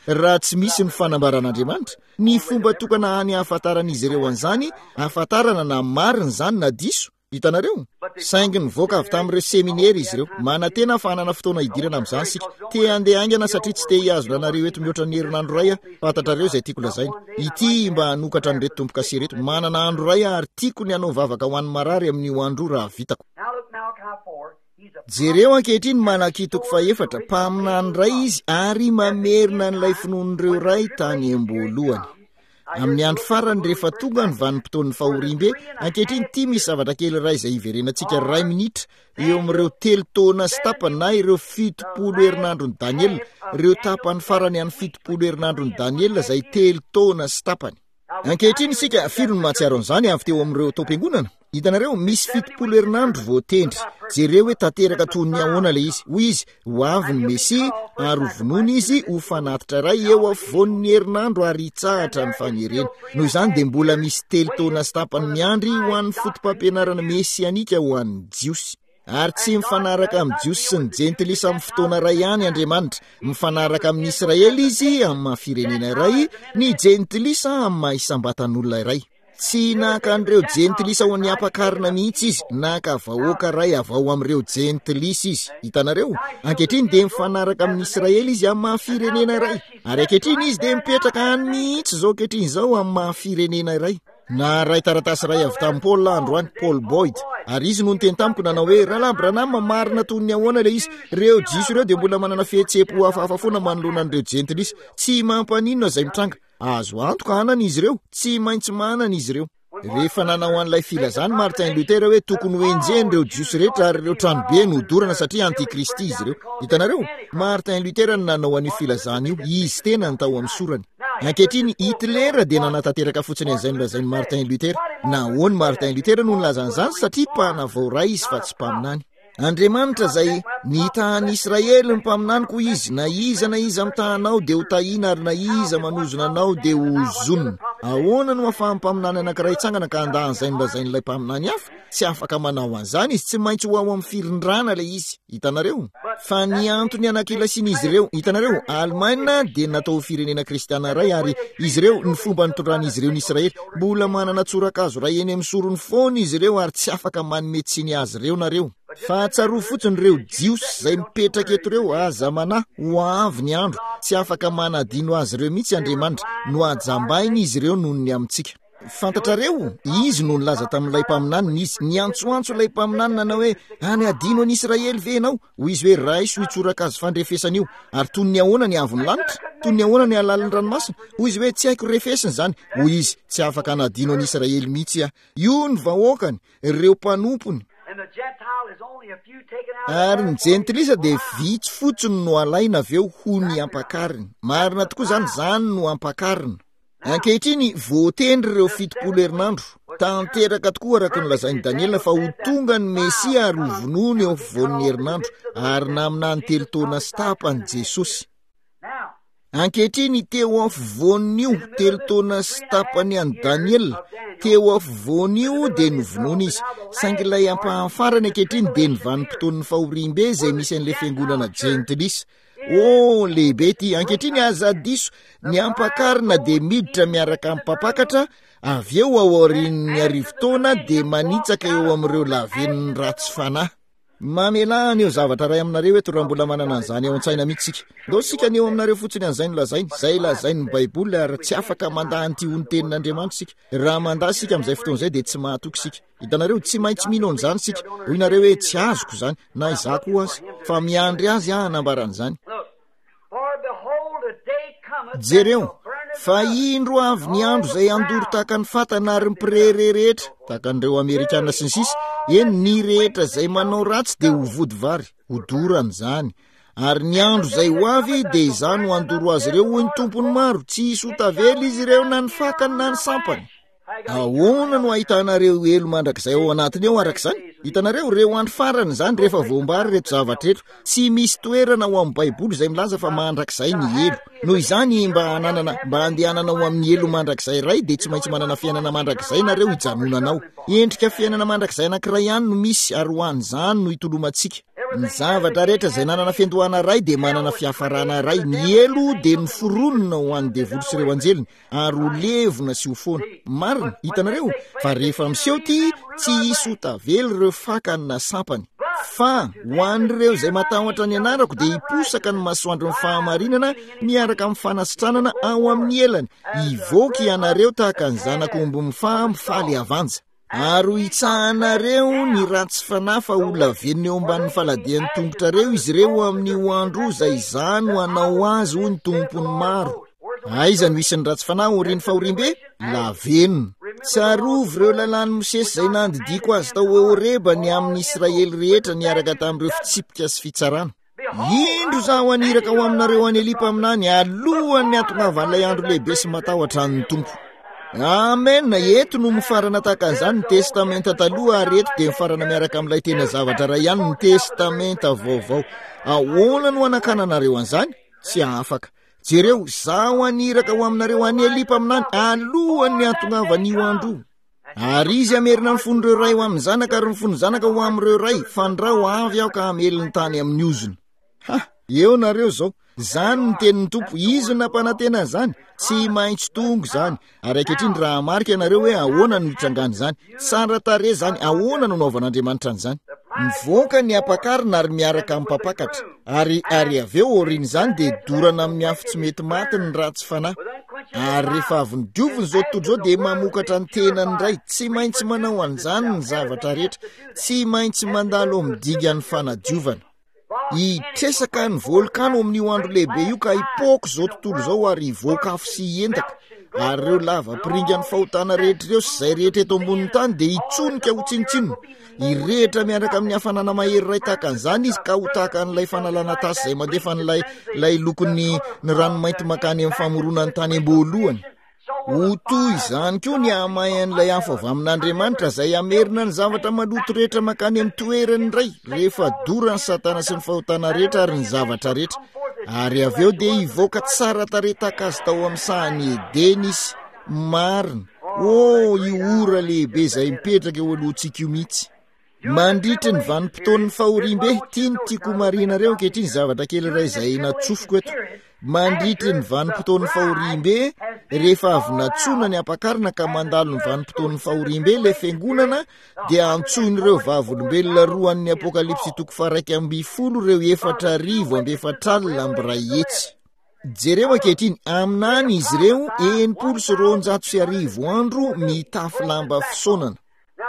Speaker 1: raha tsy misy ny fanambaran'Andriamanitra? Ny fomba tokana hany ahafantaran'izy ireo an'izany, ahafantarana na marina izany na diso, hitanareo? Saingy nivoaka avy tamin'ireo seminera izy ireo. Manantena fa hanana fotoana hidirana amin'izany isika. Te handeha haingana satria tsy te hihazona anareo eto mihoatra ny herinandro iray aho. Fantatrareo izay tiako lazaina. Ity mba hanokatra an'ireto tombo-kase ireto. Manana andro iray aho ary tiako ny hanao vavaka ho an'ny marary amin'io andro io raha vitako. Jereo ankehitriny Malakia toko fahefatra, mpaminany iray izy ary mamerina an'ilay finoan'ireo ray tany am-boalohany. Amin'ny andro farany rehefa tonga ny vanim-potoan'ny fahoriambe, ankehitriny ity misy zavatra kely iray izay hiverenantsika iray minitra eo amin'ireo telo taona sy tapany na ireo fitopolo herinandron'i Daniela, ireo tapany farany an'ny fitopolo herinandron'i Daniela izay telo taona sy tapany. Ankehitriny isika, firy no mahatsiaro an'izany avy teo amin'ireo taom-piangonana? Hitanareo, misy fitopolo herinandro voatendry. Jereo hoe tanteraka toy ny ahoana ilay izy. Hoy izy, ho avy ny Mesia, ary ho vonoina izy ho fanatitra iray eo afovoan'ny herinandro ary hitsahatra ny fanerena. Noho izany dia mbola misy telo taona sy tapany miandry ho an'ny foto-pampianarana mesianika ho an'ny Jiosy. Ary tsy mifanaraka amin'ny Jiosy sy ny Jentilisa amin'ny fotoana iray ihany Andriamanitra. Mifanaraka amin'ny Israely Izy amin'ny maha firenena iray, ny Jentilisa amin'ny maha isam-batan'olona iray. Tsy naka an'ireo jentilisa ho ny ampakarina mihitsy izy, naka vahoaka iray avy ao amin'ireo jentilisa izy. Hitanareo? Ankehitriny dia mifanaraka amin'ny Israely izy amin'ny maha firenena iray. Ary ankehitriny izy dia mipetraka any mihitsy izao ankehitriny izao amin'ny maha firenena iray. Naharay taratasy iray avy tamin'i Paul androany, Paul Boyd. Ary izy no niteny tamiko nanao hoe, Rahalahy Branham, marina toy ny ahoana ilay izy? Ireo Jiosy ireo dia mbola manana fihetseham-po hafahafa foana manoloana an'ireo jentilisa. Tsy mampaninona izay mitranga. Azo antoka hanana izy ireo, tsy maintsy manana izy ireo. Rehefa nanao an'ilay filazany Martin Luther hoe tokony ho enjehina ireo Jiosy rehetra ary ireo tranobe no hodorana satria antikristy izy ireo. Hitanareo? Martin Luther no nanao an'io filazana io, izy tenany tao amin'ny sorany. Ankehitriny, Hitler dia nanatanteraka fotsiny an'izay nolazain'i Martin Luther. Nahoana Martin Luther no nilaza an'izany? Satria mpanavao iray izy fa tsy mpaminany. Andriamanitra izay nitahan'i Israely ny mpaminany koa izy, na iza na iza mitaha anao dia ho tahiana ary na iza manozona anao dia ho ozonina. Ahoana no ahafahan'ny mpaminany anankiray hitsangana ka handà an'izay nolazain'ilay mpaminany hafa? Tsy afaka manao an'izany izy, tsy maintsy ho ao amin'ny firindrana ilay izy. Hitanareo? Fa ny antony anakilasian'izy ireo, hitanareo, Alemaina dia natao ho firenena kristiana iray ary izy ireo, ny fomba nitondran'izy ireo ny Israely, mbola manana tsorakazo iray eny amin'ny sorony foana izy ireo ary tsy afaka manome tsiny azy ireo nareo. Fa tsarovy fotsiny ireo Jiosy izay mipetraka eto ireo, aza manahy, ho avy ny andro, tsy afaka manadino azy ireo mihitsy Andriamanitra, nohajambaina izy ireo noho ny amintsika. Fantatrareo, izy no nilaza tamin'ilay mpaminaniny, izy niantsoantso ilay mpaminany nanao hoe, any adino an'i Israely ve ianao? Hoy izy hoe, raiso io tsorakazo fandrefesana io. Ary toy ny ahoana ny haavon'ny lanitra? Toy ny ahoana ny halalin'ny ranomasina? Hoy izy hoe, tsy haiko refesina izany. Hoy izy, tsy afaka hanadino an'i Israely mihitsy aho. Io ny vahoakany, ireo mpanompony. Ary ny jentilisa dia vitsy fotsiny no alaina avy eo ho ny ampakariny. Marina tokoa izany, izany no ampakarina. Ankehitriny, voatendry ireo fitopolo herinandro. Tanteraka tokoa araka ny lazain'i Daniela fa ho tonga ny Mesia ary ho vonoina eo afovoan'ny herinandro, ary naminany telo taona sy tapany Jesosy. Ankehitriny, teo afovoan'io telo taona sy tapany an'i Daniela, teo afovoan'io dia novonoina izy. Saingy ilay ampahany farany ankehitriny dia ny vanim-potoan'ny fahoriambe izay misy an'ilay fiangonana jentilisa. Oh, lehibe ity. Ankehitriny, aza diso, ny ampakarina dia miditra miaraka amin'ny mpampakatra, avy eo ao aorian'ny arivo taona dia manitsaka eo amin'ireo lavenon'ny ratsy fanahy. Mamelà haneho zavatra iray aminareo eto raha mbola manana an'izany ao an-tsaina mihitsy isika. Ndao isika haneho aminareo fotsiny an'izay nolazainy, izay lazain'ny Baiboly, ary tsy afaka mandà an'ity ho ny tenin'Andriamanitra isika. Raha mandà isika amin'izay fotoana izay dia tsy mahatoky isika. Hitanareo, tsy maintsy mino an'izany isika. Hoy nareo hoe, tsy azoko izany, na izaho koa aza, fa miandry azy aho hanambara an'izany. Jereo, fa indro avy ny andro izay handoro tahaka ny fatana ary ny mpirehareha rehetra, tahaka an'ireo Amerikana sy ny sisa, eny, ny rehetra izay manao ratsy dia ho vody vary, hodorana izany. Ary ny andro izay ho avy dia izaho no handoro azy ireo, hoy ny Tompon'ny maro, tsy hisy ho tavela izy ireo na ny fakany na ny sampany. Ahoana no ahitanareo helo mandrakizay ao anatiny ao araka izany? Hitanareo, ireo andro farany izany rehefa voambara ireto zavatra ireto. Tsy misy toerana ao amin'ny Baiboly izay milaza fa mandrakizay ny helo. Noho izany, mba hananana, mba handehanana ao amin'ny helo mandrakizay iray dia tsy maintsy manana fiainana mandrakizay nareo hijanonana ao. Endrika fiainana mandrakizay anankiray ihany no misy ary ho an'izany no itolomantsika. Ny zavatra rehetra izay nanana fiandohana iray dia manana fiafarana iray. Ny helo dia noforonina ho an'ny devoly sy ireo anjeliny. ary ho levona sy ho foana. Marina, hitanareo, fa rehefa miseho ity, tsy hisy ho tavela ireo fakany na sampany. Fa ho an'ireo izay matahotra ny anarako dia hiposaka ny masoandron'ny fahamarinana miaraka amin'ny fanasitranana ao amin'ny elany. Hivoaka ianareo tahaka ny zanak'omby mifaha mifaly havanja. Ary ho hitsahanareo ny ratsy fanahy fa ho lavenona eo ambanin'ny faladian'ny tongotrareo izy ireo amin'io andro io izay izaho no hanao azy, hoy ny Tompon'ny maro. Aiza no hisy ny ratsy fanahy aorian'ny fahoriambe? Lavenona. Tsarovy ireo lalàn'i Mosesy izay nandidiako azy tao Horeba ny amin'ny Israely rehetra niaraka tamin'ireo fitsipika sy fitsarana. Indro izaho haniraka ho aminareo an'i Elia mpaminany alohan'ny hatongavan'ilay andro lehibe sy matahotra an'ny Tompo. Amen. Eto no mifarana tahaka an'izany ny Testamenta Taloha ary eto dia mifarana miaraka amin'ilay tena zavatra iray ihany ny Testamenta Vaovao. Ahoana no hanakananareo an'izany? Tsy afaka. Jereo, izaho haniraka ho aminareo an'i Elia mpaminany alohan'ny hatongavan'io andro io. Ary izy hamerina ny fon'ireo ray ho amin'ny zanaka ary ny fon'ny zanaka ho amin'ireo ray, fandrao avy aho ka hamely ny tany amin'ny ozona. Ha! Eo nareo izao. Izany ny tenin'ny Tompo, Izy no nampanantena an'izany. Tsy maintsy tonga izany. Ary ankehitriny raha hamarika ianareo hoe ahoana no hitrangan'izany, tsara tarehy izany, ahoana no anaovan'Andriamanitra an'izany. Mivoaka ny ampakarina ary miaraka amin'ny mpampakatra, ary, ary avy eo aorian'izany dia dorana amin'ny afo tsy mety maty ny ratsy fanahy. Ary rehefa avy nodiovina izao tontolo izao dia mamokatra ny tenany indray. Tsy maintsy manao an'izany ny zavatra rehetra. Tsy maintsy mandalo amin'ny dingan'ny fanadiovana. Hitresaka ny volkano amin'io andro lehibe io ka hipoaka izao tontolo izao ary hivoaka afo sy hiendaka. Ary ireo lava-piringan'ny fahotana rehetra ireo sy izay rehetra eto ambonin'ny tany dia hitsonika ho tsinontsinona. Hirehitra miaraka amin'ny hafanana mahery iray tahaka an'izany izy ka ho tahaka an'ilay fanalana tasy izay mandefa an'ilay ilay lokon'ny ny ranomainty mankany amin'ny famoronan'ny tany am-boalohany. Ho toy izany koa ny hahamayan'ilay afo avy amin'Andriamanitra izay hamerina ny zavatra maloto rehetra mankany amin'ny toerany indray rehefa doran'i Satana sy ny fahotana rehetra ary ny zavatra rehetra. Ary avy eo dia hivoaka tsara tarehy tahaka azy tao amin'ny sahan'i Edena izy. Marina. Oh, io ora lehibe izay mipetraka eo alohantsika io mihitsy. Mandritry ny vanim-potoan'ny fahoriambe, ity no tiako homarihinareo ankehitriny, zavatra kely iray izay natsofoko eto. Mandritry ny vanim-potoan'ny fahoriambe, rehefa avy natsoina ny ampakarina ka mandalo ny vanim-potoan'ny fahoriambe ilay fiangonana, dia antsoin'ireo vavolombelona roa an'ny Apokalypsy toko faharaika ambin'ny folo ireo efatra arivo amby efatra alina amby iray hetsy. Jereo ankehitriny, aminany izy ireo enimpolo sy roanjato sy arivo andro mitafy lamba fisaonana.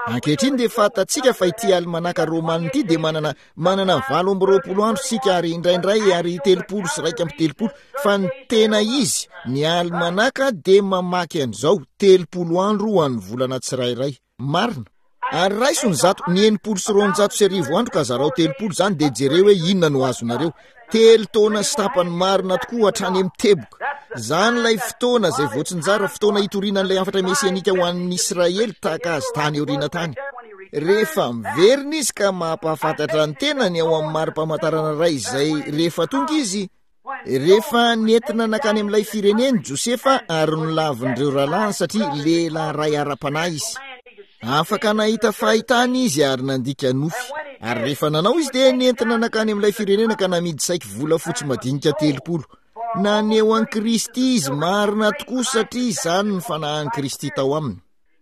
Speaker 1: Ankehitriny dia fantatsika fa ity alimanaka romana ity dia manana, manana valo amby roapolo andro isika ary indraindray ary telopolo sy iraika amby telopolo, fa ny tena izy, ny alimanaka dia mamaky an'izao, telopolo andro ho an'ny volana tsirairay. Marina. Ary raiso ny zato, ny enimpolo sy roanjato sy arivo andro ka zarao telopolo izany dia jereo hoe inona no azonareo. Telo taona sy tapany marina tokoa hatrany amin'ny teboka. Izany ilay fotoana izay voatsinjara, fotoana hitoriana an'ilay hafatra mesianika ho an'ny Israely tahaka azy tany aoriana tany. Rehefa miverina izy ka mampahafantatra ny tenany ao amin'ny mari-pamantarana iray izay rehefa tonga izy, rehefa nentina nankany amin'ilay fireneny Josefa ary nolavin'ireo rahalahiny satria lehilahy iray ara-panahy izy. Afaka nahita fahitana izy ary nandika nofy. Ary rehefa nanao izy dia nentina nankany amin'ilay firenena ka namidy saiky volafotsy madinika telopolo. Naneho an'i Kristy izy marina tokoa satria izany ny fanahin'i Kristy tao aminy.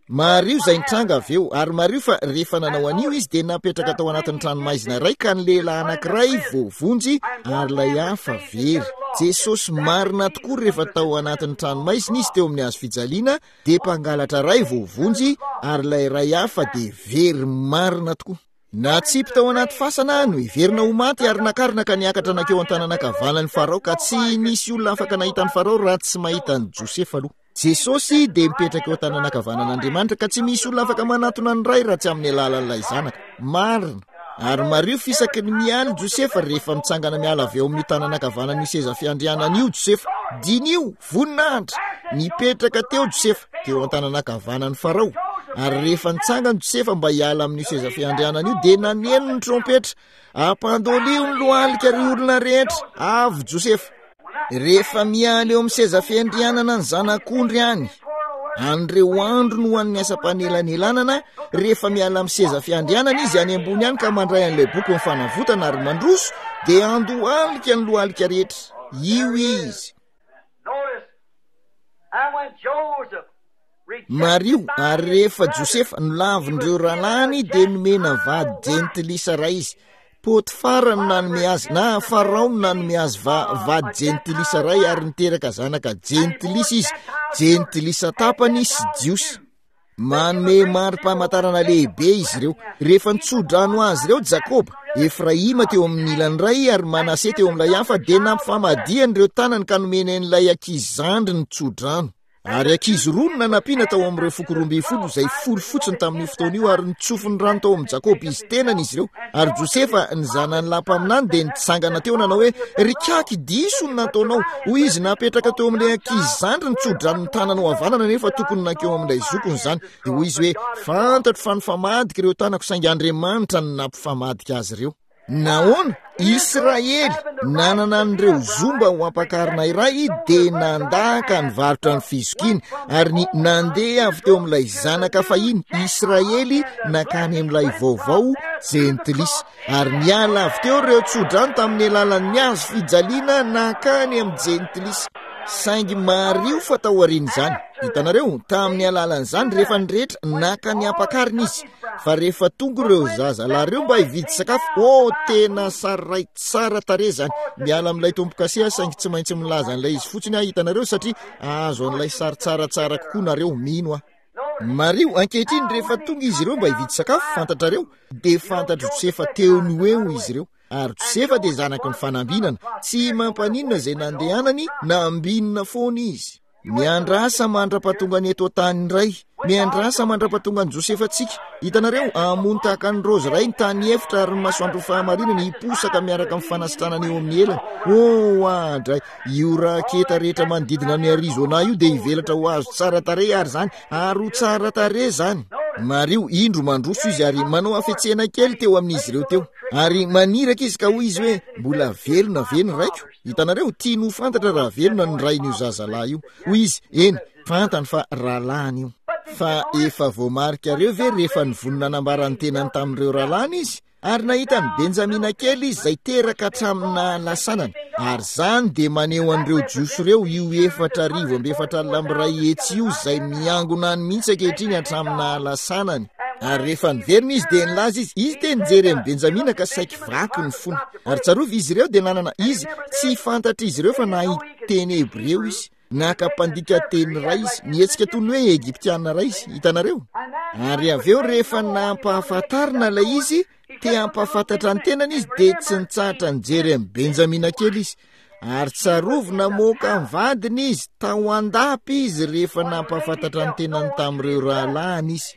Speaker 1: Mariho izay nitranga avy eo, ary mariho fa rehefa nanao an'io izy dia napetraka tao anatin'ny tranomaizina iray ka ny lehilahy anankiray voavonjy ary ilay hafa very. Jesosy marina tokoa rehefa tao anatin'ny tranomaizina izy teo amin'ny hazo fijaliana dia mpangalatra iray voavonjy ary ilay iray hafa dia very marina tokoa. Natsipy tao anaty fasana, noheverina ho maty ary nakarina ka niakatra nankeo an-tanana ankavanan'i Farao ka tsy nisy olona afaka nahita an'i Farao raha tsy mahita an'i Josefa aloha. Jesosy dia mipetraka eo an-tanana ankavanan'Andriamanitra ka tsy misy olona afaka manatona ny Ray raha tsy amin'ny alalan'ilay Zanaka. Marina. Ary mariho fisaky ny mialy Josefa rehefa mitsangana miala avy eo amin'io tanana ankavanan'io seza fiandrianana io Josefa. Diniho, voninahitra! Nipetraka teo Josefa, teo an-tanana ankavanan'i Farao. Ary rehefa nitsangana Josefa mba hiala amin'io seza fiandrianana io, dia naneno ny trompetra. Ampandolio ny lohalika ry olona rehetra! Avy Josefa! Rehefa miala eo amin'ny seza fiandrianana ny zanak'ondry any, an'ireo andro no an'ny asam-panelanelanana, rehefa miala amin'ny seza fiandrianana izy any ambony any ka mandray an'ilay boky ny fanavotana ary mandroso, dia andohalika ny lohalika rehetra. Io izy. Mariho, ary rehefa Josefa nolavin'ireo rahalahiny dia nomena vady jentilisa iray izy. Potifara no nanome azy, na Farao no nanome azy va-, vady jentilisa iray ary niteraka zanaka jentilisa izy, jentilisa tapany sy Jiosy. Manome mari-pamantarana lehibe izy ireo. Rehefa nitsodrano azy ireo Jakoba, Efraima teo amin'ny ilany iray ary Manase teo amin'ilay hafa, dia nampifamadihany ireo tanany ka nomeny an'ilay ankizy zandry ny tsodrano. Ary ankizy roa no nanampiana tao amin'ireo foko roa ambin'ny folo, izay folo fotsiny tamin'io fotoana io, ary nitsofy ny rano tao amin'i Jakoba izy tenany izy ireo. Ary Josefa, ny zanany lahy mpaminany, dia nitsangana teo nanao hoe, Ry kaky, diso ny nataonao. Hoy izy, napetraka teo amin'ilay ankizy zandry ny tso-dranon'ny tananao havanana, nefa tokony nankeo amin'ilay zokiny izany. Dia hoy izy hoe, Fantatro fa nifamadika ireo tanako, saingy Andriamanitra no nampifamadika azy ireo. Nahoana? Israely nanana an'ireo zomba ho ampakarina iray dia nandaka nivarotra ny fizokiany ary ny nandeha avy teo amin'ilay zanaka fahiny Israely nakany amin'ilay vaovao jentilisa. Ary niala avy teo ireo tsodrano tamin'ny alalan'ny hazo fijaliana nakany amin'ny jentilisa. Saingy mariho fa tao aorian'izany, hitanareo, tamin'ny alalan'izany rehefa ny rehetra naka ny ampakarina izy, fa rehefa tonga ireo zazalahy ireo mba hividy sakafo, oh, tena sary tsara tarehy izany. Miala amin'ilay tombo-kase aho, saingy tsy maintsy milaza an'ilay izy fotsiny aho, hitanareo, satria ahazo an'ilay sary tsaratsara kokoa nareo, mino aho. Mariho, ankehitriny rehefa tonga izy ireo mba hividy sakafo, fantatrareo, dia fantatro Josefa teo no eo izy ireo. Ary Josefa dia zanaky ny fanambinana, tsy mampaninona izay nandehanany, nambinina foana izy. Miandrasa mandra-pahatonga ny eto an-tany indray, miandrasa mandra-pahatonga ny Josefa tsika. Hitanareo, hamono tahaka ny raozy iray ny tany efitra ary ny masoandro fahamarinana hiposaka miaraka amin'ny fanasitranana eo amin'ny elany. Oh, andray, io raketa rehetra manodidina ny Arizona io dia hivelatra ho azo tsara tarehy ary izany, ary ho tsara tarehy izany. Mariho, indro mandroso izy ary manao hafetsena kely teo amin'izy ireo teo. Ary maniraka izy ka hoy izy hoe, mbola velona ve ny raiko? Hitanareo, tiany ho fantatra raha velona ny rain'io zazalahy io. Hoy izy, eny, fantany fa rahalahiny io. Fa efa voamarikareo ve rehefa nivonona nanambara ny tenany tamin'ireo rahalahiny izy? Ary nahita ny Benjamina kely izy izay teraka hatramin'ny nahalasanany. Ary izany dia maneho an'ireo Jiosy ireo, io efatra arivo amby efatra alina amby iray hetsy io izay miangona any mihitsy ankehitriny hatramin'ny nahalasanany. Ary rehefa niverina izy dia nilaza izy, izy dia nijery an'i Benjamina ka saiky vaky ny fony. Ary tsarovy izy ireo dia nanana izy, tsy fantatr'izy ireo fa nahay teny hebreo izy. Naka mpandika teny iray izy, nihetsika toy ny hoe Egyptiana iray izy, hitanareo? Ary avy eo rehefa nampahafantarina ilay izy, te hampahafantatra ny tenany izy, dia tsy nitsahatra nijery an'i Benjamina kely izy. Ary tsarovy namoaka ny vadiny izy, tao an-dapa izy rehefa nampahafantatra ny tenany tamin'ireo rahalahiny izy.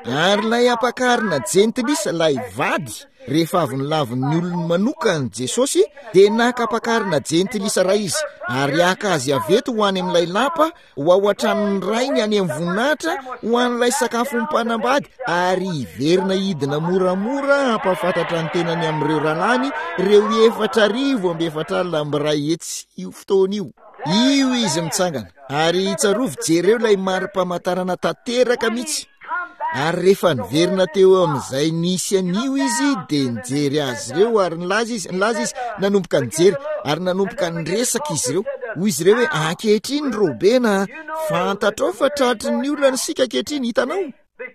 Speaker 1: Ary ilay ampakarina jentilisa, ilay vady, rehefa avy nilavin'ny olony manokana Jesosy, dia naka ampakarina jentilisa iray izy, ary haka azy avy eto ho any amin'ilay lapa, ho ao an-tranon'ny rainy any amin'ny voninahitra, ho an'ilay sakafon'ny mpanambady, ary hiverina hidina moramora hampahafantatra ny tenany amin'ireo rahalahiny, ireo efatra arivo amby efatra alina amby iray hetsy io fotoana io. Io izy mitsangana. Ary tsarovy, jereo ilay mari-pamantarana tanteraka mihitsy. Ary rehefa niverina teo amin'izay nisy an'io izy, dia nijery azy ireo ary nilaza izy, nilaza izy, nanomboka nijery ary nanomboka niresaka izy ireo. Hoy izy ireo hoe, ankehitriny Robena, fantatrao fa tratry ny olana isika ankehitriny, hitanao?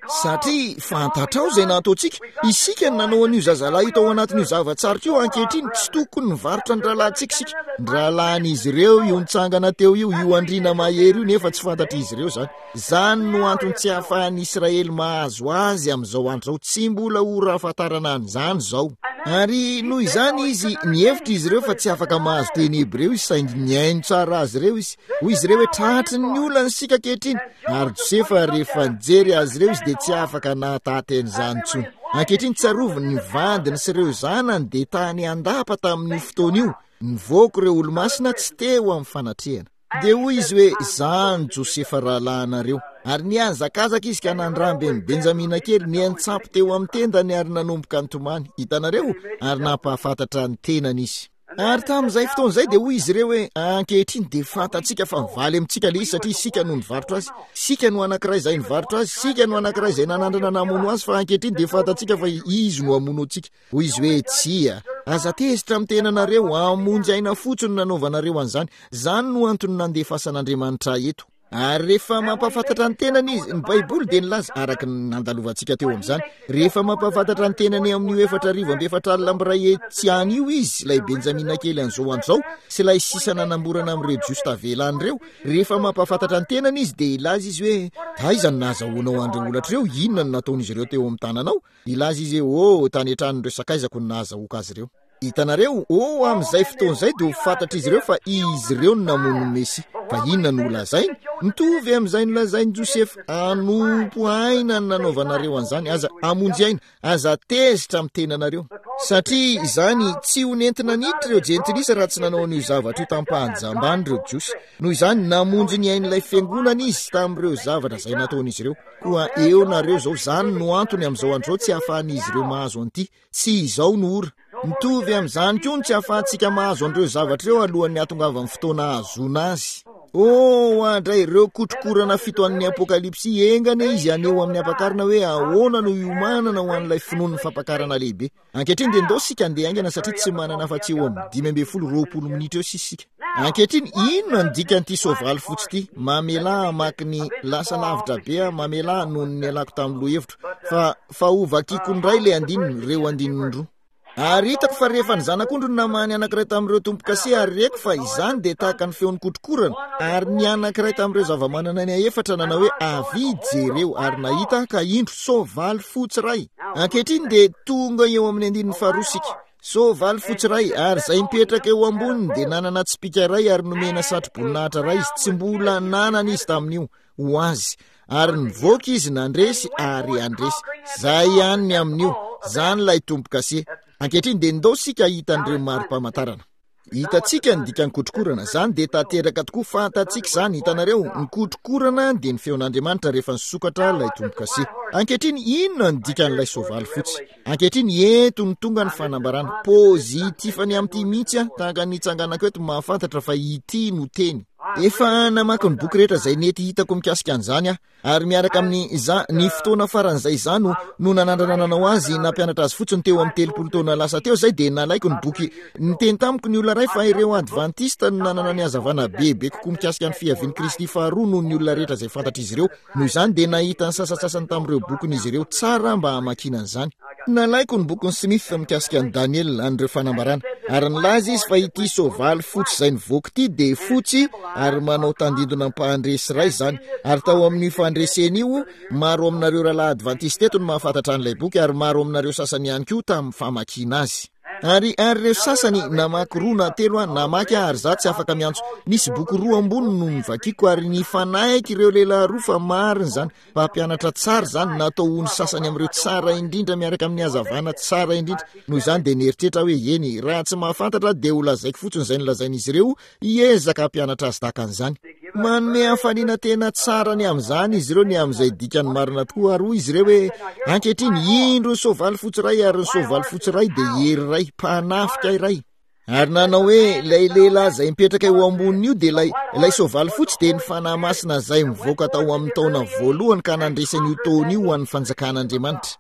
Speaker 1: Satria fantatrao izay nataontsika, isika no nanao an'io zazalahy io tao anatin'io zava-tsarotra io. Ankehitriny tsy tokony nivarotra ny rahalahintsika isika. Ny rahalahin'izy ireo io nitsangana teo io, io andriana mahery io, nefa tsy fantatr'izy ireo izany. Izany no antony tsy ahafahan'ny Israely mahazo azy amin'izao andro izao. Tsy mbola ora ahafantarana an'izany izao. Ary noho izany izy, nihevitra izy ireo fa tsy afaka mahazo teny hebreo izy, saingy nihaino tsara azy ireo izy. Hoy izy ireo hoe, tratry ny olana isika ankehitriny. Ary Josefa rehefa nijery azy ireo izy dia tsy afaka nahataty an'izany intsony. Ankehitriny tsarovy ny vadiny sy ireo zanany dia tany an-dapa tamin'io fotoana io. Nivoaka ireo olomasina tsy teo amin'ny fanatrehana. Dia hoy izy hoe, izaho no Josefa rahalahinareo. Ary nihazakazaka izy ka nandramby an'i Benjamina kely, niantsampy teo amin'ny tendany ary nanomboka nitomany. Hitanareo? Ary nampahafantatra ny tenany izy. Ary tamin'izay fotoana izay dia hoy izy ireo hoe, ankehitriny dia fantatsika fa mivaly amintsika ilay izy satria isika no nivarotra azy. Isika no anankiray izay nivarotra azy, isika no anankiray izay nanandrana namono azy, fa ankehitriny dia fantatsika fa izy no hamono antsika. Hoy izy hoe, tsia, aza tezitra amin'ny tenanareo, hamonjy aina fotsiny no nanaovanareo an'izany. Izany no antony nandefasan'Andriamanitra ahy eto. Ary rehefa mampahafantatra ny tenany izy, ny Baiboly dia nilaza, araka ny nandalovantsika teo amin'izany, rehefa mampahafantatra ny tenany amin'io efatra arivo amby efatra alina amby iray hetsy any io izy, ilay Benjamina kely an'izao andro izao, sy ilay sisa nanamborana amin'ireo Jiosy tavela any ireo, rehefa mampahafantatra ny tenany izy, dia hilaza izy hoe, taiza no nahazahoanao an'ireo holatra ireo, inona no nataon'izy ireo teo amin'ny tananao? Hilaza izy hoe, oh, tany an-tranon'ireo sakaizako no nahazahoako azy ireo. Hitanareo, oh, amin'izay fotoana izay dia ho fantatr'izy ireo fa izy ireo no namono ny Mesia. Fa inona no holazainy? Mitovy amin'izay nolazain'i Josefa, hanompo aina ny nanaovanareo an'izany, aza hamonjy aina, aza tezitra amin'ny tenanareo. Satria izany tsy ho nentina niditra ireo jentilisa raha tsy nanao an'io zavatra io tampahajambany ireo Jiosy. Noho izany, namonjy ny ain'ilay fiangonana izy tamin'ireo zavatra izay nataon'izy ireo. Koa eo nareo izao, izany no antony amin'izao andro izao tsy ahafahan'izy ireo mahazo an'ity. Tsy izao no ora. Mitovy amin'izany koa ny tsy ahafahantsika mahazo an'ireo zavatra ireo alohan'ny hahatongavan'ny fotoana ahazoana azy. Oh, andray ireo kotrokorana fito an'ny Apokalypsy, engane izy haneho amin'ny ampakarina hoe ahoana no hiomanana ho an'ilay finoan'ny fampakarana lehibe. Ankehitriny dia ndao isika handeha haingana satria tsy manana afa-tsy eo amin'ny dimy ambin'ny folo roapolo minitra eo sisa isika. Ankehitriny, inona ny dikan'ity soavaly fotsy ity? Mamelà hamaky ny lasa lavitra be aho, mamelà noho ny nialako tamin'ny lohahevitro, fa, fa ho vakiko indray ilay andininy, ireo andininy roa. Ary hitako fa rehefa ny zanak'ondry no namaha ny anankiray tamin'ireo tombo-kase, ary reko fa izany dia tahaka ny feon'ny kotrokorana, ary ny anankiray tamin'ireo zava-manana aina efatra nanao hoe, Avia, jereo. Ary nahita aho ka indro soavaly fotsy iray. Ankehitriny dia tonga eo amin'ny andininy faharoa isika. Soavaly fotsy iray, ary izay mipetraka eo amboniny dia nanana tsipìka iray ary nomena satroboninahitra iray izy, tsy mbola nanana izy tamin'io, ho azy. Ary nivoaka izy nandresy ary handresy. Zay ihany ny amin'io. Zany ilay tombo-kase. Ankehitriny dia ndao isika hahita an'ireo mari-pamantarana. Hitantsika ny dikan'ny kotrokorana. Zany dia tanteraka tokoa, fantatsika izany. Hitanareo, ny kotrokorana dia ny feon'Andriamanitra rehefa nisokatra ilay tombo-kase. Ankehitriny, inona ny dikan'ilay soavaly fotsy? Ankehitriny, eto no tonga ny fanambarana. Pozitifany amin'ity mihitsy aho, tahaka ny nitsanganako eto mahafantatra fa ity no teny. Efa namaky ny boky rehetra izay nety hitako mikasika an'izany aho, ary miaraka amin'ny za, ny fotoana faran'izay izaho no, no nanandrana nanao azy, nampianatra azy fotsiny teo amin'ny telopolo taona lasa teo izay, dia nalaiko ny boky. Niteny tamiko ny olona iray fa ireo Advantista no nanana ny hazavana bebe kokoa mikasika ny fiavian'i Kristy faharoa noho ny olona rehetra izay fantatr'izy ireo. Noho izany dia nahita ny sasantsasany tamin'ireo bokin'izy ireo tsara mba hamakiana an'izany. Nalaiko ny bokin'i Smith mikasika an'i Daniela, an'ireo fanambarana, ary nilaza izy fa ity soavaly fotsy izay nivoaka ity dia fotsy ary manao tandindona mpahandresy iray izany. Ary tao amin'io fandresena io, maro aminareo rahalahy advantista eto no mahafantatra an'ilay boky, ary maro aminareo sasany ihany koa tamin'ny famakiana azy. Ary, ary ireo sasany, namaky roa na telo aho, namaky aho ary izaho tsy afaka miantso. Nisy boky roa ambony no novakiko ary nifanaiky ireo lehilahy roa fa marina izany. Mpampianatra tsara izany, natao ho ny sasany amin'ireo tsara indrindra miaraka amin'ny hazavana tsara indrindra. Noho izany dia nieritreritra aho hoe, eny, raha tsy mahafantatra aho dia ho lazaiko fotsiny izay nolazain'izy ireo, hiezaka hampianatra azy tahaka an'izany. Manome hafaliana tena tsara ny amin'izany izy ireo, ny amin'izay dikany marina tokoa. Ary hoy izy ireo hoe, ankehitriny, indro ny soavaly fotsy iray, ary ny soavaly fotsy iray dia hery iray, mpanafika iray. Ary nanao hoe, ilay lehilahy izay mipetraka eo ambonin'io dia ilay, ilay soavaly fotsy dia ny Fanahy Masina izay mivoaka tao amin'ny taona voalohany ka nandresy an'io taona io ho an'ny fanjakan'Andriamanitra.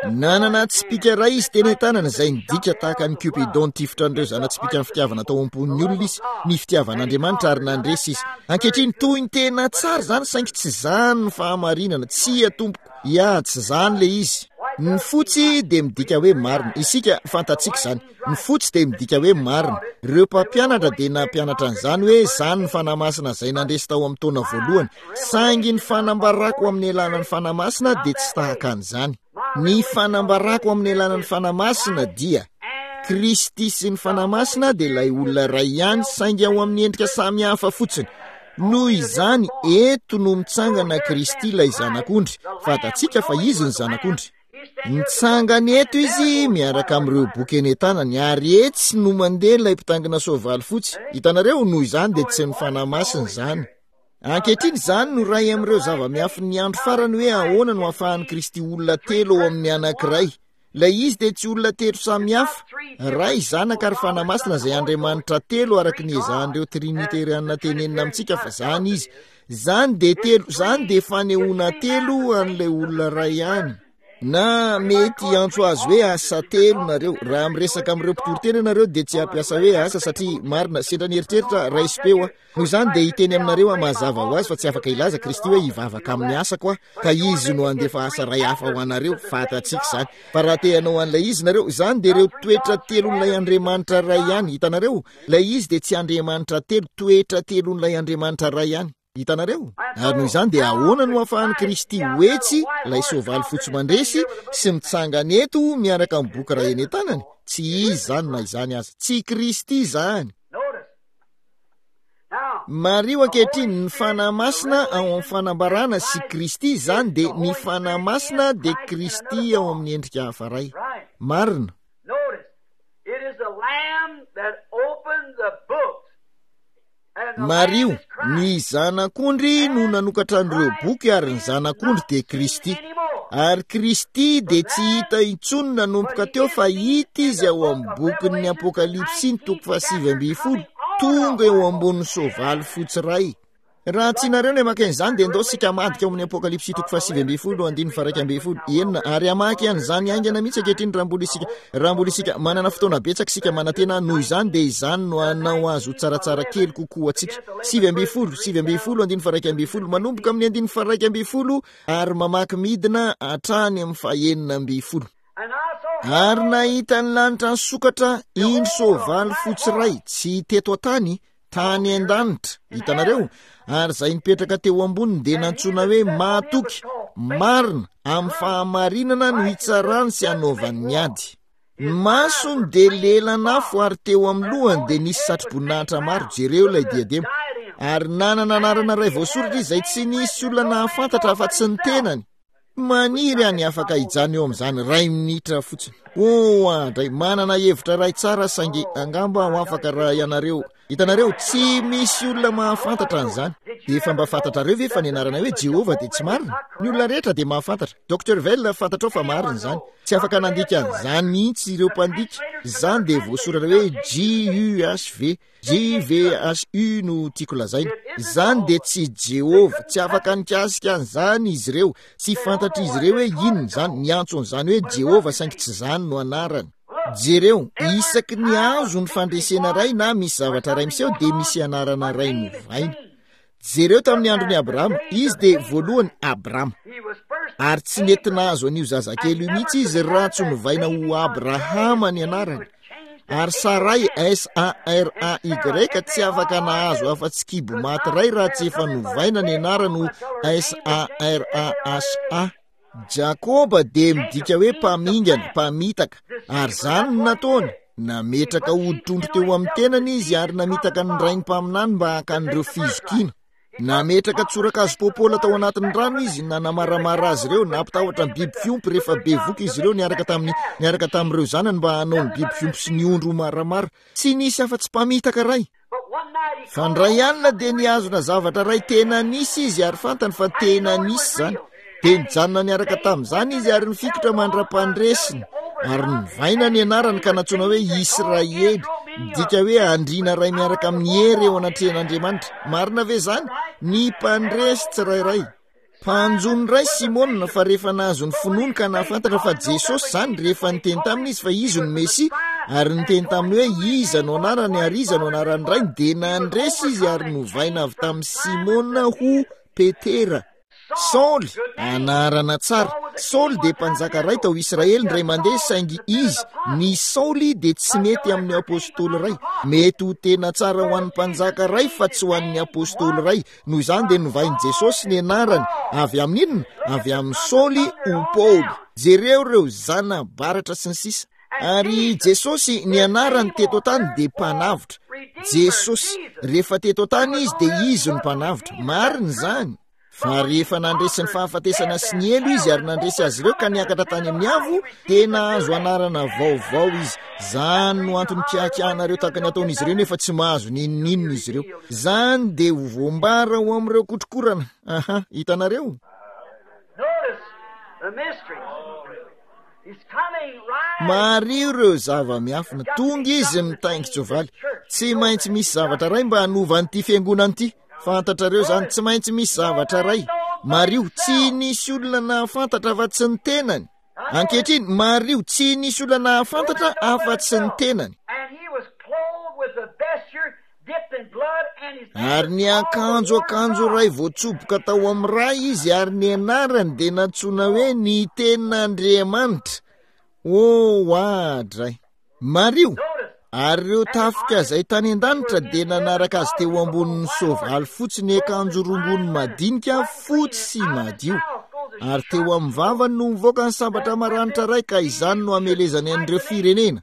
Speaker 1: Nanana tsipìka iray izy teny an-tanana izay nidika tahaka an'i Cupidon nitifitra an'ireo zana-tsipìkan'ny fitiavana tao am-pon'ny olona izy, ny fitiavan'Andriamanitra, ary nandresy izy. Ankehitriny, toy ny tena tsara izany, saingy tsy izany ny fahamarinana. Tsia, tompoko. Ya, tsy izany ilay izy. Ny fotsy dia midika hoe marina. Isika, fantatsika izany. Ny fotsy dia midika hoe marina. Ireo mpampianatra dia nampianatra an'izany hoe izany ny Fanahy Masina izay nandresy tao amin'ny taona voalohany. Saingy ny fanambarako amin'ny alalan'ny Fanahy Masina dia tsy tahaka an'izany. Ny fanambarako amin'ny alalan'ny Fanahy Masina dia Kristy sy ny Fanahy Masina dia ilay olona iray ihany, saingy ao amin'ny endrika samy hafa fotsiny. Noho izany, eto no mitsangana Kristy ilay Zanak'ondry. Fantatsika fa Izy ny Zanak'ondry. Mitsangana eto Izy miaraka amin'ireo boky eny an-tanany, ary etsy no mandeha ilay mpitaingina soavaly fotsy. Hitanareo, noho izany dia tsy ny Fanahy Masina izany. Ankehitriny, izany no iray amin'ireo zava-miafin'ny andro farany hoe ahoana no ahafahan'i Kristy olona telo ao amin'ny anankiray. Ilay izy dia tsy olona telo samy hafa, Ray, Zanaka ary Fanahy Masina izay Andriamanitra telo araka ny ezahan'ireo Triniteriana tenenina amintsika fa izany izy. Izany dia telo, izany dia fanehoana telo an'ilay olona iray ihany. Na mety hiantso azy hoe asa telo nareo. Raha miresaka amin'ireo mpitoriteny ianareo dia tsy hampiasa hoe asa satria marina, sendra ny eritreritra raisim-peo aho. Noho izany dia hiteny aminareo aho mazava ho azy fa tsy afaka hilaza Kristy hoe hivavaka amin'ny asako aho ka izy no handefa asa iray hafa ho anareo, fantatsika izany. Fa raha te hanao an'ilay izy nareo, izany dia ireo toetra telon'ilay Andriamanitra iray ihany, hitanareo? Ilay izy dia tsy Andriamanitra telo, toetra telon'ilay Andriamanitra iray ihany. Hitanareo? Ary noho izany dia ahoana no ahafahan'i Kristy ho etsy, ilay soavaly fotsy mandresy, sy mitsangana eto miaraka amin'ny boky iray eny an-tanany? Tsy izy izany na izany aza. Tsy Kristy izany. Mariho ankehitriny, ny Fanahy Masina ao amin'ny fanambarana sy Kristy, izany dia ny Fanahy Masina dia Kristy ao amin'ny endrika hafa iray. Marina. Mariho, ny Zanak'ondry no nanokatra an'ireo boky ary ny Zanak'ondry dia Kristy. Ary Kristy dia tsy hita intsony nanomboka teo fa hita izy ao amin'ny bokin'ny Apokalypsy ny toko fahasivy ambin'ny folo, tonga eo ambonin'ny soavaly fotsy iray. Raha tianareo ny hamaky an'izany dia ndao isika hamadika ao amin'ny Apokalypsy toko fahasivy ambin'ny folo andininy faha-iraika ambin'ny folo enina ary hamaky an'izany haingana mihitsy ankehitriny raha mbola isika raha mbola isika manana fotoana betsaka isika manantena noho izany dia izany no hanao azy ho tsaratsara kely kokoa antsika. Sivy ambin'ny folo, sivy ambin'ny folo andininy faha-iraika ambin'ny folo manomboka amin'ny andininy faha-iraika ambin'ny folo ary mamaky midina hatrany amin'ny fahenina ambin'ny folo. Ary nahita ny lanitra nisokatra, indro soavaly fotsy iray, tsy teto an-tany, tany an-danitra, hitanareo, ary izay nipetraka teo amboniny dia nantsoina hoe mahatoky, marina, amin'ny fahamarinana no hitsarany sy hanaovany ny ady. Ny masony dia lelan'afo ary teo amin'ny lohany dia nisy satroboninahitra maro, jereo ilay diadema. Ary nanana anarana iray voasoratra izy izay tsy nisy olona nahafantatra afa-tsy ny tenany. Maniry aho ny afaka hijanona eo amin'izany iray minitra fotsiny. Oh, andray, manana hevitra iray tsara saingy angamba aho afaka raha ianareo. Hitanareo, tsy misy olona mahafantatra an'izany. Efa mba fantatrareo ve fa ny anarana hoe Jehovah dia tsy marina? Ny olona rehetra dia mahafantatra. Docteur Vell, fantatrao fa marina izany. Tsy afaka nandika an'izany mihitsy ireo mpandika. Izany dia voasoratra hoe J U H V. J V H U no tiako lazaina. Izany dia tsy Jehovah. Tsy afaka nikasika an'izany izy ireo. Tsy fantatr'izy ireo hoe inona izany. Niantso an'izany hoe Jehovah saingy tsy izany no anarany. Jereo, isaky ny azo ny fandresena iray na misy zavatra iray miseho dia misy anarana iray novaina. Jereo tamin'ny andron'i Abrahama, izy dia voalohany Abrama. Ary tsy nety nahazo an'io zazakely io mihitsy izy raha tsy novaina ho Abrahama ny anarany. Ary Saray, S A R A Y, tsy afaka nahazo afa-tsy kibo maty iray raha tsy efa novaina ny anarany ho S A R A H A. Jakoba dia midika hoe mpamingana, mpamitaka, ary izany no nataony. Nametraka hoditr'ondry teo amin'ny tenany izy ary namitaka ny rainy mpaminany mba haka an'ireo fizokiana. Nametraka tsorakazo popola tao anatin'ny rano izy, nanamaramara azy ireo, nampitahotra ny biby fiompy rehefa bevoka izy ireo niaraka tamin'ny niaraka tamin'ireo zanany mba hanao ny biby fiompy sy ny ondry ho maramara. Tsy nisy afa-tsy mpamitaka iray. Fa indray alina dia nihazona zavatra iray tena nisy izy ary fantany fa tena nisy izany. Dia nijanona niaraka tamin'izany izy ary nifikitra mandra-pandresiny. Ary novaina ny anarany ka nantsoina hoe Israely, midika hoe andriana iray miaraka amin'ny hery eo anatrehan'Andriamanitra. Marina ve izany? Ny mpandresy tsirairay. Mpanjono iray Simona fa rehefa nahazo ny finoany ka nahafantatra fa Jesosy izany, rehefa niteny taminy izy fa izy no Mesia, ary niteny taminy hoe iza no anarany ary iza no anaran'ny rainy, dia nandresy izy ary novaina avy tamin'i Simona ho Petera. Saoly, anarana tsara. Saoly dia mpanjaka iray tao Israely indray mandeha, saingy izy, ny Saoly dia tsy mety amin'ny apostoly iray. Mety ho tena tsara ho an'ny mpanjaka iray fa tsy ho an'ny apostoly iray. Noho izany dia novain'i Jesosy ny anarany avy amin'ny inona? Avy amin'ny Saoly ho Paoly. Jereo ireo zana-baratra sy ny sisa. Ary Jesosy, ny anarany teto an-tany dia mpanavotra. Jesosy, rehefa teto an-tany izy dia izy no mpanavotra. Marina izany. Fa rehefa nandresy ny fahafatesana sy ny helo izy ary nandresy azy ireo ka niakatra tany amin'ny avo, dia nahazo anarana vaovao izy. Izany no antony kiakiahanareo tahaka ny ataon'izy ireo nefa tsy mahazo n'inon'inona izy ireo. Izany dia ho voambara ho amin'ireo kotrokorana. Aha, hitanareo? Mariho ireo zava-miafina. Tonga izy mitaingin-tsoavaly. Tsy maintsy misy zavatra iray mba hanova an'ity fiangonana ity. Fantatrareo izany, tsy maintsy misy zavatra iray. Mariho, tsy nisy olona nahafantatra afa-tsy ny tenany. Ankehitriny, mariho, tsy nisy olona nahafantatra afa-tsy ny tenany. Ary niakanjo akanjo iray voatsoboka tao amin'ny ra izy, ary ny anarany dia nantsoina hoe ny Tenin'Andriamanitra. Oh, oadray! Mariho, ary ireo tafika izay tany an-danitra dia nanaraka azy teo ambonin'ny soavaly fotsy niakanjo rongony madinika fotsy sy madio. Ary teo amin'ny vavany no mivoaka ny sabatra maranitra iray, ka izany no hamelezany an'ireo firenena.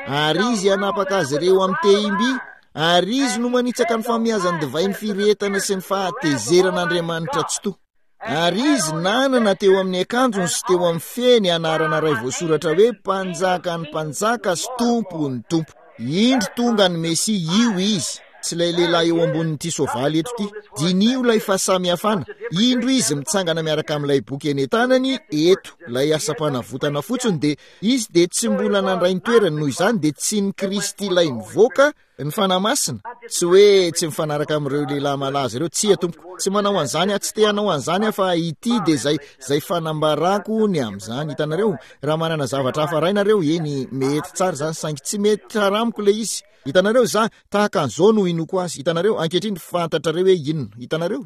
Speaker 1: Ary izy hanapaka azy ireo amin'ny tehim-by, ary izy no manitsaka ny famiazan'ny divain'ny firehetana sy ny fahatezeran'Andriamanitra Tsitoha. Ary izy nanana teo amin'ny akanjony sy teo amin'ny feny anarana iray voasoratra hoe Mpanjakan'ny mpanjaka sy Tompon'ny tompo. Indro tonga ny Mesia, io izy. Tsy ilay lehilahy eo ambonin'ity soavaly eto ity. Diniho ilay fahasamihafana. Indro izy mitsangana miaraka amin'ilay boky eny an-tanany eto, ilay asam-panavotana fotsiny dia izy dia tsy mbola nandray ny toerany, noho izany dia tsy ny Kristy ilay nivoaka ny Fanahy Masina. Tsy hoe tsy mifanaraka amin'ireo lehilahy malaza ireo, tsia tompoko, tsy manao an'izany aho, tsy te hanao an'izany aho, fa ity dia izay, izay fanambarako ny amin'izany. Hitanareo, raha manana zavatra hafa iray nareo, eny, mety tsara izany, saingy tsy mety tsara amiko ilay izy. Hitanareo, za, tahaka an'izao no inoako azy. Hitanareo, ankehitriny fantatrareo hoe inona. Hitanareo?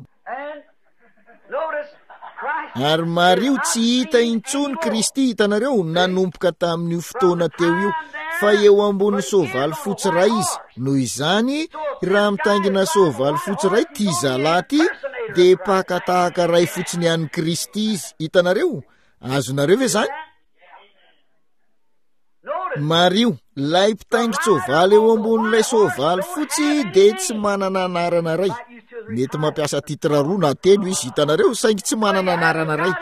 Speaker 1: Ary mariho, tsy hita intsony Kristy, hitanareo, nanomboka tamin'io fotoana teo io, fa eo ambony soavaly fotsy iray izy. Noho izany, raha mitaingina soavaly fotsy iray ity zalahy ity, dia mpaka tahaka iray fotsiny an'i Kristy izy. Hitanareo? Azonareo ve izany? Mariho, ilay mpitaingin-tsoavaly eo ambonin'ilay soavaly fotsy dia tsy manana anarana iray. Mety mampiasa titre roa na telo izy, hitanareo, saingy tsy manana anarana iray.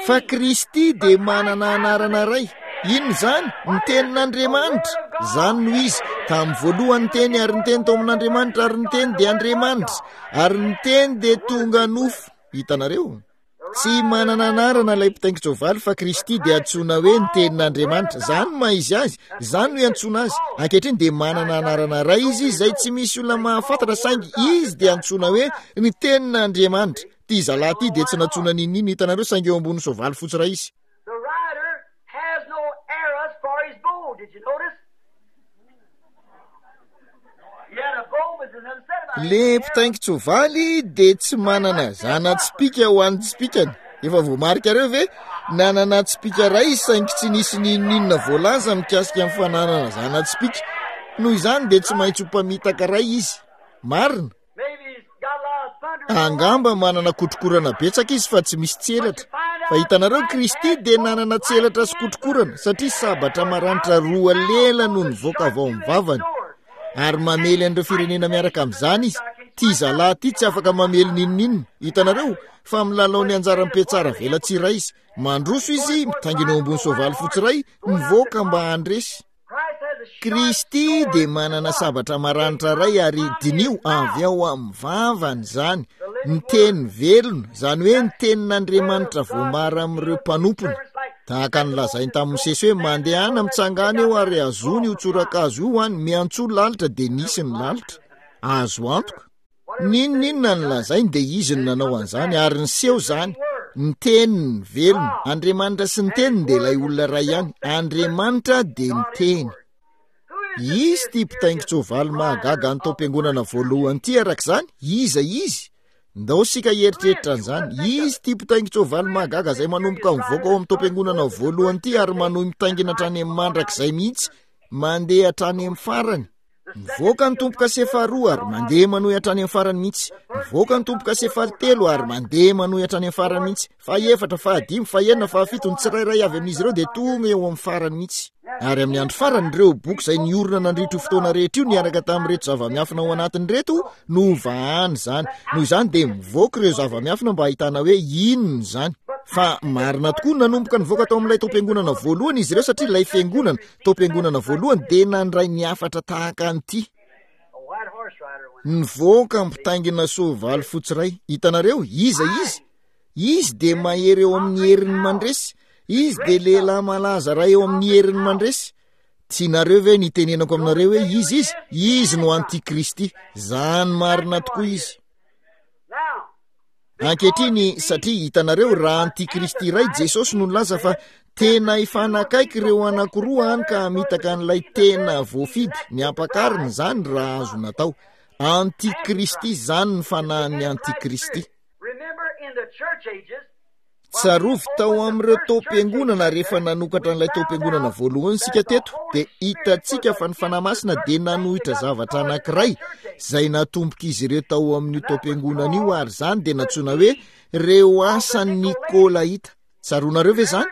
Speaker 1: Fa Kristy dia manana anarana iray. Inona izany? Ny tenin'Andriamanitra. Izany no izy. Tamin'ny voalohany ny teny, ary ny teny tao amin'Andriamanitra, ary ny teny dia Andriamanitra. Ary ny teny dia tonga nofo. Hitanareo? Tsy manana anarana ilay mpitaingin-tsoavaly, fa Kristy dia antsoina hoe ny tenin'Andriamanitra. Izany no maha izy azy, izany no iantsoana azy. Ankehitriny dia manana anarana iray izy izay tsy misy olona mahafantatra, saingy izy dia antsoina hoe ny tenin'Andriamanitra. Ity zalahy ity dia tsy nantsoina n'inon'inona, hitanareo, saingy eo ambony soavaly fotsy iray izy.
Speaker 2: The rider has no arrows for his bow. Did you notice?
Speaker 1: Le mpitaingin-tsoavaly dia tsy manana zana-tsipìka ho an'ny tsipìkany. Efa voamarikareo ve? Nanana tsipìka iray izy saingy tsy nisy n'inon'inona voalaza mikasika ny fananana zana-tsipìka. Noho izany dia tsy maintsy ho mpamitaka iray izy. Marina. Angamba manana kotrokorana betsaka izy fa tsy misy tselatra. Fa hitanareo, Kristy dia nanana tselatra sy kotrokorana, satria sabatra maranitra roa lela no nivoaka avy ao amin'ny vavany. Ary mamely an'ireo firenena miaraka amin'izany izy. Ity zalahy ity tsy afaka mamely n'inon'inona, hitanareo, fa milalao ny anjaran'ny mpiatsara velatsihy iray izy. Mandroso izy, mitaingina eo ambony soavaly fotsy iray, mivoaka mba handresy. Kristy dia manana sabatra maranitra iray, ary diniho avy ao amin'ny vavany izany, ny teny velona, izany hoe ny tenin'Andriamanitra voambara amin'ireo mpanompony. Tahaka ny lazainy tamin'i Mosesy hoe, mandehana mitsangana eo ary azony io tsorakazo io any, miantsoa lalitra, dia nisy ny lalitra. Azo antoka. N'inon'inona ny lazainy dia izy no nanao an'izany, ary niseho izany. Ny teniny velona. Andriamanitra sy ny teniny dia ilay olona iray ihany. Andriamanitra dia ny teny. Izy ity mpitaingin-tsoavaly mahagaga any taom-piangonana voalohany ity araka izany. Iza izy? Ndao isika hieritreritra an'izany. Izy ity mpitaingin-tsoavaly mahagaga izay manomboka mivoaka ao amin'ny taom-piangonana voalohany ity ary manohy mitaingina hatrany amin'ny mandrakizay mihitsy, mandeha hatrany amin'ny farany. Mivoaka ny tombo-kase faharoa ary mandeha manohy hatrany amin'ny farany mihitsy. Mivoaka ny tombo-kase fahatelo ary mandeha manohy hatrany amin'ny farany mihitsy. Fahefatra, fahadimy, fahenina, fahafito, ny tsirairay avy amin'izy ireo dia tonga eo amin'ny farany mihitsy. Ary amin'ny andro farany, ireo boky izay niorina nandritra io fotoana rehetra io niaraka tamin'ireto zava-miafina ao anatiny ireto no hovahana izany. Noho izany dia mivoaka ireo zava-miafina mba hahitana hoe inona izany. Fa marina tokoa, nanomboka nivoaka tao amin'ilay taom-piangonana voalohany izy ireo satria ilay fiangonana, taom-piangonana voalohany dia nandray ny hafatra tahaka an'ity. Nivoaka mpitaingina soavaly fotsy iray. Hitanareo, iza izy? Izy dia mahery eo amin'ny heriny mandresy. Izy dia lehilahy malaza iray eo amin'ny heriny mandresy. Tianareo ve ny hitenenako aminareo hoe iza izy? Izy no antikristy. Izany marina tokoa izy. Ankehitriny, satria hitanareo, raha antikristy iray Jesosy no nilaza fa tena hifanakaiky ireo anankiroa hany ka hamitaka an'ilay tena voafidy, ny ampakarina izany raha azo natao. Antikristy, izany ny fanahin'ny antikristy. Tsarovy tao amin'ireo taom-piangonana rehefa nanokatra an'ilay taom-piangonana voalohany isika teto, dia hitantsika fa ny Fanahy Masina dia nanohitra zavatra anankiray izay natombok'izy ireo tao amin'io taom-piangonana io, ary izany dia nantsoina hoe ireo asan'ny Nikolaita. Tsaroanareo ve izany?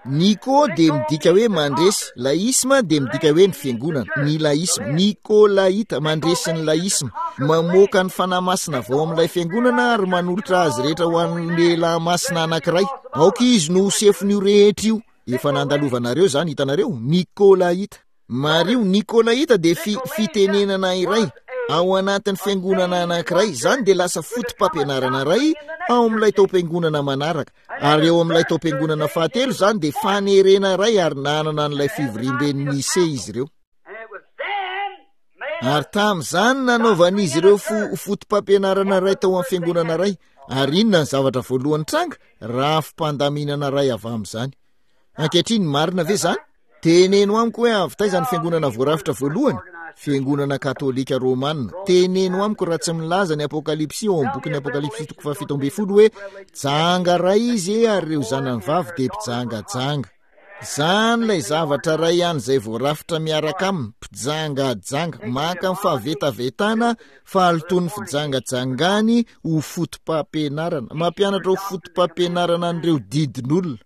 Speaker 1: Niko dia midika hoe mandresy, laisma dia midika hoe ny fiangonana, ny laisma, Nikolaita, mandresy ny laisma, mamoaka ny Fanahy Masina avy ao amin'ilay fiangonana ary manolotra azy rehetra ho an'ny lehilahy masina anankiray. Aoka izy no ho sefon'io rehetra io. Efa nandalovanareo izany, hitanareo? Nikolaita. Mariho, Nikolaita dia fi, fitenenana iray. Ao anatin'ny fiangonana anankiray, izany dia lasa foto-pampianarana iray ao amin'ilay taom-piangonana manaraka. Ary eo amin'ilay taom-piangonana fahatelo izany dia fanerena iray ary nanana an'ilay fivoriamben'ny Nise izy ireo. Ary tamin'izany nanaovan'izy ireo fo-, foto-pampianarana iray tao amin'ny fiangonana iray. Ary inona ny zavatra voalohany tranga? Rafi-pandaminana iray avy amin'izany. Ankehitriny, marina ve izany? Teneno amiko hoe avy taiza ny fiangonana voarafitra voalohany? Fiangonana katolika romana. Teneno amiko raha tsy milaza ny Apokalypsy ao amin'ny bokin'ny Apokalypsy toko fahafito ambin'ny folo hoe janga iray izy ary ireo zanany vavy dia mpijangajanga. Izany ilay zavatra iray ihany izay voarafitra miaraka aminy, mpijangajanga, maka ny fahavetavetana, fahalotoan'ny fijangajangany ho foto-pampianarana, mampianatra ho foto-pampianarana an'ireo didin'olona.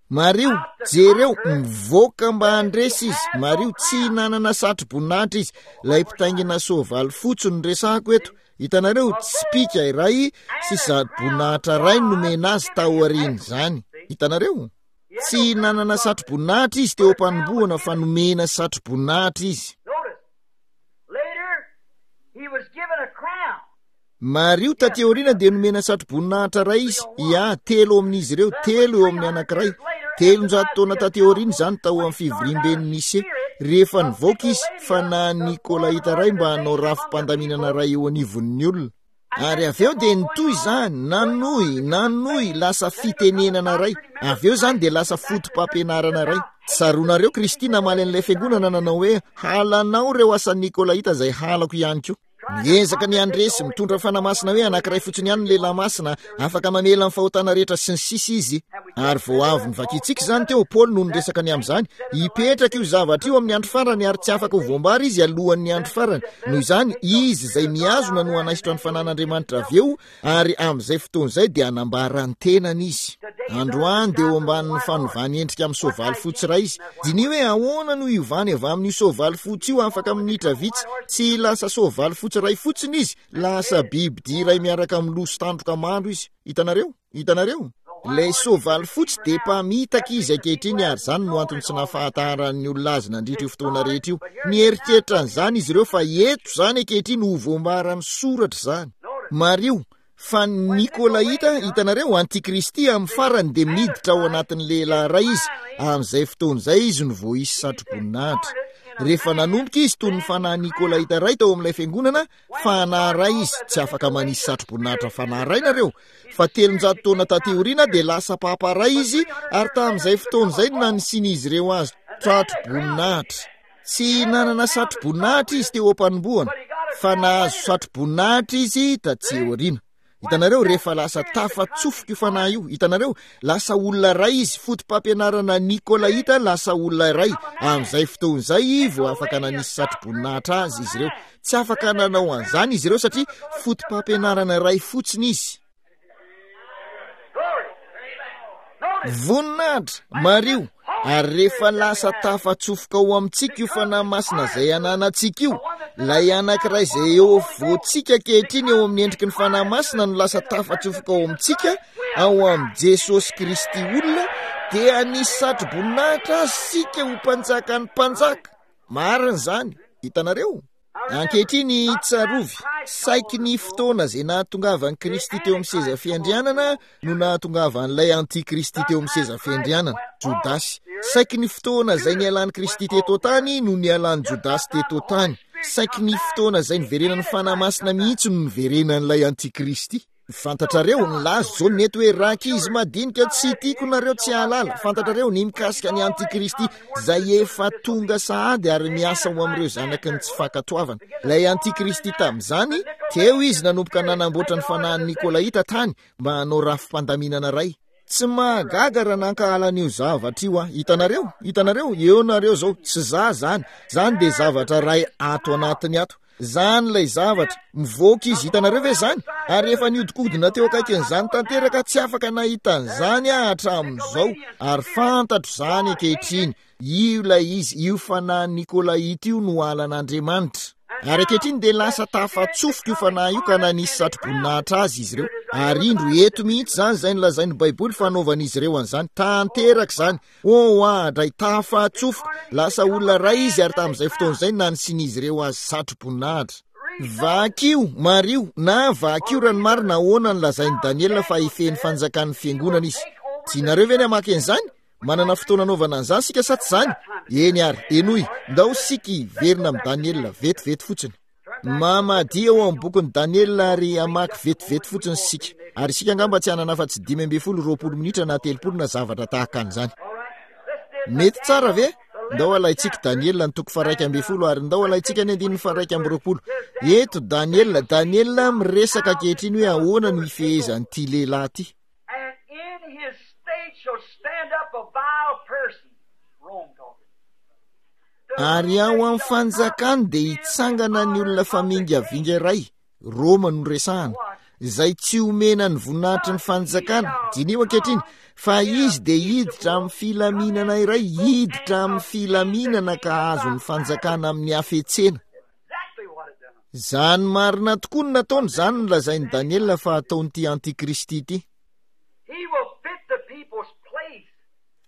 Speaker 1: Mariho, jereo, mivoaka mba handresy izy. Mariho, tsy nanana satroboninahitra izy. Ilay mpitaingina soavaly fotsy no resahako eto. Hitanareo, tsipìka iray sy satroboninahitra iray nomena azy taorian'izany. Hitanareo? Tsy nanana satroboninahitra izy teo am-panombohana fa nomena satroboninahitra izy. Mariho, taty aoriana dia nomena satroboninahitra iray izy. Ia, telo amin'izy ireo, telo eo amin'ny anankiray. Telonjato taona taty aoriana izany tao amin'ny fivoriamben'ny Nise. Rehefa nivoaka izy, fa na Nikolaita iray mba hanao rafi-pandaminana iray eo anivon'ny olona. Ary avy eo dia nitohy izany, nanohy, nanohy, lasa fitenenana iray. Avy eo izany dia lasa foto-pampianarana iray. Tsaroanareo Kristy namaly an'ilay fiangonana nanao hoe, halanao ireo asan'ny Nikolaita izay halako ihany koa. Miezaka ny handresy, mitondra fanahy masina hoe anankiray fotsiny ihany ny lehilahy masina, afaka mamela ny fahotana rehetra sy ny sisa izy. Ary vao avy novakintsika izany teo, Paoly no niresaka ny amin'izany. Hipetraka io zavatra io amin'ny andro farany ary tsy afaka ho voambara izy alohan'ny andro farany. Noho izany, izy izay mihazona no hanaisotra ny fanan'Andriamanitra avy eo, ary amin'izay fotoana izay dia hanambara ny tenany izy. Androany dia eo ambanin'ny fanovany endrika amin'ny soavaly fotsy iray izy. Diniho hoe ahoana no hiovany avy amin'io soavaly fotsy io afaka minitra vitsy. Tsy lasa soavaly fotsy iray fotsiny izy, lasa bibidia iray miaraka amin'ny loha sy tandroka maro izy. Hitanareo? Hitanareo? Ilay soavaly fotsy dia mpamitaka izy ankehitriny ary izany no antony tsy nahafantaran'ny olona azy nandritra io fotoana rehetra io. Nieritreritra an'izany izy ireo fa eto izany ankehitriny ho voambaran'ny soratra izany. Mariho, fa ny Nikolaita, hitanareo, antikristy, amin'ny farany dia miditra ao anatin'ny lehilahy iray izy, amin'izay fotoana izay izy no vao hisy satroboninahitra. Rehefa nanomboka izy toy ny fanahy Nikolaita iray tao amin'ilay fiangonana, fanahy iray izy, tsy afaka manisy satroboninahitra fanahy iray nareo, fa telonjato taona taty aoriana dia lasa papa iray izy, ary tamin'izay fotoana izay no nanisian'izy ireo azy satroboninahitra. Tsy nanana satroboninahitra izy teo am-panombohana, fa nahazo satroboninahitra izy taty aoriana. Hitanareo, rehefa lasa tafatsofoka io fanahy io, hitanareo, lasa olona iray izy, foto-pampianarana Nikolaita, lasa olona iray. Amin'izay fotoana izay vao afaka nanisy satroboninahitra azy izy ireo. Tsy afaka nanao an'izany izy ireo satria foto-pampianarana iray fotsiny izy. Voninahitra, mariho, ary rehefa lasa tafatsofoka ao amintsika io fanahy masina izay ananantsika io, ilay anankiray izay eo afovoantsika ankehitriny eo amin'ny endriky ny fanahy masina no lasa tafatsofoka ao amintsika, ao amin'i Jesosy Kristy olona, dia nisy satroboninahitra azy isika ho mpanjakan'ny mpanjaka. Marina izany, hitanareo? Ankehitriny, tsarovy, saiky ny fotoana izay nahatongavan'i Kristy teo amin'ny seza fiandrianana no nahatongavan'ilay antikristy teo amin'ny seza fiandrianana, Jodasy. Saiky ny fotoana izay nialan'i Kristy teto an-tany no nialan'i Jodasy teto an-tany. Saiky ny fotoana izay niverenan'ny Fanahy Masina mihitsy no niverenan'ilay antikristy. Fantatrareo, nilaza Jaona eto hoe rankizy madinika tsy tiako nareo tsy hahalala. Fantatrareo ny mikasika ny antikristy izay efa tonga sahady ary miasa ho amin'ireo zanaky ny tsy fankatoavana. Ilay antikristy tamin'izany, teo izy nanomboka nanamboatra ny fanahin'ny Nikolaita tany mba hanao rafi-pandaminana iray. Tsy mahagaga raha nankahala an'io zavatra io aho. Hitanareo? Hitanareo? Eo nareo izao. Tsy za zany. Zany dia zavatra iray ato anatiny ato. Zany ilay zavatra. Mivoaka izy. Hitanareo ve zany? Ary efa niodikodina teo akaikin'izany tanteraka, tsy afaka nahita an'izany aho hatramin'izao. Ary fantatro izany ankehitriny. Io ilay izy. Io fanahy Nikolaita io no halan'Andriamanitra. Ary ankehitriny dia lasa tafatsofoka io fanahy io ka nanisy satroboninahitra azy izy ireo. Ary indro eto mihitsy izany izay nolazain'ny Baiboly fa hanaovan'izy ireo an'izany. Tanteraka izany. Oh, adray, tafatsofoka. Lasa olona iray izy ary tamin'izay fotoana izay nanisian'izy ireo azy satroboninahitra. Vakio, mariho, na vakio raha ny marina ahoana no lazain'i Daniela fa hifehy ny fanjakan'ny fiangonana izy. Tianareo ve ny hamaky an'izany? Manana fotoana anaovana an'izany sika sa tsy izany? Eny ary, henoy, ndao sika hiverina amin'i Daniela vetivety fotsiny. Mamadia ao amin'ny bokin'i Daniela ary hamaky vetivety fotsiny sika. Ary isika angamba tsy hanana afa-tsy dimy ambin'ny folo, roapolo minitra na telopolo na zavatra tahaka an'izany. Mety tsara ve? Ndao alaintsika Daniela ny toko faha-iraika ambin'ny folo ary ndao alaintsika ny andininy faha-iraika amby roapolo. Eto Daniela, Daniela miresaka ankehitriny hoe ahoana no hifehezan'ity lehilahy ity.
Speaker 2: And in his state shall stand up a vile person. Rome talking.
Speaker 1: Ary ao amin'ny fanjakany dia hitsangana ny olona famingavinga iray, Roma no resahana, izay tsy omena ny voninahitry ny fanjakana. Diniho ankehitriny, fa izy dia hiditra amin'ny filaminana iray, hiditra amin'ny filaminana ka hahazo ny fanjakana amin'ny hafetsena.
Speaker 2: Exactly what it done.
Speaker 1: Izany marina tokoa no nataony, izany no lazain'i Daniela fa hataon'ity antikristy ity.
Speaker 2: He will fit the people's place.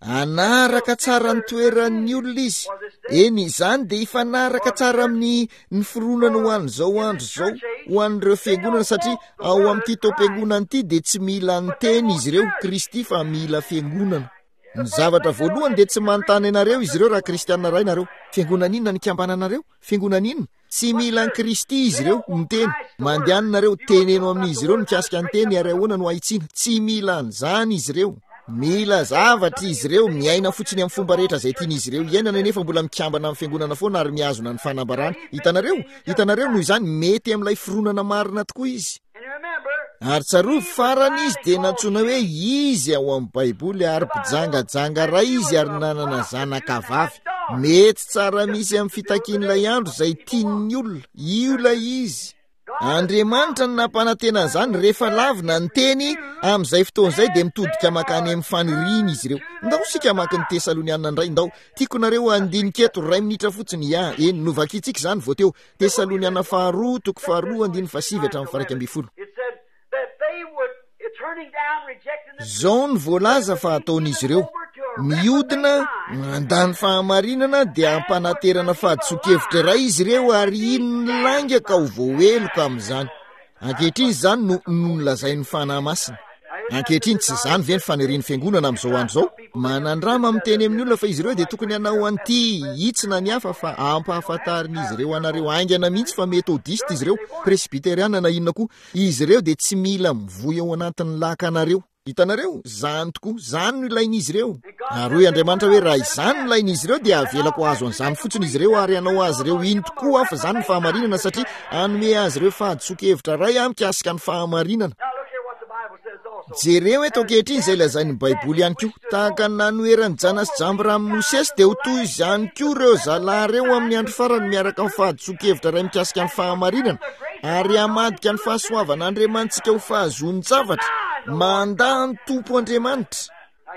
Speaker 1: Hanaraka tsara ny toeran'ny olona izy. Eny, izany dia hifanaraka tsara amin'ny ny fironana ho an'izao andro izao, ho an'ireo fiangonana, satria ao amin'ity taom-piangonana ity dia tsy mila ny teny izy ireo, Kristy, fa mila fiangonana. Ny zavatra voalohany dia tsy manontany anareo izy ireo raha kristianina iray nareo. Fiangonana inona ny ikambananareo? Fiangonana inona? Tsy mila an'i Kristy izy ireo, ny teny. Mandehana nareo, teneno amin'izy ireo mikasika ny teny ary ahoana no hahitsiana. Tsy mila an'izany izy ireo. Mila zavatra izy ireo, miaina fotsiny amin'ny fomba rehetra izay tian'izy ireo iainana, nefa mbola mikambana amin'ny fiangonana foana ary mihazona ny fanambarana. Hitanareo? Hitanareo? Noho izany, mety amin'ilay fironana marina tokoa izy.
Speaker 2: And remember,
Speaker 1: Ary tsarovy, farany izy dia nantsoina hoe izy ao amin'ny Baiboly, ary mpijangajanga iray izy ary nanana zanaka vavy. Mety tsara misy amin'ny fitakian'ilay andro izay tian'ny olona. Io ilay izy. Andriamanitra no nampanantena an'izany. Rehefa lavina ny teny, amin'izay fotoana izay dia mitodika mankany amin'ny faniriany izy ireo. Ndao isika hamaky ny Tesalonianina indray. Ndao, tiako nareo handinika eto iray minitra fotsiny. Ya, eny, novakintsika izany vao teo. Tesaloniana faharoa, toko faharoa, andininy fahasivy hatramin'ny faha-iraika ambin'ny folo.
Speaker 2: It said that they would, turning down, rejecting the
Speaker 1: Izao no voalaza fa ataon'izy ireo. Miodina, mandà ny fahamarinana, dia hampanaterana fahadisoan-kevitra iray izy ireo ary hino ny lainga ka ho voaheloka amin'izany. Ankehitriny izany no no nolazain'ny Fanahy Masina. Ankehitriny tsy izany ve ny fanirian'ny fiangonana amin'izao andro izao? Manandrama miteny amin'ny olona fa izy ireo dia tokony hanao an'ity hitsina ny hafa fa ampahafantarin'izy ireo anareo haingana mihitsy fa metodista izy ireo, presbyteriana na inona koa. Izy ireo dia tsy mila mivoy ao anatin'ny lakanareo. Hitanareo? Izany tokoa, izany no ilain'izy ireo. Ary hoy Andriamanitra hoe raha izany no ilain'izy ireo dia avelako hahazo an'izany fotsiny izy ireo ary hanao azy ireo hino tokoa aho fa izany no fahamarinana, satria hanome azy ireo fahadisoan-kevitra iray aho mikasika ny fahamarinana.
Speaker 2: Now look here what the Bible says also.
Speaker 1: Jereo eto ankehitriny izay lazain'ny Baiboly ihany koa. Tahaka ny nanoheran'i Jana sy Jambra amin'i Mosesy dia ho toy izany koa ireo zalahy ireo amin'ny andro farany miaraka amin'ny fahadisoan-kevitra iray mikasika ny fahamarinana ary hamadika ny fahasoavan'Andriamanitsika ho fahazoan-javatra. Mandà ny Tompo Andriamanitra.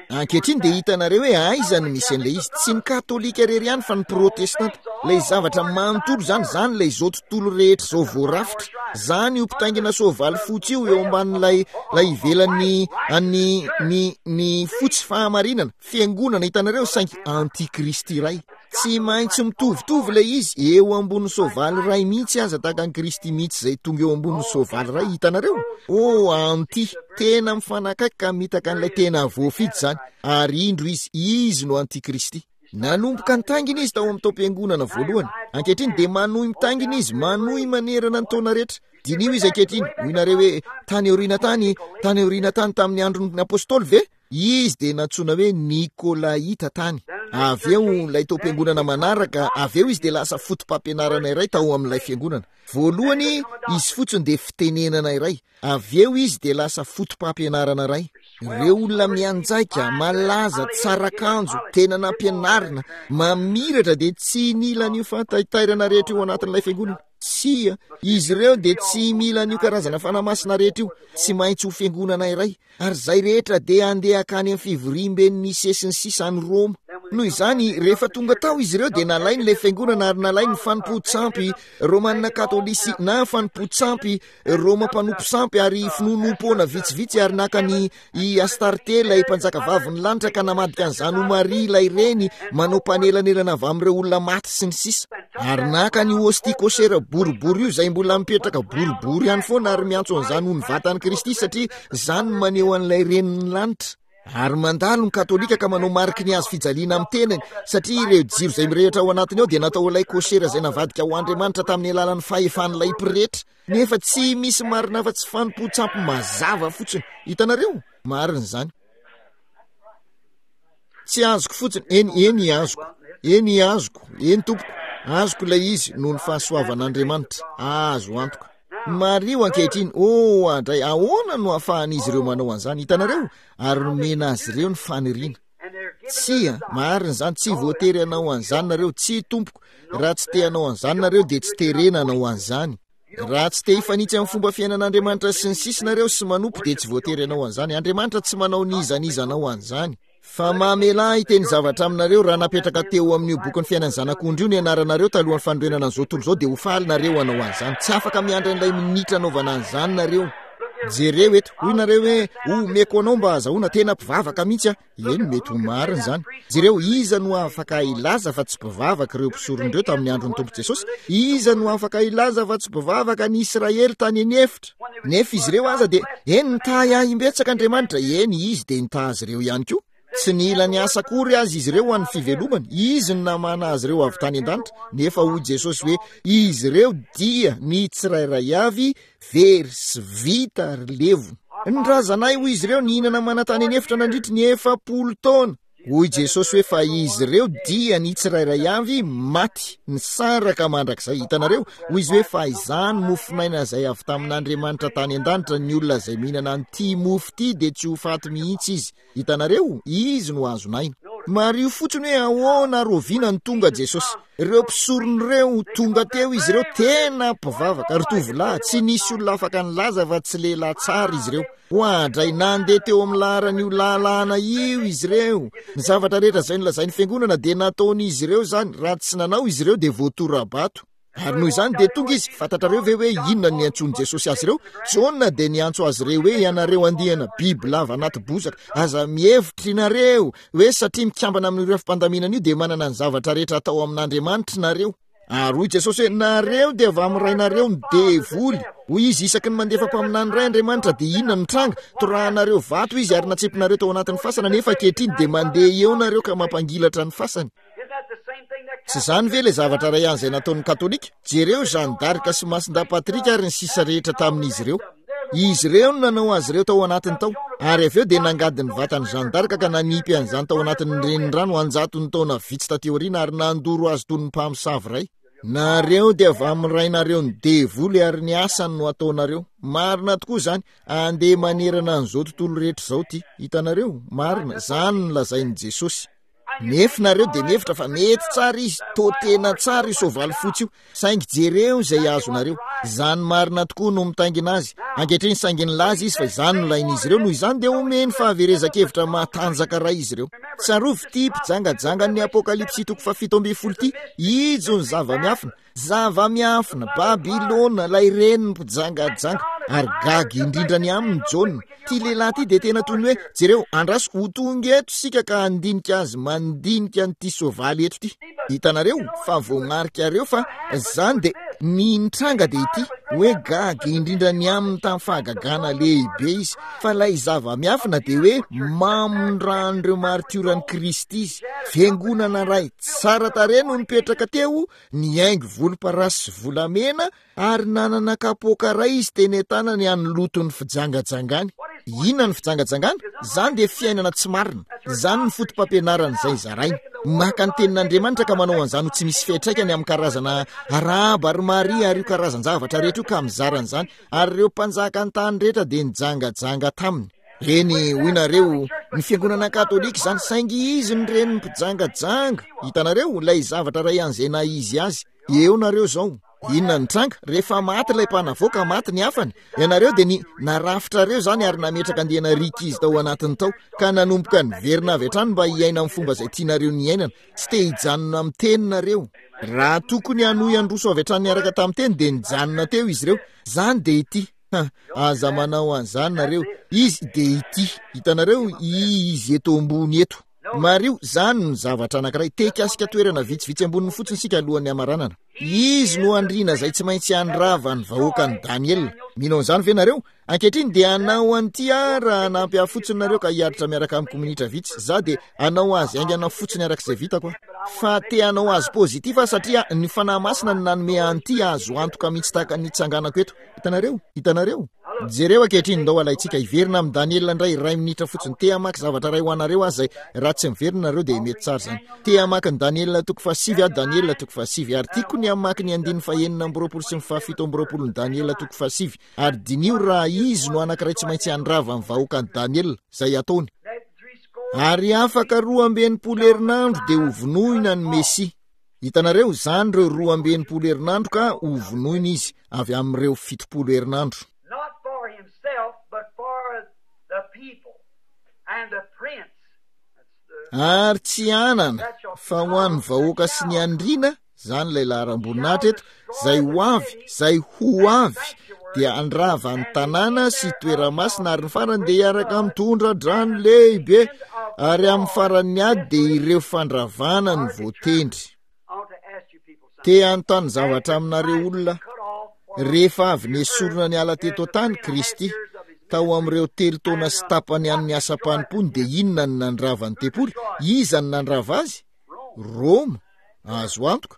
Speaker 1: Ankehitriny dia hitanareo hoe aiza no misy an'ilay izy. Tsy ny katolika irery ihany fa ny protestanta. Ilay zavatra manontolo izany, izany ilay izao tontolo rehetra izao voarafitra. Izany io mpitaingina soavaly fotsy io eo ambanin'ilay ilay ivelan'ny an'ny ny ny fotsy fahamarinana, fiangonana, hitanareo, saingy antikristy iray. Tsy maintsy mitovitovy ilay izy, eo ambonin'ny soavaly iray mihitsy aza, tahaka an'i Kristy mihitsy izay tonga eo ambonin'ny soavaly iray, hitanareo? Oh, anti, tena mifanakaiky ka mitaka an'ilay tena voafidy izany. Ary indro izy, izy no antikristy. Nanomboka nitaingina izy tao amin'ny taom-piangonana voalohany. Ankehitriny dia manohy mitaingina izy, manohy manerana ny taona rehetra. Diniho izy ankehitriny, hoy nareo hoe, tany aoriana tany, tany aoriana tany tamin'ny andron'ny apôstôly ve? Izy dia nantsoina hoe Nikolaita tany. Avy eo ilay taom-piangonana manaraka, avy eo izy dia lasa foto-pampianarana iray tao amin'ilay fiangonana. Voalohany, izy fotsiny dia fitenenana iray. Avy eo izy dia lasa foto-pampianarana iray. Ireo olona mianjaika, malaza, tsara akanjo, tena nampianarina, mamiratra dia tsy nila an'io fahataitairana rehetra io anatin'ilay fiangonana. Tsia, izy ireo dia tsy mila an'io karazana Fanahy Masina rehetra io. Tsy maintsy ho fiangonana iray. Ary izay rehetra dia handeha hankany amin'ny fivoriamben'ny Nicée sy ny sisa any Roma. Noho izany, rehefa tonga tao izy ireo dia nalainy ilay fiangonana ary nalainy ny fanompoan-tsampy Romana Katolisy na fanompoan-tsampy Roma mpanompo sampy ary finoanoam-poana vitsivitsy ary naka ny i Astarte ilay mpanjakavavin'ny lanitra ka namadika an'izany ho Maria ilay reny manao mpanelanelana avy amin'ireo olona maty sy ny sisa. Ary naka ny hostie kosera boribory io izay mbola mipetraka boribory ihany foana ary miantso an'izany ho ny vatan'i Kristy satria izany no maneho an'ilay renin'ny lanitra. Ary mandalo ny katolika ka manao mariky ny hazo fijaliana amin'ny tenany satria ireo jiro izay mirehitra ao anatiny ao dia natao ilay kosera izay navadika ho Andriamanitra tamin'ny alalan'ny fahefan'ilay pretra. Nefa tsy misy marina afa-tsy fanompoan-tsampy mazava fotsiny. Hitanareo? Marina izany. Tsy azoko fotsiny. Eny, eny azoko. Eny azoko. Eny tompoko. Azoko ilay izy noho ny fahasoavan'Andriamanitra. Azo antoka. Mariho ankehitriny. Oh, andray, ahoana no ahafahan'izy ireo manao an'izany? Hitanareo? Ary nomena azy ireo ny faniriana. Tsia, marina izany, tsy voatery hanao an'izany nareo. Tsia tompoko, raha tsy te hanao an'izany nareo dia tsy terena hanao an'izany. Raha tsy te hifanitsy amin'ny fomba fiainan'Andriamanitra sy ny sisa nareo sy manompo dia tsy voatery hanao an'izany. Andriamanitra tsy manao n'iza n'iza hanao an'izany. Fa mamelà ahy hiteny zavatra aminareo, raha napetraka teo amin'io bokin'ny fiainan'ny Zanak'ondry io ny anaranareo talohan'ny fanorenana an'izao tontolo izao dia ho faly nareo hanao an'izany. Tsy afaka miandry an'ilay minitra hanaovana an'izany nareo. Jereo eto, hoy nareo hoe, omeko anao mba hahazahoana, tena mpivavaka mihitsy aho. Eny, mety ho marina izany. Jereo, iza no afaka hilaza fa tsy mpivavaka ireo mpisorona ireo tamin'ny andron'ny Tompo Jesosy? Iza no afaka hilaza fa tsy mpivavaka ny Israely tany an'efitra? Nefa izy ireo aza dia, eny, nitahy ahy imbetsaka Andriamanitra. Eny, izy dia nitahy azy ireo ihany koa. Tsy nila ny asa akory azy izy ireo ho an'ny fivelomany. Izy no namana azy ireo avy tany an-danitra. Nefa hoy Jesosy hoe, izy ireo dia ny tsirairay avy very sy vita ary levona. Ny razanay, hoy izy ireo, nihinana mana tany an'efitra nandritry ny efapolo taona. Hoy Jesosy hoe, fa izy ireo dia ny tsirairay avy maty, nisaraka mandrakizay. Hitanareo? Hoy izy hoe, fa izany mofon'aina izay avy tamin'Andriamanitra tany an-danitra, ny olona izay mihinana an'ity mofo ity dia tsy ho faty mihitsy izy. Hitanareo? Izy no azon'aina. Mariho fotsiny hoe ahoana ary oviana no tonga Jesosy. Ireo mpisorona ireo, tonga teo izy ireo, tena mpivavaka. Ry tovolahy, tsy nisy olona afaka nilaza fa tsy lehilahy tsara izy ireo. Oadray, nandeha teo amin'ny laharan'io lalàna io izy ireo. Ny zavatra rehetra izay nolazain'ny fiangonana dia nataon'izy ireo izany. Raha tsy nanao izy ireo dia voatora-bato. Ary noho izany dia tonga izy. Fantatrareo ve hoe inona no niantsoan'i Jesosy azy ireo? Jaona dia niantso azy ireo hoe ianareo andiana biby lava anaty bozaka. Aza mihevitra ianareo hoe satria mikambana amin'ireo fampandaminana io dia manana ny zavatra rehetra atao amin'Andriamanitra nareo. Ary hoy Jesosy hoe nareo dia avy amin'ny rainareo ny devoly. Hoy izy, isaky ny mandefa mpaminany iray Andriamanitra dia inona no mitranga? Torahanareo vato izy ary natsipinareo tao anatin'ny fasana, nefa ankehitriny dia mandeha eo nareo ka mampangilatra ny fasany. Tsy izany ve ilay zavatra iray ihany izay nataon'ny Katolika? Jereo Jeanne d'Arc sy Masindahy Patrick ary ny sisa rehetra tamin'izy ireo. Izy ireo no nanao azy ireo tao anatiny tao, ary avy eo dia nangady ny vatan'i Jeanne d'Arc ka nanipy an'izany tao anatin'ny renirano an-jatony taona vitsy taty aoriana ary nandoro azy toy ny mpamosavy iray. Nareo dia avy amin'ny rainareo ny devoly ary ny asany no ataonareo. Marina tokoa izany. Andeha manerana an'izao tontolo rehetra izao ity. Hitanareo? Marina. Izany no lazain'i Jesosy. Nefa nareo dia mihevitra fa mety tsara izy, toa tena tsara io soavaly fotsy io, saingy jereo izay azonareo. Izany marina tokoa no mitaingina azy. Ankehitriny saingy nilaza izy fa izany no lain'izy ireo, noho izany dia omeny fahaverezan-kevitra matanjaka iray izy ireo. Tsarovy ity mpijangajangan'ny Apokalypsy toko fahafito ambin'ny folo ity, ijo ny zava-miafina. Zava-miafina, Babylona, ilay reniny mpijangajanga, ary gaga indrindra ny aminy Jaona. Ity lehilahy ity dia tena toy ny hoe, jereo, andraso, ho tonga eto isika ka handinika azy, mandinika an'ity soavaly eto ity. Hitanareo, fa voamarikareo fa izany dia, ny nitranga dia ity, hoe gaga indrindra ny aminy tamin'ny fahagagana lehibe izy. Fa ilay zava-miafina dia hoe mamon-dran'ireo maritioran'i Kristy izy. Fiangonana iray tsara tarehy no nipetraka teo, nihaingo volomparasy sy volamena ary nanana kapoaka iray izy teny an-tanany an'ny loton'ny fijangajangany. Inona ny fijangajangana? Izany dia fiainana tsy marina. Izany ny foto-pampianarana izay zaraina. Maka ny tenin'Andriamanitra ka manao an'izany ho tsy misy fiantraikany amin'ny karazana arahaba ry Maria ary io karazan-javatra rehetra io ka mizara an'izany. Ary ireo mpanjaka an-tany rehetra dia nijangajanga taminy. Eny, hoy nareo, ny fiangonana katolika izany, saingy izy no renin'ny mpijangajanga. Hitanareo, ilay zavatra iray an'izay naha izy azy. Eo nareo izao. Inona ny tranga? Rehefa maty ilay mpanavoaka, maty ny hafany. Ianareo dia ny narafitrareo izany ary nametraka andiana rikizy tao anatiny tao, ka nanomboka niverina avy hatrany mba hiaina amin'ny fomba izay tianareo niainana. Tsy te hijanona amin'ny teninareo. Raha tokony hanohy handroso avy hatrany niaraka tamin'ny teny dia nijanona teo izy ireo. Izany dia ity. Ha, aza manao an'izany nareo. Izy dia ity. Hitanareo, izy eto ambony eto. Mariho, izany no zavatra anankiray. Te hikasika toerana vitsivitsy amboniny fotsiny isika alohan'ny hamaranana. Izy no andriana izay tsy maintsy handrava ny vahoakan'i Daniela. Mino an'izany ve nareo? Ankehitriny dia hanao an'ity aho raha hanampy ahy fotsiny nareo ka hiaritra miaraka amiko minitra vitsy. Za dia hanao azy haingana fotsiny arak'izay vitako aho. Fa te hanao azy positif aho satria ny Fanahy Masina no nanome an'ity azo antoka mihitsy tahaka ny nitsanganako eto. Hitanareo? Hitanareo? Jereo ankehitriny, ndao alaintsika hiverina amin'i Daniela indray iray minitra fotsiny. Te hamaky zavatra iray ho anareo aho izay raha tsy miverina nareo dia mety tsara izany. Te hamaky ny Daniela toko fahasivy aho, Daniela toko fahasivy. Ary tiako ny hamaky ny andininy fahenina amby roapolo sy ny fahafito amby roapolo ny Daniela toko fahasivy. Ary diniho raha izy no anankiray tsy maintsy handrava ny vahoakan'i Daniela, izay ataony. Ary afaka roa amby enimpolo herinandro dia hovonoina ny Mesia. Hitanareo, izany ireo roa amby enimpolo herinandro ka hovonoina izy avy amin'ireo fitopolo herinandro.
Speaker 2: Not for himself, but for the people and the prince.
Speaker 1: Ary tsy hanana, fa ho an'ny vahoaka sy ny andriana, izany ilay laharam-boninahitra eto, izay ho avy, izay ho avy, dia handrava ny tanàna sy toeramasina, ary ny farany dia hiaraka mitondra drano lehibe, ary amin'ny faran'ny ady dia ireo fandravana ny voatendry. Te hanontany zavatra aminareo olona, rehefa avy nesorina niala teto an-tany Kristy, tao amin'ireo telo taona sy tapany an'ny asam-panompoany, dia inona no nandrava ny tempoly? Iza no nandrava azy? Roma, azo antoka,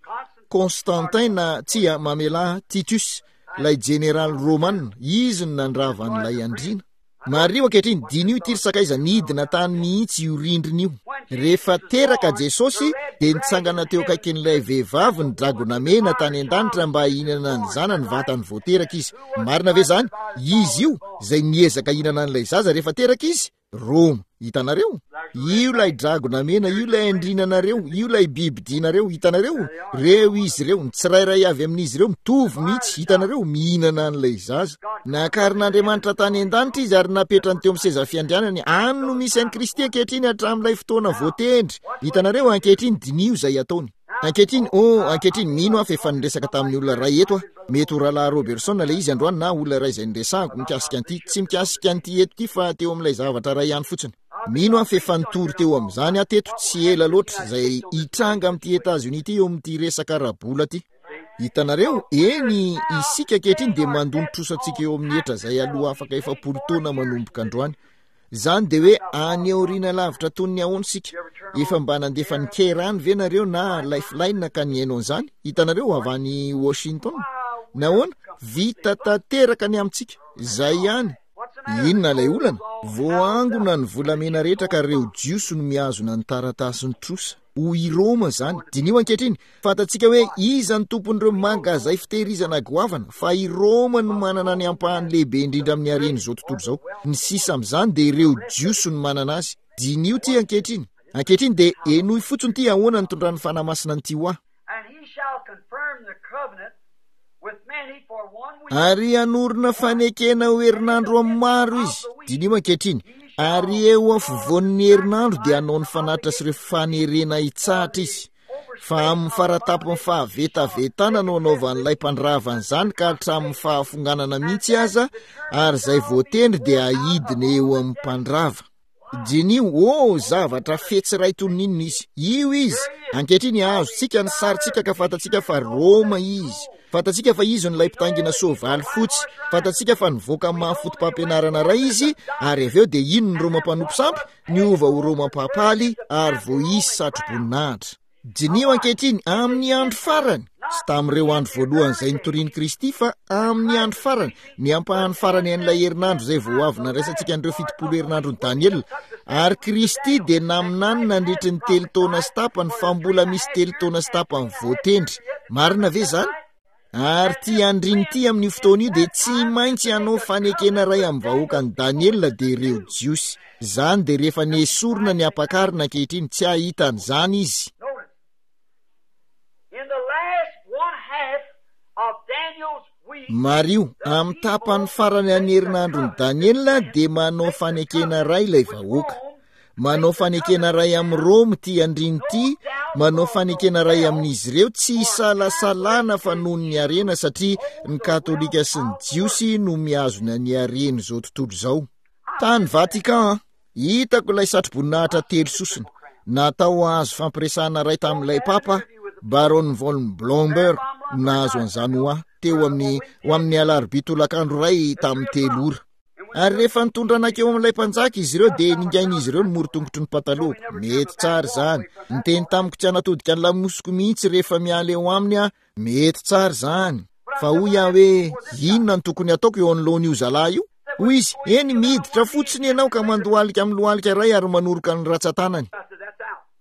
Speaker 1: Constantin na tsia mamelà Titus, ilay jeneraly romana, izy no nandrava an'ilay andriana. Mariho ankehitriny, diniho ity ry sakaiza, nidina tany mihitsy io rindrina io. Rehefa teraka Jesosy, dia nitsangana teo akaikin'ilay vehivavy ny dragona mena tany an-danitra mba hihinana ny zanany vantany vao teraka izy. Marina ve izany? Izy io, izay niezaka hihinana an'ilay zaza rehefa teraka izy, Roma. Hitanareo? Io ilay dragona mena, io ilay andrinanareo, io ilay bibidianareo, hitanareo? Reo izy ireo, ny tsirairay avy amin'izy ireo mitovy mihitsy, hitanareo, mihinana an'ilay zaza. Nakarin'Andriamanitra tany an-danitra izy ary napetrany teo amin'ny seza fiandrianany. Any no misy an'i Kristy ankehitriny hatramin'ilay fotoana voatendry. Hitanareo? Ankehitriny diniho izay ataony. Ankehitriny, oh, ankehitriny, mino aho fa efa niresaka tamin'ny olona iray eto aho. Mety ho Rahalahy Robertson ilay izy androany na olona iray izay niresahako mikasika an'ity. Tsy mikasika an'ity eto ity fa teo amin'ilay zavatra iray ihany fotsiny. Mino aho fa efa nitory teo amin'izany aho teto tsy ela loatra, izay hitranga amin'ity Etazonia ity eo amin'ity resaka ara-bola ity. Hitanareo? Eny, isika ankehitriny dia mandoa ny trosantsika eo amin'ny hetra izay aloha afaka efapolo taona manomboka androany. Izany dia hoe any aoriana lavitra toy ny ahoana isika? Efa mba nandefa ny Care any ve nareo na Lifeline ka nihaino an'izany? Hitanareo, avy any Washington? Nahoana? Vita tanteraka ny amintsika. Izay ihany. Inona ilay olana? Voaangona ny volamena rehetra ka ireo Jiosy no mihazona ny taratasin'ny trosa. Ho i Roma izany. Diniho ankehitriny, fantatsika hoe iza no tompon'ireo mangazay fitehirizana goavana, fa i Roma no manana ny ampahany lehibe indrindra amin'ny haren'izao tontolo izao. Ny sisa amin'izany dia ireo Jiosy no manana azy. Diniho ity ankehitriny. Ankehitriny dia henoy fotsiny ity ahoana nitondran'ny Fanahy Masina an'ity ho ahy. Ary hanorina fanekena ho herinandro amin'ny maro izy. Diniho ankehitriny. Ary eo afovoan'ny herinandro dia hanao ny fanatitra sy ireo fanerena hitsahatra izy. Fa amin'ny faratampony fahavetavetana no hanaovan'ilay mpandrava an'izany ka hatramin'ny fahafonganana mihitsy aza, ary izay voatendry dia hidina eo amin'ny mpandrava. Diniho, oh, zavatra fetsy iray toy ny inona izy. Io izy. Ankehitriny, azontsika ny sarintsika ka fantatsika fa Roma izy. Fantatsika fa izy no ilay mpitaingina soavaly fotsy. Fantatsika fa nivoaka amin'ny maha foto-pampianarana iray izy, ary avy eo dia iny ny Roma mpanompo sampy, niova ho Roma mpapaly, ary voaisy satroboninahitra. Diniho ankehitriny, amin'ny andro farany, tsy tamin'ireo andro voalohany izay nitorian'i Kristy, fa amin'ny andro farany, ny ampahany farany an'ilay herinandro izay vao avy nandraisantsika an'ireo fitopolo herinandron'i Daniela. Ary Kristy dia naminany nandritry ny telo taona sy tapany fa mbola misy telo taona sy tapany voatendry. Marina ve izany? Ary ity andriny ity amin'io fotoana io dia tsy maintsy hanao fanekena iray amin'ny vahoakan'i Daniela dia ireo Jiosy. Izany dia rehefa nesorina ny ampakarina ankehitriny, tsy hahita an'izany izy.
Speaker 2: In the last one half of
Speaker 1: Mariho, amin'ny tapany farany an'ny herinandron'i Daniela dia manao fanekena iray ilay vahoaka. Manao fanekena iray amin'i Roma ity andriana ity, manao fanekena iray amin'izy ireo, tsy isalasalana fa noho ny harena, satria ny Katolika sy ny Jiosy no mihazona ny haren'izao tontolo izao. Tany Vatican, hitako ilay satroboninahitra telo sosona, natao hahazo fampiresahana iray tamin'ilay Papa, Baron von Blomberg, nahazo an'izany ho ahy, teo amin'ny, ho amin'ny alarobia tolakandro iray tamin'ny telo ora. Ary rehefa nitondra anakeo amin'ilay mpanjaka izy ireo dia ningain'izy ireo ny morotongotry ny patalohako. Mety tsara izany. Niteny tamiko tsy hanatodika ny lamosiko mihitsy rehefa miala eo aminy aho. Mety tsara izany. Fa hoy aho hoe, inona no tokony hataoko eo anoloan'io zalahy io? Hoy izy, eny, miditra fotsiny ianao ka mandohalika amin'ny lohalika iray ary manoroka ny ratsan-tanany.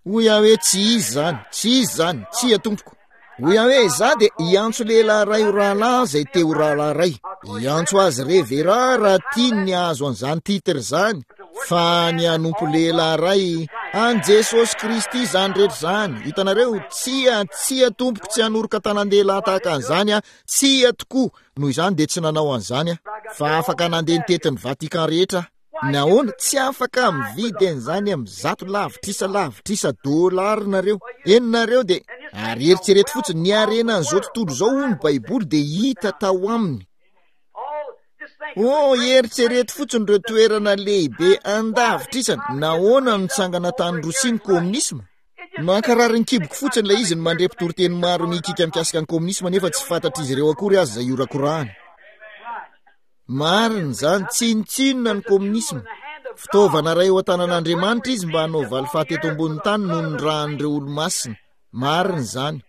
Speaker 1: Hoy aho hoe, tsy izy izany, tsy izy izany, tsia tompoko. Hoy aho hoe, izaho dia hiantso lehilahy iray ho rahalahy izay te ho rahalahy iray. Hiantso azy revera raha tiany ny hahazo an'izany titre izany, fa ny hanompo lehilahy iray an'i Jesosy Kristy izany rehetra izany. Hitanareo, tsia, tsia tompoko, tsy hanoroka tanan-dehilahy tahaka an'izany aho, tsia tokoa. Noho izany dia tsy nanao an'izany aho, fa afaka nandeha nitety ny Vatican rehetra aho. Nahoana? Tsy afaka mividy an'izany amin'ny zato lavitrisa lavitrisa dolara nareo. Eny nareo dia, ary eritrereto fotsiny, ny harenan'izao tontolo izao hoy ny Baiboly dia hita tao aminy. Oh, eritrereto fotsiny ireo toerana lehibe an-davitrisany. Nahoana no nitsangana tany Rosia ny kominisma? Mankarary ny kiboko fotsiny ilay izy ny mandre mpitoriteny maro mikiaka mikasika ny kominisma nefa tsy fantatr'izy ireo akory aza izay horakorahany. Marina izany, tsinontsinona ny kominisma. Fitaovana iray eo an-tanan'Andriamanitra izy mba hanao valifaty eto ambonin'ny tany noho ny ràn'ireo olo-masina. Marina izany.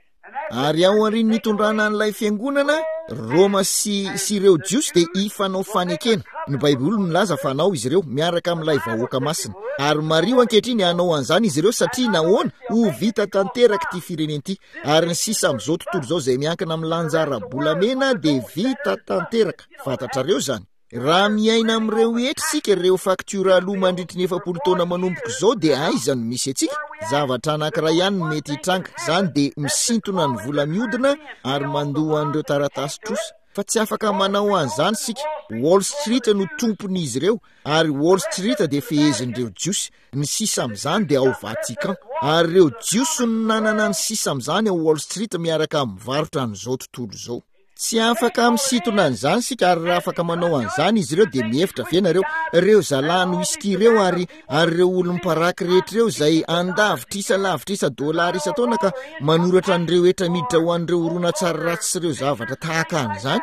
Speaker 1: Ary ao aorian'ny nitondrana an'ilay fiangonana, Roma sy, sy ireo Jiosy dia hifanao fanekena. Ny Baiboly milaza fa hanao izy ireo, miaraka amin'ilay vahoaka masina. Ary mariho ankehitriny, hanao an'izany izy ireo satria nahoana? Ho vita tanteraka ity firenena ity. Ary ny sisa amin'izao tontolo izao izay miankina amin'ny lanja ara-bolamena dia vita tanteraka. Fantatrareo izany. Raha miaina amin'ireo hetra isika, ireo faktiora aloa mandritry ny efapolo taona manomboka izao, dia aiza no misy antsika? Zavatra anankiray ihany no mety hitranga, izany dia misintona ny vola mihodina ary mandoa an'ireo taratasy trosa. Fa tsy afaka manao an'izany isika. Wall Street no tompon'izy ireo, ary Wall Street dia fehezin'ireo Jiosy. Ny sisa amin'izany dia ao Vatican. Ary ireo Jiosy no nanana ny sisa amin'izany ao Wall Street miaraka amin'ny varotra an'izao tontolo izao. Tsy afaka misintona an'izany isika, ary raha afaka manao an'izany izy ireo dia mihevitra ve nareo, ireo zalahy whisky ireo ary, ary ireo olom-paraky rehetra ireo izay an-davitrisa lavitrisa dolara isan-taona ka manoratra an'ireo hetra miditra ho an'ireo horonantsary ratsy sy ireo zavatra tahaka an'izany,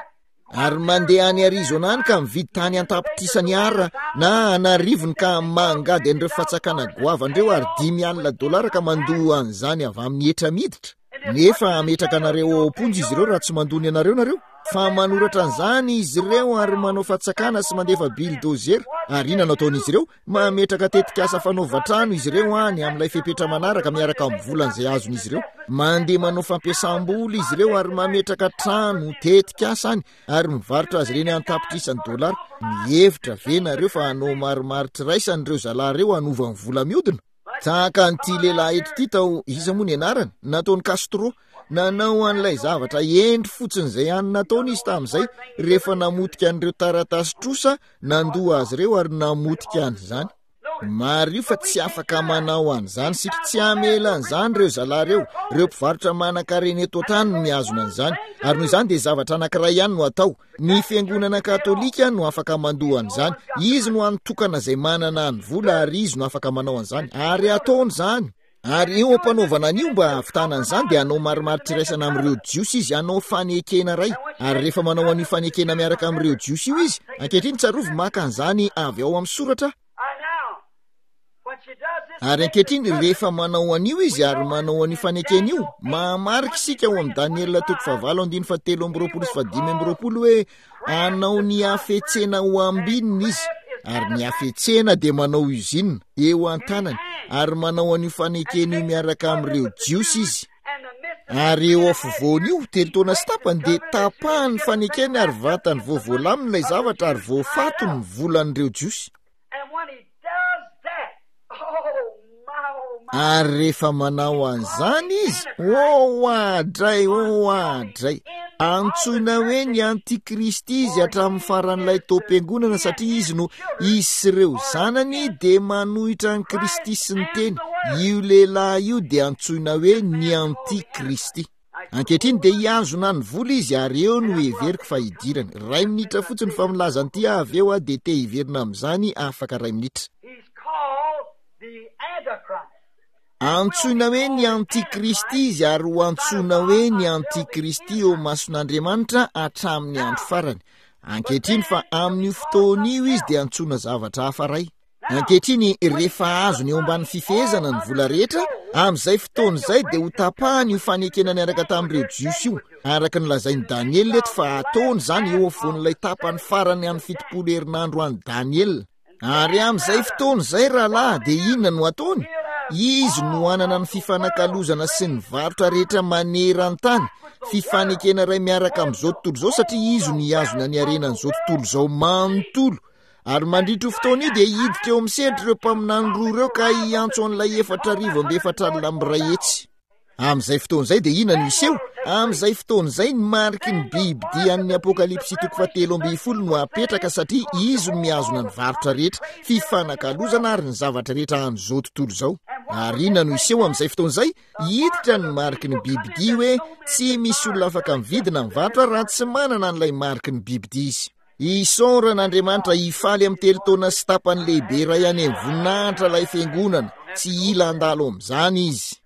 Speaker 1: ary mandeha any Arizona any ka mividy tany an-tapitrisany ara na an'arivony ka mangady an'ireo fatsakana goavana ireo ary dimy alina dolara ka mandoa an'izany avy amin'ny hetra miditra? Nefa hametraka anareo ao am-ponja izy ireo raha tsy mandoa ny anareo nareo. Fa manoratra an'izany izy ireo ary manao fatsakana sy mandefa bildozer. Ary inona no ataon'izy ireo? Mametraka tetikasa fanaovan-trano izy ireo any amin'ilay fepetra manaraka miaraka amin'ny volan'izay azon'izy ireo. Mandeha manao fampiasam-bola izy ireo ary mametraka trano, tetikasa any ary mivarotra azy ireny an-tapitrisany dolara. Mihevitra ve nareo fa hanao marimaritra iraisana ireo zalahy ireo hanova ny vola mihodina? Tahaka an'ity lehilahy eto ity tao, iza moa ny anarany? Nataon'i Castro. Nanao an'ilay zavatra hendry fotsiny izay hany nataony izy tamin'izay, rehefa namotika an'ireo taratasy trosa, nandoa azy ireo ary namotika an'izany. Mariho fa tsy afaka manao an'izany isika. Tsy hamela an'izany ireo zalahy ireo. Ireo mpivarotra manan-karena eto an-tany no mihazona an'izany. Ary noho izany dia zavatra anankiray ihany no atao. Ny fiangonana katolika no afaka mandoa an'izany. Izy no hany tokana izay manana ny vola ary izy no afaka manao an'izany. Ary ataony izany. Ary eo am-panaovana an'io mba hahavitana an'izany dia hanao marimaritra iraisana amin'ireo Jiosy izy, hanao fanekena iray. Ary rehefa manao an'io fanekena miaraka amin'ireo Jiosy io izy, ankehitriny tsarovy maka an'izany avy ao amin'ny soratra, Ary ankehitriny, rehefa manao an'io izy ary manao an'io fanekena io, mahamarika isika ao amin'ny Daniela toko fahavalo andininy fahatelo amby roapolo sy fahadimy amby roapolo hoe hanao ny hafetsena ho ambinina izy, ary ny hafetsena dia manao usine eo an-tanany, ary manao an'io fanekena io miaraka amin'ireo Jiosy izy. Ary eo afovoan'io, telo taona sy tapany, dia tapahany ny fanekeny ary vatany vao voalamina ilay zavatra ary voafato ny volan'ireo Jiosy. Ary rehefa manao an'izany izy, oh adray, oh adray, Antsoina hoe ny antikristy izy hatramin'ny faran'ilay taom-piangonana, satria izy no izy sy ireo zanany dia manohitra an'i Kristy sy ny teny. Io lehilahy io dia antsoina hoe ny antikristy. Ankehitriny dia hihazona ny vola izy, ary eo no heveriko fa hidirany. Ray minitra fotsiny fa milaza an'ity aho avy eo aho dia te hiverina amin'izany afaka ray minitra.
Speaker 2: He's called the Antichrist.
Speaker 1: Antsoina hoe ny antikristy izy, ary ho antsoina hoe ny antikristy eo mason'Andriamanitra hatramin'ny andro farany. Ankehitriny fa amin'io fotoana io izy dia antsoina zavatra hafa ray. Ankehitriny rehefa azony eo ambany fifehezana ny vola rehetra, amin'izay fotoana izay dia ho tapahany io fanekena niaraka tamin'ireo Jiosy io, araka ny lazain'i Daniela eto fa ataony izany eo afovoan'ilay tapany farany amin'ny fitopolo herinandro an'i Daniela. Ary amin'izay fotoana izay rahalahy dia inona no ataony? Izy no hanana ny fifanakalozana sy ny varotra rehetra maneran-tany, fifanekena iray miaraka amin'izao tontolo izao, satria izy no hihazona ny harenan'izao tontolo izao manontolo. Ary mandritra io fotoana io dia hiditra eo amin'ny sehatra ireo mpaminany roa ireo ka hiantso an'ilay efatra arivo amby efatra alina amby iray hetsy. Amin'izay fotoana izay dia inona no hiseho? Amin'izay fotoana izay ny mariky ny bibidia an'ny Apokalypsy toko fahatelo ambin'ny folo no apetraka, satria izy no mihazona ny varotra rehetra, fifanakalozana ary ny zavatra rehetra an'izao tontolo izao. Ary inona no hiseho amin'izay fotoana izay? Hiditra ny mariky ny bibidia hoe tsy misy olona afaka mividy na mivarotra raha tsy manana an'ilay mariky ny bibidia izy. Isaorana Andriamanitra, hifaly amin'ny telo taona sy tapany lehibe iray any amin'ny voninahitra ilay fiangonana. Tsy hila handalo amin'izany izy.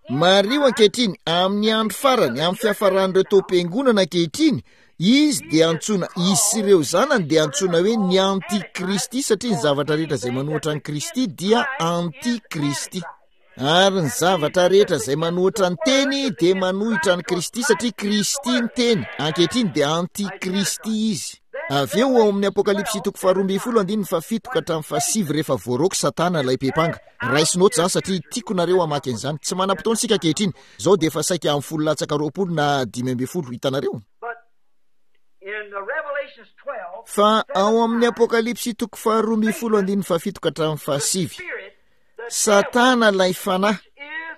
Speaker 1: Mariho ankehitriny, amin'ny andro farany, amin'ny fiafaran'ireo taom-piangonana ankehitriny, izy dia antsoina, izy sy ireo zanany dia antsoina hoe ny antikristy, satria ny zavatra rehetra izay manohitra an'i Kristy dia antikristy. Ary ny zavatra rehetra izay manohitra ny teny dia manohitra an'i Kristy, satria Kristy ny teny. Ankehitriny dia antikristy izy. Avy eo ao amin'ny Apokalypsy toko faharoa ambin'ny folo andininy fahafito ka hatramin'ny fahasivy, rehefa voaroaka Satana ilay mpepanga. Raiso note izany satria tiako nareo hamaky an'izany. Tsy manam-potoana isika ankehitriny. Izao dia efa saika amin'ny folo latsaka roapolo na dimy ambin'ny folo, hitanareo? Fa ao amin'ny Apokalypsy toko faharoa ambin'ny folo andininy fahafito ka hatramin'ny fahasivy, Satana ilay fanahy,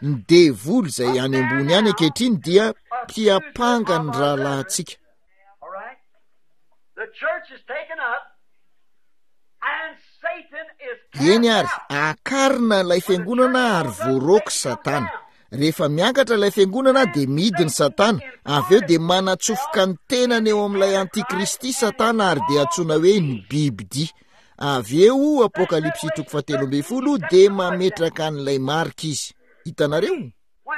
Speaker 1: ny devoly izay any ambony any ankehitriny dia mpiampanga ny rahalahintsika. Eny ary, akarina ilay fiangonana ary voaroaka Satana. Rehefa miakatra ilay fiangonana dia midiny Satana, avy eo dia manatsofoka ny tenany eo amin'ilay antikristy Satana ary dia antsoina hoe ny bibidia. Avy eo, Apokalypsy toko fahatelo ambin'ny folo, dia mametraka an'ilay marika izy. Hitanareo?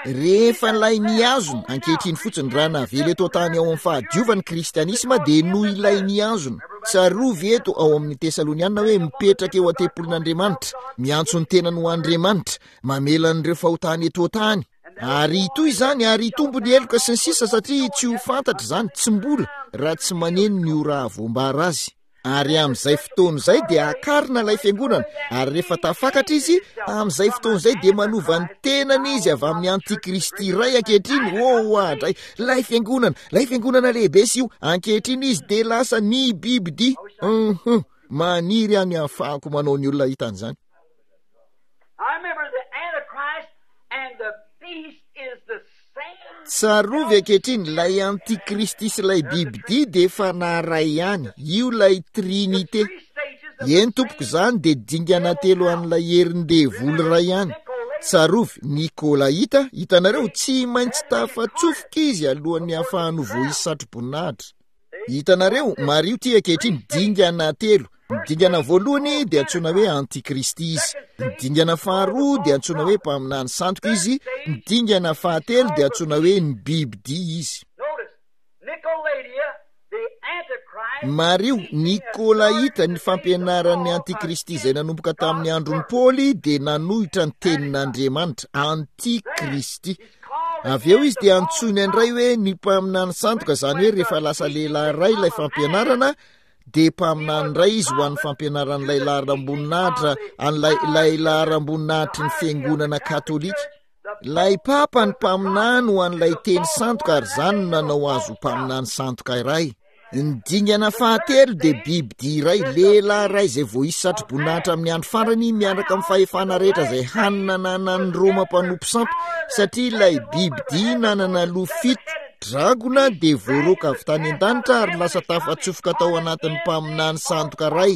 Speaker 1: Rehefa ilay mihazona, ankehitriny fotsiny, raha navela eto an-tany ao amin'ny fahadiovan'ny kristianisma dia noho ilay mihazona. Tsarovy eto ao amin'ny Tesaloniana hoe mipetraka eo an-tempolin'Andriamanitra, miantso ny tenany ho Andriamanitra, mamela an'ireo fahotany eto an-tany. Ary hitohy izany, ary hitombo ny heloka sy ny sisa, satria tsy ho fantatra izany, tsy mbola, raha tsy maneno ny ora hahavoambara azy. Ary amin'izay fotoana izay dia akarina ilay fiangonana, ary rehefa tafakatra izy, amin'izay fotoana izay dia manova ny tenany izy avy amin'ny antikristy iray ankehitriny. Oh, oadray, ilay fiangonana, ilay fiangonana lehibe sy io, ankehitriny izy dia lasa ny bibidia. Uhum, maniry aho ny hahafahako manao ny olona hita an'izany.
Speaker 2: I remember the Antichrist and the beast is the same.
Speaker 1: Tsarovy ankehitriny, ilay antikristy sy ilay bibidia dia efa naharay ihany, io ilay trinite. Eny tompoko, izany dia dingana telo an'ilay herin-devoly iray ihany. Tsarovy, Nikolaita, hitanareo, tsy maintsy tafatsofoka izy alohan'ny hahafahany ho voaisy satroboninahitra. Hitanareo, mariho ity ankehitriny, dingana telo. Ny dingana voalohany dia antsoina hoe antikristy izy. Ny dingana faharoa dia antsoina hoe mpaminany sandoka izy. Ny dingana fahatelo dia antsoina hoe ny bibidia izy.
Speaker 2: Notice, Nicolaita, the Antichrist,
Speaker 1: Mariho, Nikolaita, ny fampianaran'ny antikristy izay nanomboka tamin'ny andron'i Paoly dia nanohitra ny tenin'Andriamanitra, antikristy. Avy eo izy dia antsoina indray hoe ny mpaminany sandoka, izany hoe rehefa lasa lehilahy iray ilay fampianarana dia mpaminany indray izy ho an'ny fampianaran'ilay laharam-boninahitra, an'ilay ilay laharam-boninahitry ny fiangonana katolika. Ilay papa ny mpaminany ho an'ilay teny sandoka, ary izany no nanao azy ho mpaminany sandoka iray. Ny dingana fahatelo dia bibidia iray, lehilahy iray izay voaisy satroboninahitra amin'ny andro farany miaraka amin'ny fahefana rehetra izay hany nananan'ny Roma mpanompo sampy, satria ilay bibidia nanana loha fito dragona dia voaroaka avy tany an-danitra ary lasa tafatsofoka tao anatin'ny mpaminany sandoka iray.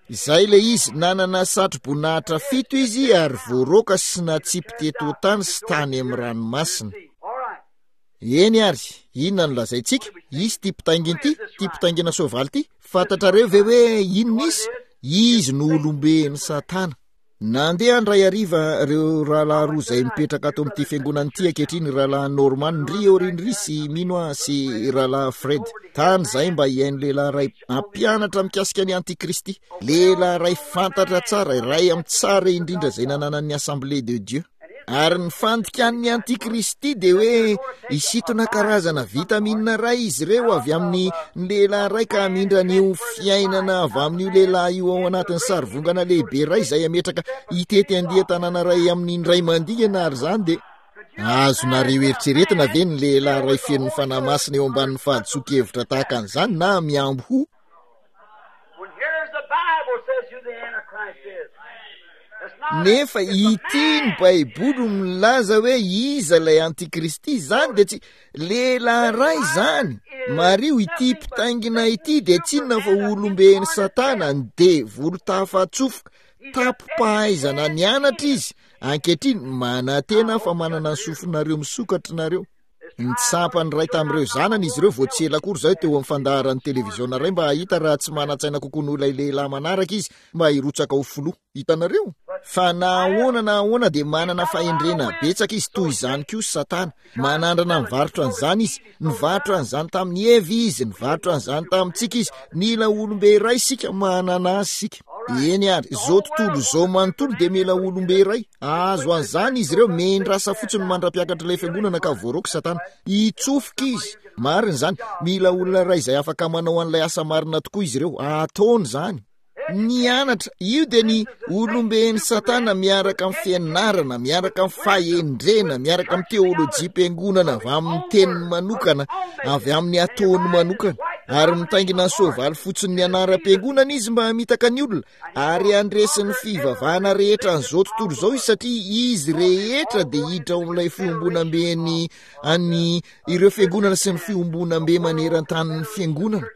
Speaker 1: Izay ilay izy, nanana satroboninahitra fito izy ary voaroaka sy natsipy teto tany sy tany amin'ny ranomasina. Eny ary, inona no lazaintsika? Izy ity mpitaingina ity, ity mpitaingina soavaly ity. Fantatrareo ve hoe inona izy? Izy no olomben'i Satana. Nandeha andray hariva ireo rahalahy roa izay mipetraka ato amin'ity fiangonana ity ankehitriny, rahalahy Norman ndry aorian'ry sy mino aho sy rahalahy Fred. Tany izahay mba hihaino lehilahy iray hampianatra mikasika ny antikristy. Lehilahy iray fantatra tsara, iray amin'ny tsara indrindra izay nananan'ny Assemblée de Dieu. Ary ny fandikan'ny antikristy dia hoe hisintona karazana vitamina iray izy ireo avy amin'ny lehilahy iray ka hamindra an'io fiainana avy amin'io lehilahy io ao anatin'ny sarivongana lehibe iray izay hametraka hitety andian-tanàna iray amin'ny indray mandingana. Ary izany dia azonareo eritreretina ve ny lehilahy iray feno ny Fanahy Masina eo ambanin'ny fahadisoan-kevitra tahaka an'izany na miamboho?
Speaker 2: When here's the Bible says who the Antichrist is.
Speaker 1: Nefa ity ny Baiboly milaza hoe iza ilay antikristy. Izany dia tsy lehilahy iray izany. Mariho, ity mpitaingina ity dia tsy inona fa olomben'i Satana, ny devoly tafatsofoka, tapo-pahaizana nianatra izy. Ankehitriny manantena fa manana ny sofinareo misokatra nareo. Nitsapa ny iray tamin'ireo zanany izy ireo vao tsy ela akory izay teo amin'ny fandaharan'ny televiziona iray mba hahita raha tsy manan-tsaina kokoa noho ilay lehilahy manaraka izy mba hirotsaka ho filoha. Hitanareo? Fa na ahoana na ahoana dia manana fahendrena betsaka izy, toy izany koa Satana. Manandrana mivarotra an'izany izy. Nivarotra an'izany tamin'i Eva izy, nivarotra an'izany tamintsika izy. Mila olombe iray isika, manana azy isika. Eny ary, izao tontolo izao manontolo dia mila olombe iray. Azo an'izany izy ireo, mendrasa fotsiny mandra-piakatra ilay fiangonana ka voaroaka Satana. Hitsofoka izy. Marina izany. Mila olona iray izay afaka manao an'ilay asa marina tokoa izy ireo. Ataony izany. Nianatra, io dia ny olomben'i Satana miaraka amin'ny fianarana, miaraka amin'ny fahendrena, miaraka amin'ny teolojiam-piangonana avy amin'ny teniny manokana, avy amin'ny ataony manokana. Ary mitaingina ny soavaly fotsiny ny anaram-piangonana izy mba hamitaka ny olona, ary handresy ny fivavahana rehetra an'izao tontolo izao izy, satria izy rehetra dia hiditra ao amin'ilay fiombonamben'ny an'ny ireo fiangonana sy ny fiombonambe maneran-tanin'ny fiangonana.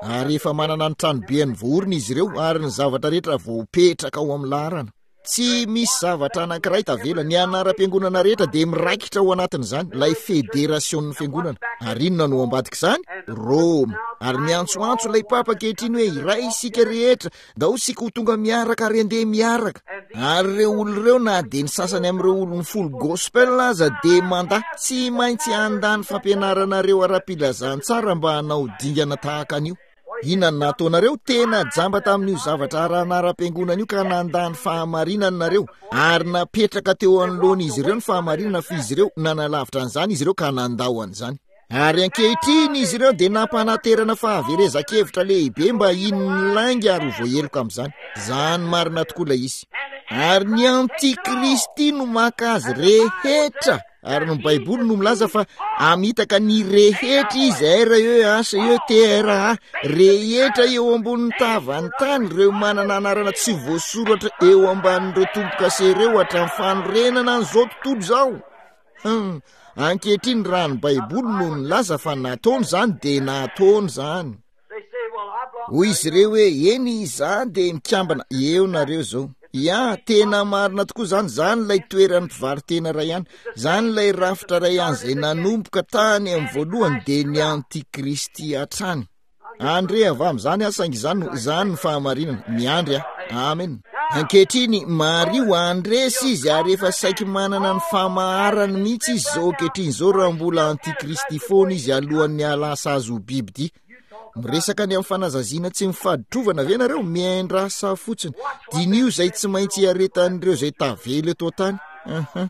Speaker 1: Ary efa manana ny tranobeany voaorina izy ireo, ary ny zavatra rehetra voapetraka ao amin'ny laharana. Tsy misy zavatra anankiray tavela. Ny anaram-piangonana rehetra dia miraikitra ao anatin'izany, ilay federasion'ny fiangonana. Ary inona no ambadika izany? Roma. Ary miantsoantso ilay papa ankehitriny hoe iray isika rehetra, ndao isika ho tonga miaraka ary andeha miaraka. Ary ireo olona ireo, na dia ny sasany amin'ireo olon'ny full gospel aza dia mandà, tsy maintsy handà ny fampianaranareo ara-pilazantsara mba hanao dingana tahaka an'io. Inona no nataonareo? Tena jamba tamin'io zavatra ara-anaram-piangonana io ka nandà ny fahamarinana nareo, ary napetraka teo anoloan'izy ireo ny fahamarinana, fa izy ireo nanalavitra an'izany izy ireo ka nandao an'izany. Ary ankehitriny izy ireo dia nampanaterana fahaverezan-kevitra lehibe mba hino ny lainga ary ho voaheloka amin'izany. Izany marina tokoa ilay izy. Ary ny antikristy no maka azy rehetra. Ary ny Baiboly no milaza fa hamitaka ny rehetra izy, R E H E T R A, rehetra eo ambonin'ny tavan'ny tany, ireo manana anarana tsy voasoratra eo ambanin'ireo tombo-kase ireo hatramin'ny fanorenana an'izao tontolo izao. Hmm. Ankehitriny raha ny Baiboly no nilaza fa nataony izany dia nataony izany. Hoy izy ireo hoe eny, izaho dia mikambana. Eo nareo izao. Ya, tena marina tokoa izany. Izany ilay toeran'ny mpivaro-tena iray ihany. Izany ilay rafitra iray ihany izay nanomboka tany amin'ny voalohany dia ny antikristy hatrany. Andre avy amin'izany aho, saingy izany no, izany no fahamarinana. Miandry aho. Amen. Ankehitriny, mariho, handresy izy, ary efa saiky manana ny famaharany mihitsy izy izao ankehitriny izao, raha mbola antikristy foana izy alohan'ny hahalasa azy ho bibidia. Miresaka ny amin'ny fanazaziana tsy mifaditrovana ve nareo? Miandrasa fotsiny. Diniho izay tsy maintsy hiaretan'ireo izay tavela eto an-tany. Uh-huh.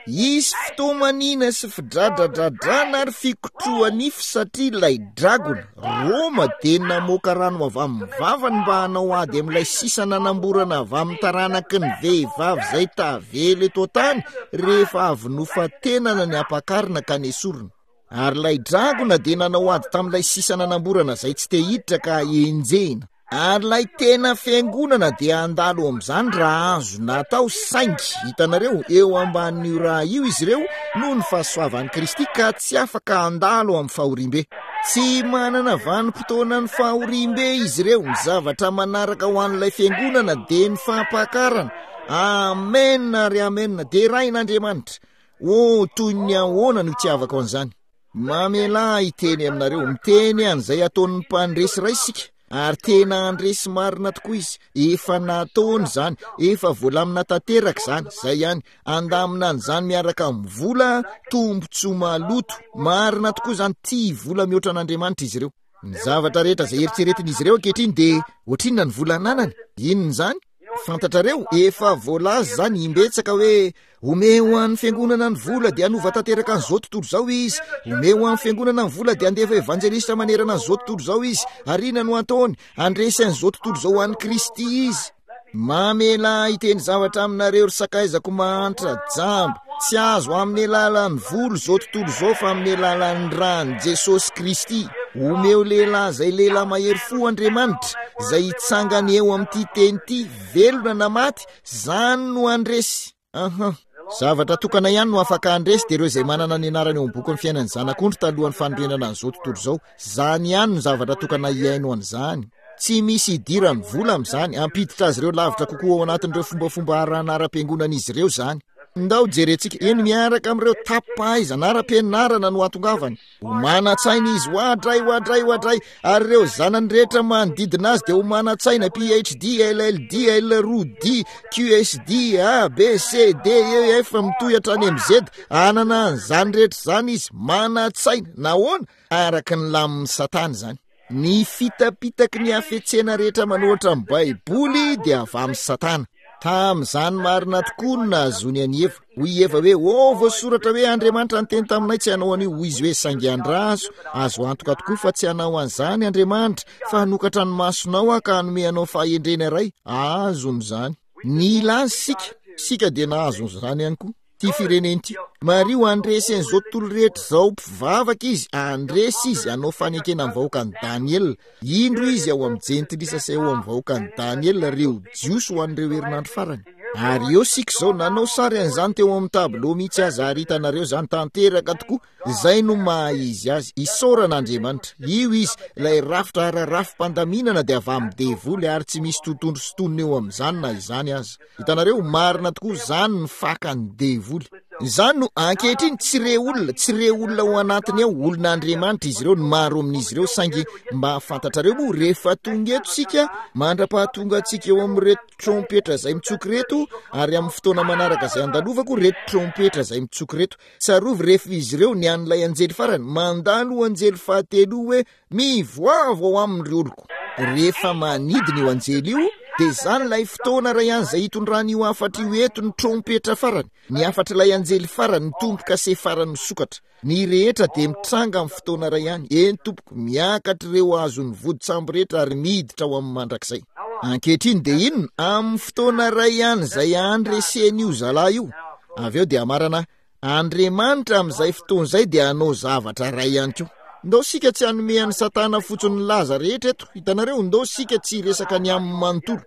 Speaker 1: Hisy fitomaniana sy fidradradradrana ary fikotroha-nify satria ilay dragona, Roma, dia namoaka rano avy amin'ny vavany mba hanao ady amin'ilay sisa nanamborana avy amin'ny taranaky ny vehivavy izay tavela eto an-tany rehefa avy nofantenana ny ampakarina ka nesorina. Ary ilay dragona dia nanao ady tamin'ilay sisa nanamborana izay tsy te hiditra ka henjehina. Ary ilay tena fiangonana dia handalo amin'izany raha azo natao, saingy hitanareo eo ambanin'io raha io izy ireo noho ny fahasoavan'i Kristy ka tsy afaka handalo amin'ny fahoriambe. Tsy manana vanim-potoanan'ny fahoriambe izy ireo. Ny zavatra manaraka ho an'ilay fiangonana dia ny fampakarana. Amen ary amen. Derain'Andriamanitra. O, toy ny ahoana no itiavako an'izany. Mamelà hiteny aminareo, miteny an'izay ataon'ny mpandresy iray isika. Ary tena handresy marina tokoa izy. Efa nataony izany, efa voalamina tanteraka izany. Izay ihany, andamina an'izany miaraka amin'ny vola, tombontsoa maloto. Marina tokoa izany, tia vola mihoatra an'Andriamanitra izy ireo. Ny zavatra rehetra izay eritreretin'izy ireo ankehitriny dia ohatrinona ny vola ananany? Inona izany? Fantatrareo, efa voalaza izany imbetsaka hoe omeo an'ny fiangonana ny vola dia hanova tanteraka an'izao tontolo izao izy. Omeo an'ny fiangonana ny vola dia handefa evanjelista manerana an'izao tontolo izao izy. Ary inona no ataony? Handresy an'izao tontolo izao ho an'i Kristy izy. Mamelà hiteny zavatra aminareo ry sakaizako mahantra, jamba. Tsy azo amin'ny alalan'ny vola izao tontolo izao fa amin'ny alalan'ny ran'i Jesosy Kristy. Omeo lehilahy izay lehilahy mahery fo Andriamanitra, izay hitsangana eo amin'ity teny ity, velona na maty, izany no handresy. Aha. Zavatra tokana ihany no afaka handresy dia ireo izay manana ny anarany eo amin'ny bokin'ny fiainan'ny Zanak'ondry talohan'ny fanorenana an'izao tontolo izao. Izany ihany no zavatra tokana hihaino an'izany. Tsy misy idiran'ny vola amin'izany. Hampiditra azy ireo lavitra kokoa ao anatin'ireo fombafomba arahana ara-piangonan'izy ireo izany. Ndao jerentsika. Eny, miaraka amin'ireo tapaizana ara-pianarana no hatongavany. Ho manan-tsaina izy, hoadray, hoadray, hoadray. Ary ireo zanany rehetra manodidina azy dia ho manan-tsaina, P H D, L L D, L roa D, Q S D, A, B, C, D, E, F, mitohy hatrany amin'ny Z. Hanana an'izany rehetra izany izy, manan-tsaina. Nahoana? Araka ny lamin'ny Satana izany. Ny fitapitaky ny hafetsena rehetra manohitra ny Baiboly dia avy amin'i Satana. Tamin'izany marina tokoa no nahazoany an'i Eva. Hoy i Eva hoe, ô, voasoratra hoe Andriamanitra niteny taminay tsy hanao an'io. Hoy izy hoe, saingy andraso, azo antoka tokoa fa tsy hanao an'izany Andriamanitra, fa hanokatra ny masonao aho ka hanome anao fahendrena iray. Azony izany. Nila azy isika. Isika dia nahazo an'izany ihany koa. Ty firenena ity. Mariho, handresy an'izao tontolo rehetra izao mpivavaka izy, handresy izy, hanao fanekena amin'ny vahoakan'i Daniela. Indro izy ao amin'ny jentilisa sy ao amin'ny vahoakan'i Daniela, ireo Jiosy ho an'ireo herinandro farany. Ary eo isika izao, nanao sary an'izany teo amin'ny tableau mihitsy aza, ary hitanareo izany tanteraka tokoa. Izay no maha izy azy. Isaorana Andriamanitra. Io izy, ilay rafitra ara-rafi-pandaminana dia avy amin'ny devoly ary tsy misy tontondro sy tonony eo amin'izany na izany aza. Hitanareo, marina tokoa, izany ny fakan'ny devoly. Izany no, ankehitriny, tsy re olona, tsy re olona ao anatiny ao, olon'Andriamanitra izy ireo, ny maro amin'izy ireo, saingy mba fantatrareo moa, rehefa tonga eto isika, mandra-pahatonga antsika eo amin'ireto trompetra izay mitsoka ireto, ary amin'ny fotoana manaraka izay andalovako, ireto trompetra izay mitsoka ireto. Tsarovy rehefa izy ireo ny an'ilay anjely farany, mandalo anjely fahatelo hoe, mivoavo ao aminy ry oloko. Rehefa manidina io anjely io, dia izany ilay fotoana iray ihany izay hitondrany io hafatra io eto, ny trompetra farany, ny hafatr'ilay anjely farany, ny tombo-kase farany misokatra. Ny rehetra dia mitranga amin'ny fotoana iray ihany. Eny tompoko, miakatra ireo azon'ny vodi-tsambo rehetra ary miditra ao amin'ny mandrakizay. Ankehitriny dia inona? Amin'ny fotoana iray ihany izay handresen'io zalahy io. Avy eo dia hamarana, Andriamanitra amin'izay fotoana izay dia hanao zavatra iray ihany koa. Ndao isika tsy hanome an'i Satana fotsiny ny laza rehetra eto. Hitanareo, ndao isika tsy hiresaka ny aminy manontolo.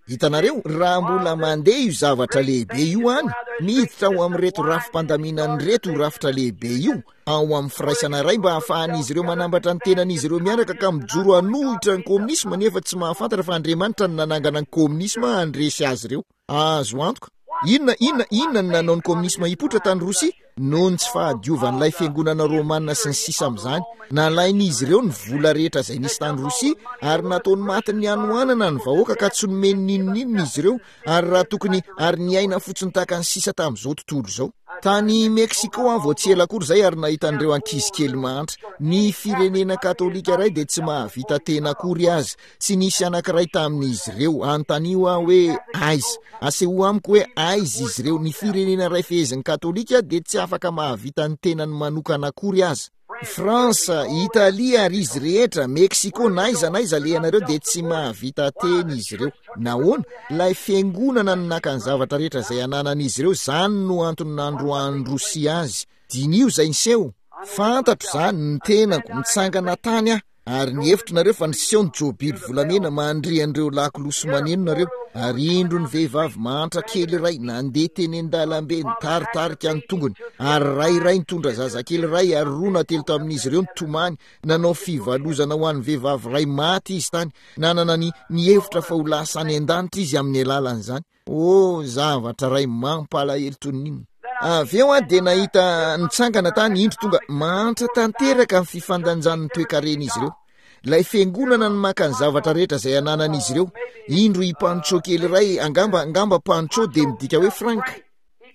Speaker 1: Hitanareo, raha mbola mandeha io zavatra lehibe io any, miditra ao amin'ireto rafi-pandaminana ireto io rafitra lehibe io, ao amin'ny firaisana iray mba hahafahan'izy ireo manambatra ny tenan'izy ireo miaraka ka mijoro hanohitra ny kominisma, nefa tsy mahafantatra fa Andriamanitra no nanangana ny kominisma handresy azy ireo. Azo antoka. Inona, inona, inona no nanao ny kominisma hipoitra tany Rosia? Noho ny tsy fahadiovan'ilay fiangonana romana sy ny sisa amin'izany. Nalain'izy ireo ny vola rehetra izay nisy tany Rosia ary nataony matin'ny hanoanana ny vahoaka ka tsy nomeny n'inon'inona izy ireo, ary raha tokony, ary niaina fotsiny tahaka ny sisa tamin'izao tontolo izao. Tany Mexico aho vao tsy ela akory izay ary nahita an'ireo ankizy kely mahantra. Ny firenena katolika iray dia tsy mahavita tena akory aza. Tsy nisy anankiray tamin'izy ireo. Anontanio aho hoe aiza. Asehoa amiko hoe aiza izy ireo. Ny firenena iray fehezin'ny katolika dia tsy afaka mahavita ny tenany manokana akory aza. France, Italie ary izy rehetra, Mexico, na aiza na aiza alehanareo dia tsy mahavita tena izy ireo. Nahoana? Ilay fiangonana no naka ny zavatra rehetra izay ananan'izy ireo, izany no antony nandroahan'i Rosia azy. Diniho izay niseho. Fantatro izany, ny tenako, nitsangana tany aho, Ary nihevitra nareo fa niseho ny jobily volamena mandre an'ireo lakolosy maneno nareo. Ary indro ny vehivavy mahantra kely iray nandeha teny an-dalambe nitaritarika ny tongony. Ary ray iray nitondra zazakely iray ary roa na telo tamin'izy ireo nitomany. Nanao fivalozana ho an'ny vehivavy iray maty izy tany. Nanana ny nihevitra fa ho lasa any an-danitra izy amin'ny alalan'izany. Oh, zavatra iray mampalahelo toy ny inona. Avy eo aho dia nahita nitsangana tany, indro tonga mahantra tanteraka ny fifandanjan'ny toekaren'izy ireo. Ilay fiangonana no maka ny zavatra rehetra izay ananan'izy ireo. Indro i Pancho kely iray, angamba, angamba Pancho dia midika hoe Frank.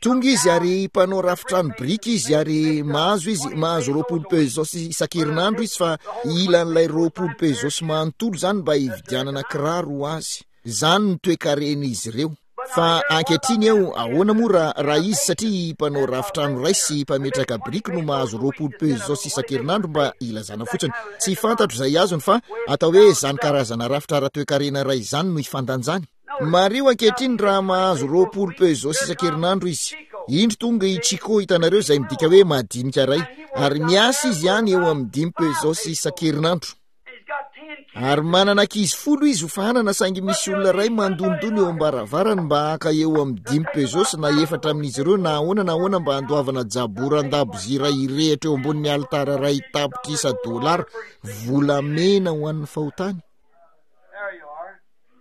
Speaker 1: Tonga izy ary mpanao rafitrano biriky izy ary mahazo izy, mahazo roapolo pesos isan-kerinandro izy, fa ilan'ilay roapolo pesos manontolo izany mba hividianana kiraro ho azy. Izany ny toekaren'izy ireo. Fa ankehitriny eo, ahoana moa raha, raha izy, satria mpanao rafitrano iray sy mpametraka biriky no mahazo roapolo pesos isan-kerinandro mba hilazana fotsiny. Tsy fantatro izay azony fa atao hoe izany karazana rafitra ara-toekarena iray izany no ifandanjany. Mariho ankehitriny raha mahazo roapolo pesos isan-kerinandro izy. Indro tonga i Chico, hitanareo, izay midika hoe madinika iray. Ary miasa izy ihany eo amin'ny dimy pesos isan-kerinandro. Ary manana ankizy folo izy ho fahanana, saingy misy olona iray mandondona eo am-baravarany mba haka eo amin'ny dimy pesos na efatra amin'izy ireo na ahoana na ahoana mba handoavana jaboran-dabozia iray hirehitra eo ambonin'ny alitara iray tapitrisa dolara volamena ho an'ny fahotany.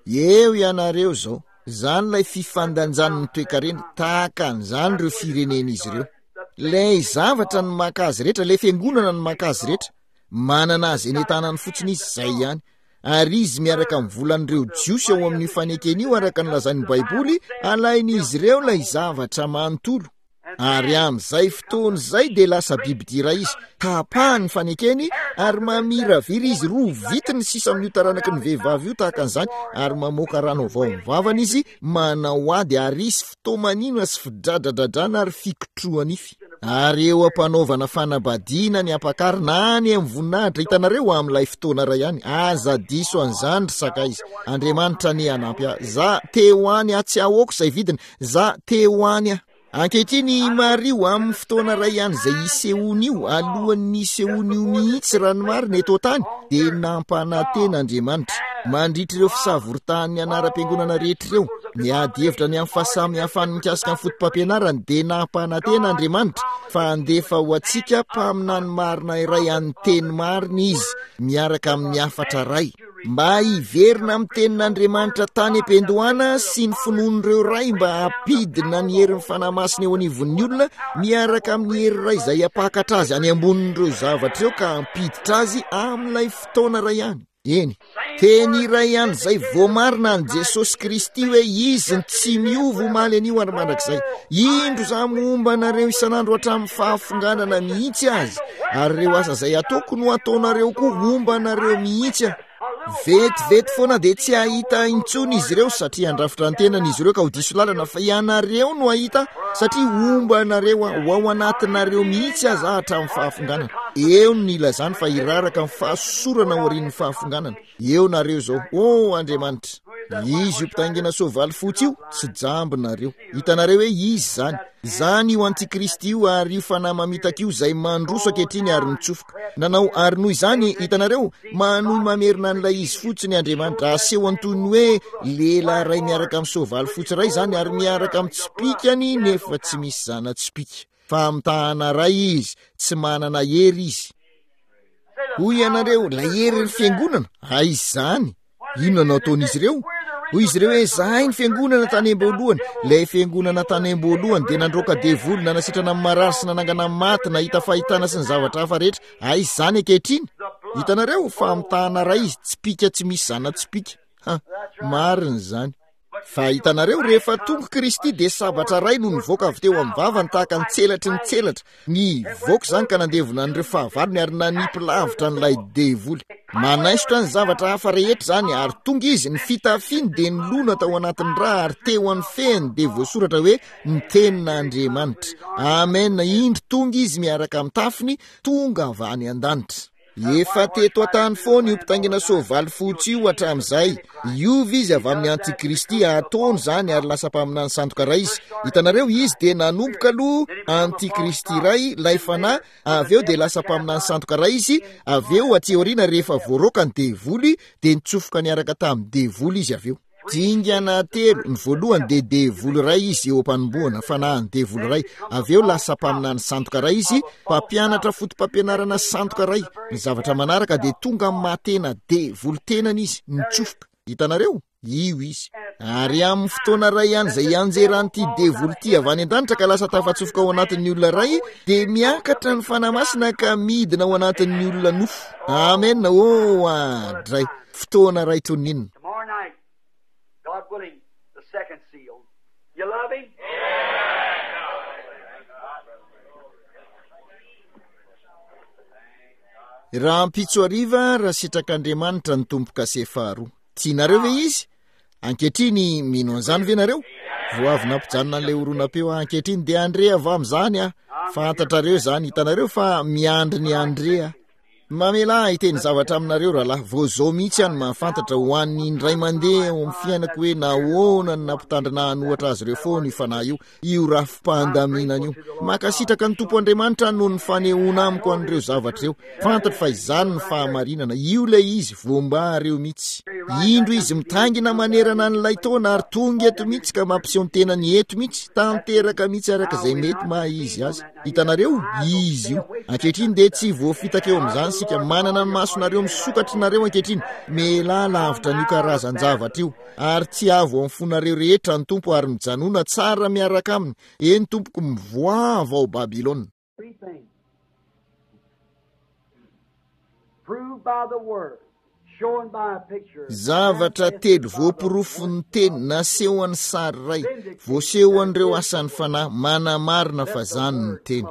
Speaker 1: Eo ianareo izao. Izany ilay fifandanjan'ny toekarena, tahaka an'izany ireo firenen'izy ireo. Ilay zavatra no maka azy rehetra, ilay fiangonana no maka azy rehetra. Manana azy eny an-tanany fotsiny izy, izay ihany. Ary izy miaraka amin'ny volan'ireo Jiosy ao amin'io fanekena io, araka ny lazain'ny Baiboly, alain'izy ireo ilay zavatra manontolo. Ary amin'izay fotoana izay dia lasa bibidia iray izy. Tapahany ny fanekeny ary mamiravira izy, rovitiny ny sisa amin'io taranaky ny vehivavy io tahaka an'izany, ary mamoaka rano avy ao amin'ny vavany izy, manao ady, ary hisy fitomanina sy fidradradradrana ary fikotroha-nify. Ary eo am-panaovana fanambadiana ny ampakarina any amin'ny voninahitra, hitanareo, amin'ilay fotoana iray ihany. Aza diso an'izany, ry sakaiza. Andriamanitra anie hanampy ahy. Za te ho any aho, tsy ahoako izay vidiny. Za te ho any aho. Ankehitriny, mariho, amin'ny fotoana iray ihany izay hisehoany io, alohan'ny hisehoany io mihitsy, raha ny marina, eto an-tany, dia nampanantena Andriamanitra, mandritra ireo fisavoritahany anaram-piangonana rehetra ireo, ny ady hevitra ny amin'ny fahasamihafany mikasika ny fotopampianarany, dia nampanantena Andriamanitra fa handefa ho antsika mpaminany marina iray an'ny teny marina Izy, miaraka amin'ny hafatra iray, mba hiverina amin'ny tenin'Andriamanitra tany am-piandohana sy ny finoan'ireo ray, mba hampidina ny herin'ny Fanahy Masina eo anivon'ny olona, miaraka amin'ny hery iray izay hampakatra azy any ambonin'ireo zavatra ireo ka hampiditra azy amin'ilay fotoana iray ihany. Eny, teny iray ihany izay voamarina an'i Jesosy Kristy hoe Izy ny tsy miova omaly anio ary mandrakizay. Indro za momba anareo isan'andro hatramin'ny fahafonganana mihitsy aza, ary ireo asa izay ataoko no ataonareo koa, homba anareo mihitsy aho. Vetivety foana dia tsy hahita intsony izy ireo, satria handrafitra ny tenany izy ireo ka ho diso lalana, fa ianareo no hahita, satria homba anareo aho, ho ao anatinareo mihitsy aza hatramin'ny fahafonganana. Eo no nilazany fa hiraraka ny fahasosorana aorian'ny fahafonganana. Eo nareo izao. Oh, Andriamanitra! Izy io mpitaingina soavaly fotsy io, tsy jamby nareo. Hitanareo hoe izy izany. Izany io antikristy io ary io fanahy mamitaka io izay mandroso ankehitriny ary mitsofoka. Nanao, ary noho izany, hitanareo, manohy mamerina an'ilay izy fotsiny Andriamanitra. Asehony toy ny hoe lehilahy iray miaraka amin'ny soavaly fotsy iray izany ary miaraka amin'ny tsipìkany nefa tsy misy zana-tsipìka. Famitahana iray izy, tsy manana hery izy. Hoy ianareo, ilay herin'ny fiangonana, aiza izany? Inona no ataon'izy ireo? Hoy izy ireo hoe, zahay ny fiangonana tany am-boalohany. Ilay fiangonana tany am-boalohany dia nandroaka devoly, nanasitrana ny marary sy nanangana ny maty, nahita fahitana sy ny zavatra hafa rehetra. Aiza izany ankehitriny? Hitanareo, famitahana iray izy, tsipìka tsy misy zana-tsipìka. Ha, marina izany. Fa hitanareo, rehefa tonga Kristy dia sabatra iray no nivoaka avy teo amin'ny vavany tahaka ny tselatry ny tselatra. Nivoaka izany ka nandevona an'ireo fahavalony ary nanipy lavitra an'ilay devoly. Manaisotra ny zavatra hafa rehetra izany, ary tonga izy, ny fitafiany dia nilona tao anatin'ny rà ary teo amin'ny fehiny dia voasoratra hoe ny tenin'Andriamanitra. Amen, indro tonga izy miaraka amin'ny tafiny, tonga avy any an-danitra. Efa teto an-tany foana io mpitaingina soavaly fotsy io hatramin'izay. Hiova izy avy amin'ny antikristy, ataony izany ary lasa mpaminany sandoka iray izy. Hitanareo, izy dia nanomboka aloha antikristy iray, ilay fanahy, avy eo dia lasa mpaminany sandoka iray izy, avy eo aty aoriana rehefa voaroaka ny devoly dia nitsofoka niaraka tamin'ny devoly izy avy eo. Dingana telo, ny voalohany dia devoly iray izy eo am-panombohana, fanahin'ny devoly iray, avy eo lasa mpaminany sandoka iray izy, mpampianatra foto-pampianarana sandoka iray. Ny zavatra manaraka dia tonga amin'ny maha-tena devoly tenany izy, nitsofoka. Hitanareo? Io izy. Ary amin'ny fotoana iray ihany izay hianjeran'ity devoly ity avy any an-danitra ka lasa tafatsofoka ao anatin'ny olona iray, dia miakatra ny Fanahy Masina ka midina ao anatin'ny olona nofo. Amen. Oh, adray. Fotoana iray toy ny inona?
Speaker 2: Tomorrow night, God willing, the second seal. You love him?
Speaker 1: Rahampitso hariva, raha sitrak'Andriamanitra ny tombo-kase faharoa. Tianareo ve izy? Ankehitriny mino an'izany ve nareo? Vao avy nampijanona an'ilay horonam-peo aho ankehitriny dia Andrea avy amin'izany aho. Fantatrareo izany, hitanareo fa miandry ny Andrea. Mamela ahy hiteny zavatra aminareo rahalahy, vao izao mihitsy aho no mahafantatra ho an'ny indray mandeha ao amin'ny fiainako hoe nahoana no nampitandrina hanohatra azy ireo foana io fanahy io, io rafi-pandaminana io. Mankasitraka ny Tompo Andriamanitra noho ny fanehoana amiko an'ireo zavatra ireo. Fantatro fa izany ny fahamarinana, io ilay izy, voambareo mihitsy. Indro izy mitaingina manerana an'ilay taona ary tonga eto mihitsy ka mampiseho ny tenany eto mihitsy, tanteraka mihitsy araka izay mety maha izy azy. Hitanareo? Izy io. Ankehitriny dia tsy voafitaka eo amin'izany isika. Manana ny masonareo misokatra nareo ankehitriny. Mialà lavitra an'io karazan-javatra io. Ary tsy avo amin'ny fonareo rehetra ny Tompo ary mijanona tsara miaraka aminy. Eny tompoko, mivoaha avy ao Babylona.
Speaker 2: Three things. Proved by the word, shown by a picture.
Speaker 1: Zavatra telo voaporofon'ny teny, nasehon'ny sary iray, voasehon'ireo asan'ny fanahy, manamarina fa zany ny teny.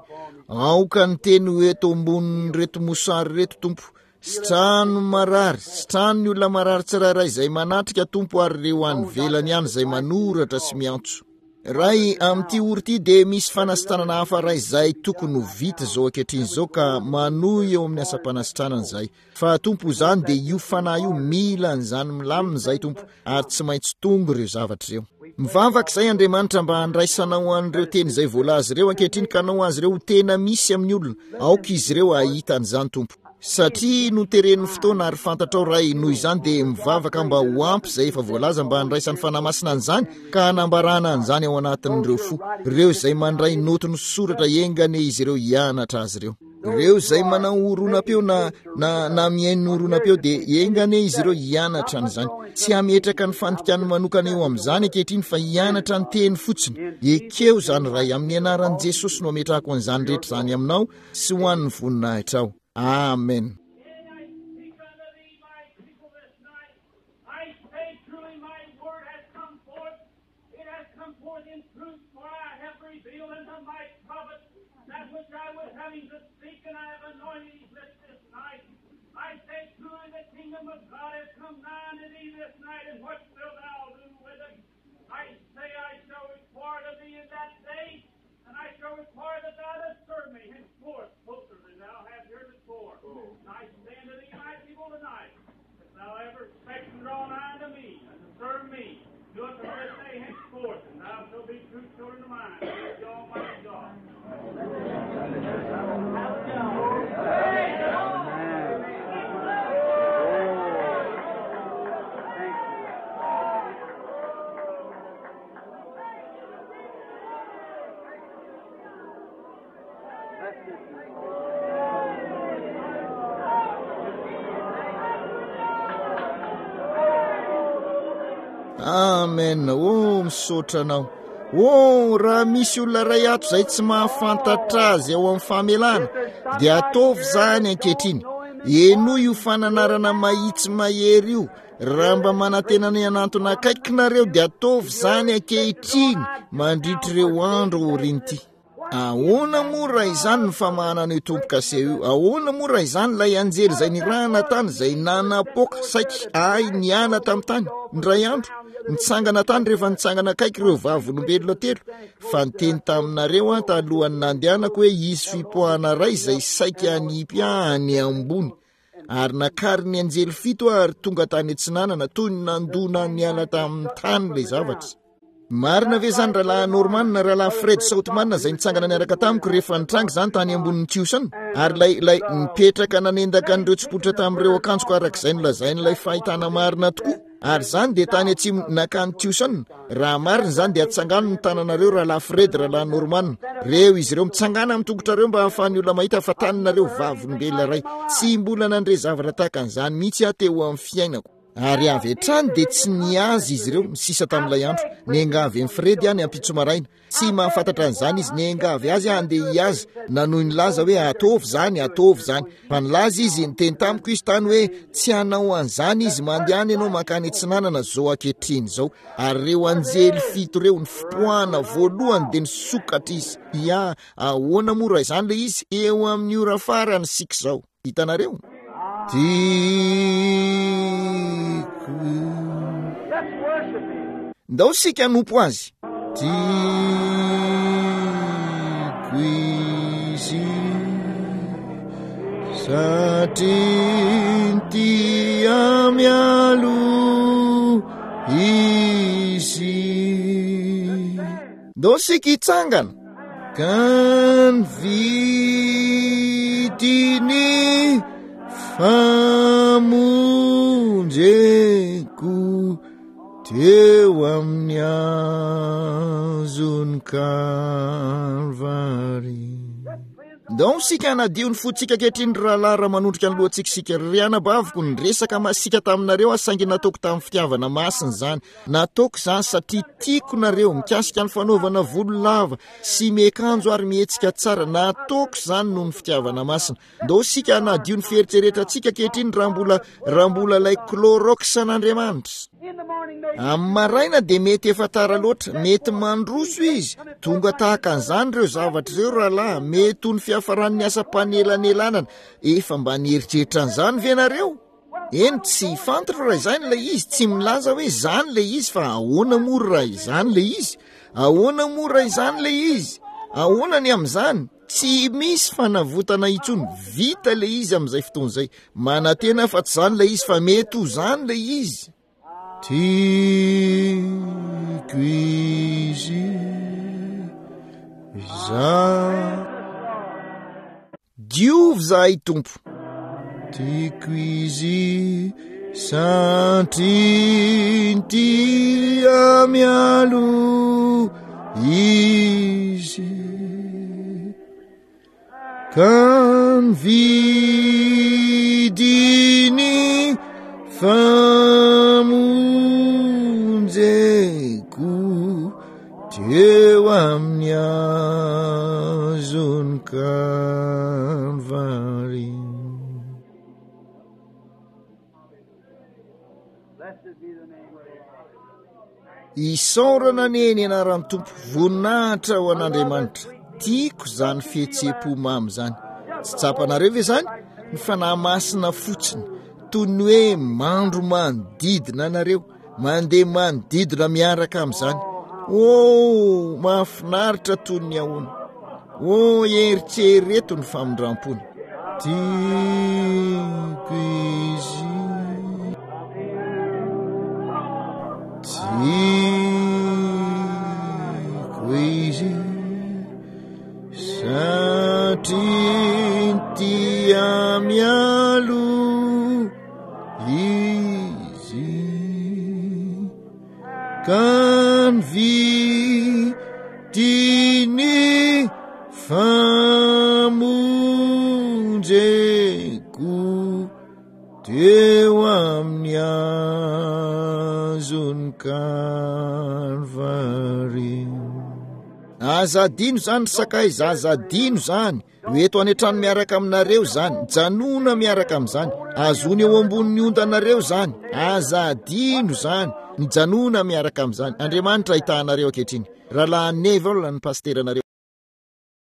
Speaker 1: Aoka ny teny ho eto ambonin'ireto mosary ireto, Tompo. Sitrano marary, sitrano ny olona marary tsirairay izay manatrika, Tompo, ary ireo any ivelany ihany izay manoratra sy miantso. Ray, amin'ity ora ity dia misy fanasitranana hafa iray izay tokony ho vita izao ankehitriny izao ka manohy eo amin'ny asam-panasitranana izay. Fa Tompo, izany dia io fanahy io mila an'izany milamina izay, Tompo, ary tsy maintsy tonga ireo zavatra ireo. Mivavaka izay Andriamanitra mba handraisanao an'ireo teny izay voalaza ireo ankehitriny ka hanao azy ireo ho tena misy amin'ny olona. Aoka izy ireo hahita an'izany, Tompo. Satria noteren'ny fotoana ary fantatrao Ray, noho izany dia mivavaka mba ho ampy izay efa voalaza mba handraisan'ny Fanahy Masina an'izany ka hanambarana an'izany ao anatin'ireo fo. Ireo izay mandray noty ny soratra, enga anie izy ireo hianatra azy ireo. Ireo izay manao horonam-peo na, na, na mihaino horonam-peo dia enga anie izy ireo hianatra an'izany. Tsy hametraka ny fandikany manokana eo amin'izany ankehitriny fa hianatra ny teny fotsiny. Ekeo izany Ray, amin'ny anaran'i Jesosy no ametrahako an'izany rehetra izany aminao sy ho an'ny voninahitrao. Amen.
Speaker 3: I say truly my word has come forth. It has come forth in truth, for I have revealed unto my prophet that which I was having to speak, and I have anointed his lips this night. I say truly the kingdom of God has come nigh unto thee this night, and what wilt thou do with it? I say I shall require of thee in that day, and I shall require that thou dost serve me henceforth closer than thou hast heretofore. And I say unto thee, my people, tonight, if thou ever expect to draw nigh unto me, and to serve me, do it from this day henceforth, and thou shalt be true children of mine, saith the Almighty God.
Speaker 1: Amen. Oh, misaotra anao. Oh, raha misy olona iray ato izay tsy mahafantatra azy ao amin'ny famelana, dia ataovy izany ankehitriny. Henoy io fananarana mahitsy mahery io. Raha mba manantena ny hanantona akaiky nareo, dia ataovy izany ankehitriny mandritra ireo andro aorian'ity. Ahoana moa raha izany ny famahanana io tombo-kase io? Ahoana moa raha izany ilay anjely izay nirahana tany, izay nanapoaka saiky ahy niala tamin'ny tany indray andro, nitsangana tany rehefa nitsangana akaiky ireo vavolombelona telo, fa niteny taminareo aho talohan'ny nandehanako hoe hisy fipoahana iray izay saika hanipy ahy any ambony. Ary nakarin'ny anjely fito aho ary tonga tany atsinanana, toy ny nandona niala tamin'ny tany ilay zavatra. Marina ve izany rahalahy Norman, rahalahy Fred Sothmann izay nitsangana niaraka tamiko rehefa nitranga izany tany ambonin'ny Tucson? Ary ilay, ilay nipetraka nanendaka an'ireo tsipoitra tamin'ireo akanjoko arak'izay nolazain'ilay fahitana marina tokoa. Ary izany dia tany atsimo nakany Tucson. Raha marina izany dia atsangano ny tananareo rahalahy Fred, rahalahy Norman. Reo izy ireo mitsangana amin'ny tongotrareo mba hahafahan'ny olona mahita fa taninareo vavolombelona iray. Tsy mbola nandre zavatra tahaka an'izany mihitsy aho teo amin'ny fiainako. Ary avy hatrany dia tsy nihaza izy ireo ny sisa tamin'ilay andro. Niangavy an'i Fred aho ny ampitso maraina. Tsy mahafantatra an'izany izy. Niangavy azy aho handeha hihaza. Nanohy nilaza hoe ataovy izany, ataovy izany. Fa nilaza izy, niteny tamiko izy tany hoe tsy hanao an'izany izy, mandehana ianao mankany atsinanana izao ankehitriny izao. Ary ireo anjely fito ireo, ny fipoahana voalohany dia nisokatra izy. Ia, ahoana moa raha izany ilay izy? Eo amin'ny ora farany isika izao. Hitanareo? Tiako. Ndao isika hanompo azy. Tiako izy satria tia mialoha izy. Ndao isika hitsangana. Ka ny vidiny famonjeko teo amin'ny hazon'ny Kalvary. Ndao isika hanadio ny fontsika ankehitriny, ry rahalahy, raha manondrika ny lohantsika isika. Ry anabaviko, niresaka masiaka taminareo aho, saingy nataoko tamin'ny fitiavana masina izany. Nataoko izany satria tiako nareo, mikasika ny fanaovana volo lava sy miakanjo ary mihetsika tsara. Nataoko izany noho ny fitiavana masina. Ndao isika hanadio ny fieritreretantsika ankehitriny, raha mbola, raha mbola ilay Clorox an'Andriamanitra. Amin'ny maraina dia mety efa tara loatra, mety mandroso izy. Tonga tahaka an'izany ireo zavatra ireo, rahalahy. Mety ho ny fiafaran'ny asam-panelanelanana. Efa mba nieritreritra an'izany ve nareo? Eny, tsy fantatro raha izany ilay izy, tsy milaza hoe izany ilay izy, fa ahoana moa raha izany ilay izy? Ahoana moa raha izany ilay izy? Ahoana ny amin'izany? Tsy misy fanavotana intsony, vita ilay izy amin'izay fotoana izay. Manantena fa tsy izany ilay izy, fa mety ho izany ilay izy. Tiako izy izaho. Diovy izahay Tompo. Tiako izy satria tia mialoha izy. Ka ny vidiny famonjeko teo amin'ny hazon'ny Kalvary. Isaorana anie ny anaran'ny Tompo, voninahitra ho an'Andriamanitra. Tiako izany fihetseham-po mamy izany. Tsy tsapanareo ve izany? Ny Fanahy Masina fotsiny, toy ny hoe mandro manodidina anareo, mandeha manodidina miaraka amin'izany. Oh, mahafinaritra toy ny ahoana. Oh, eritrereto ny famindrampony. Tiako izy. Tiako izy satria tia mialoha izy. Ka ny vidiny famonjeko teo amin'ny hazon'ny Kalvary. Aza adino izany, ry sakaiza, aza adino izany. Ho eto any an-trano miaraka aminareo izany, mijanona miaraka amin'izany. Azony eo ambonin'ny ondanareo izany, aza adino izany. Mijanona miaraka amin'izany. Andriamanitra ahitahanareo ankehitriny. Rahalahy Neville ny pasteranareo.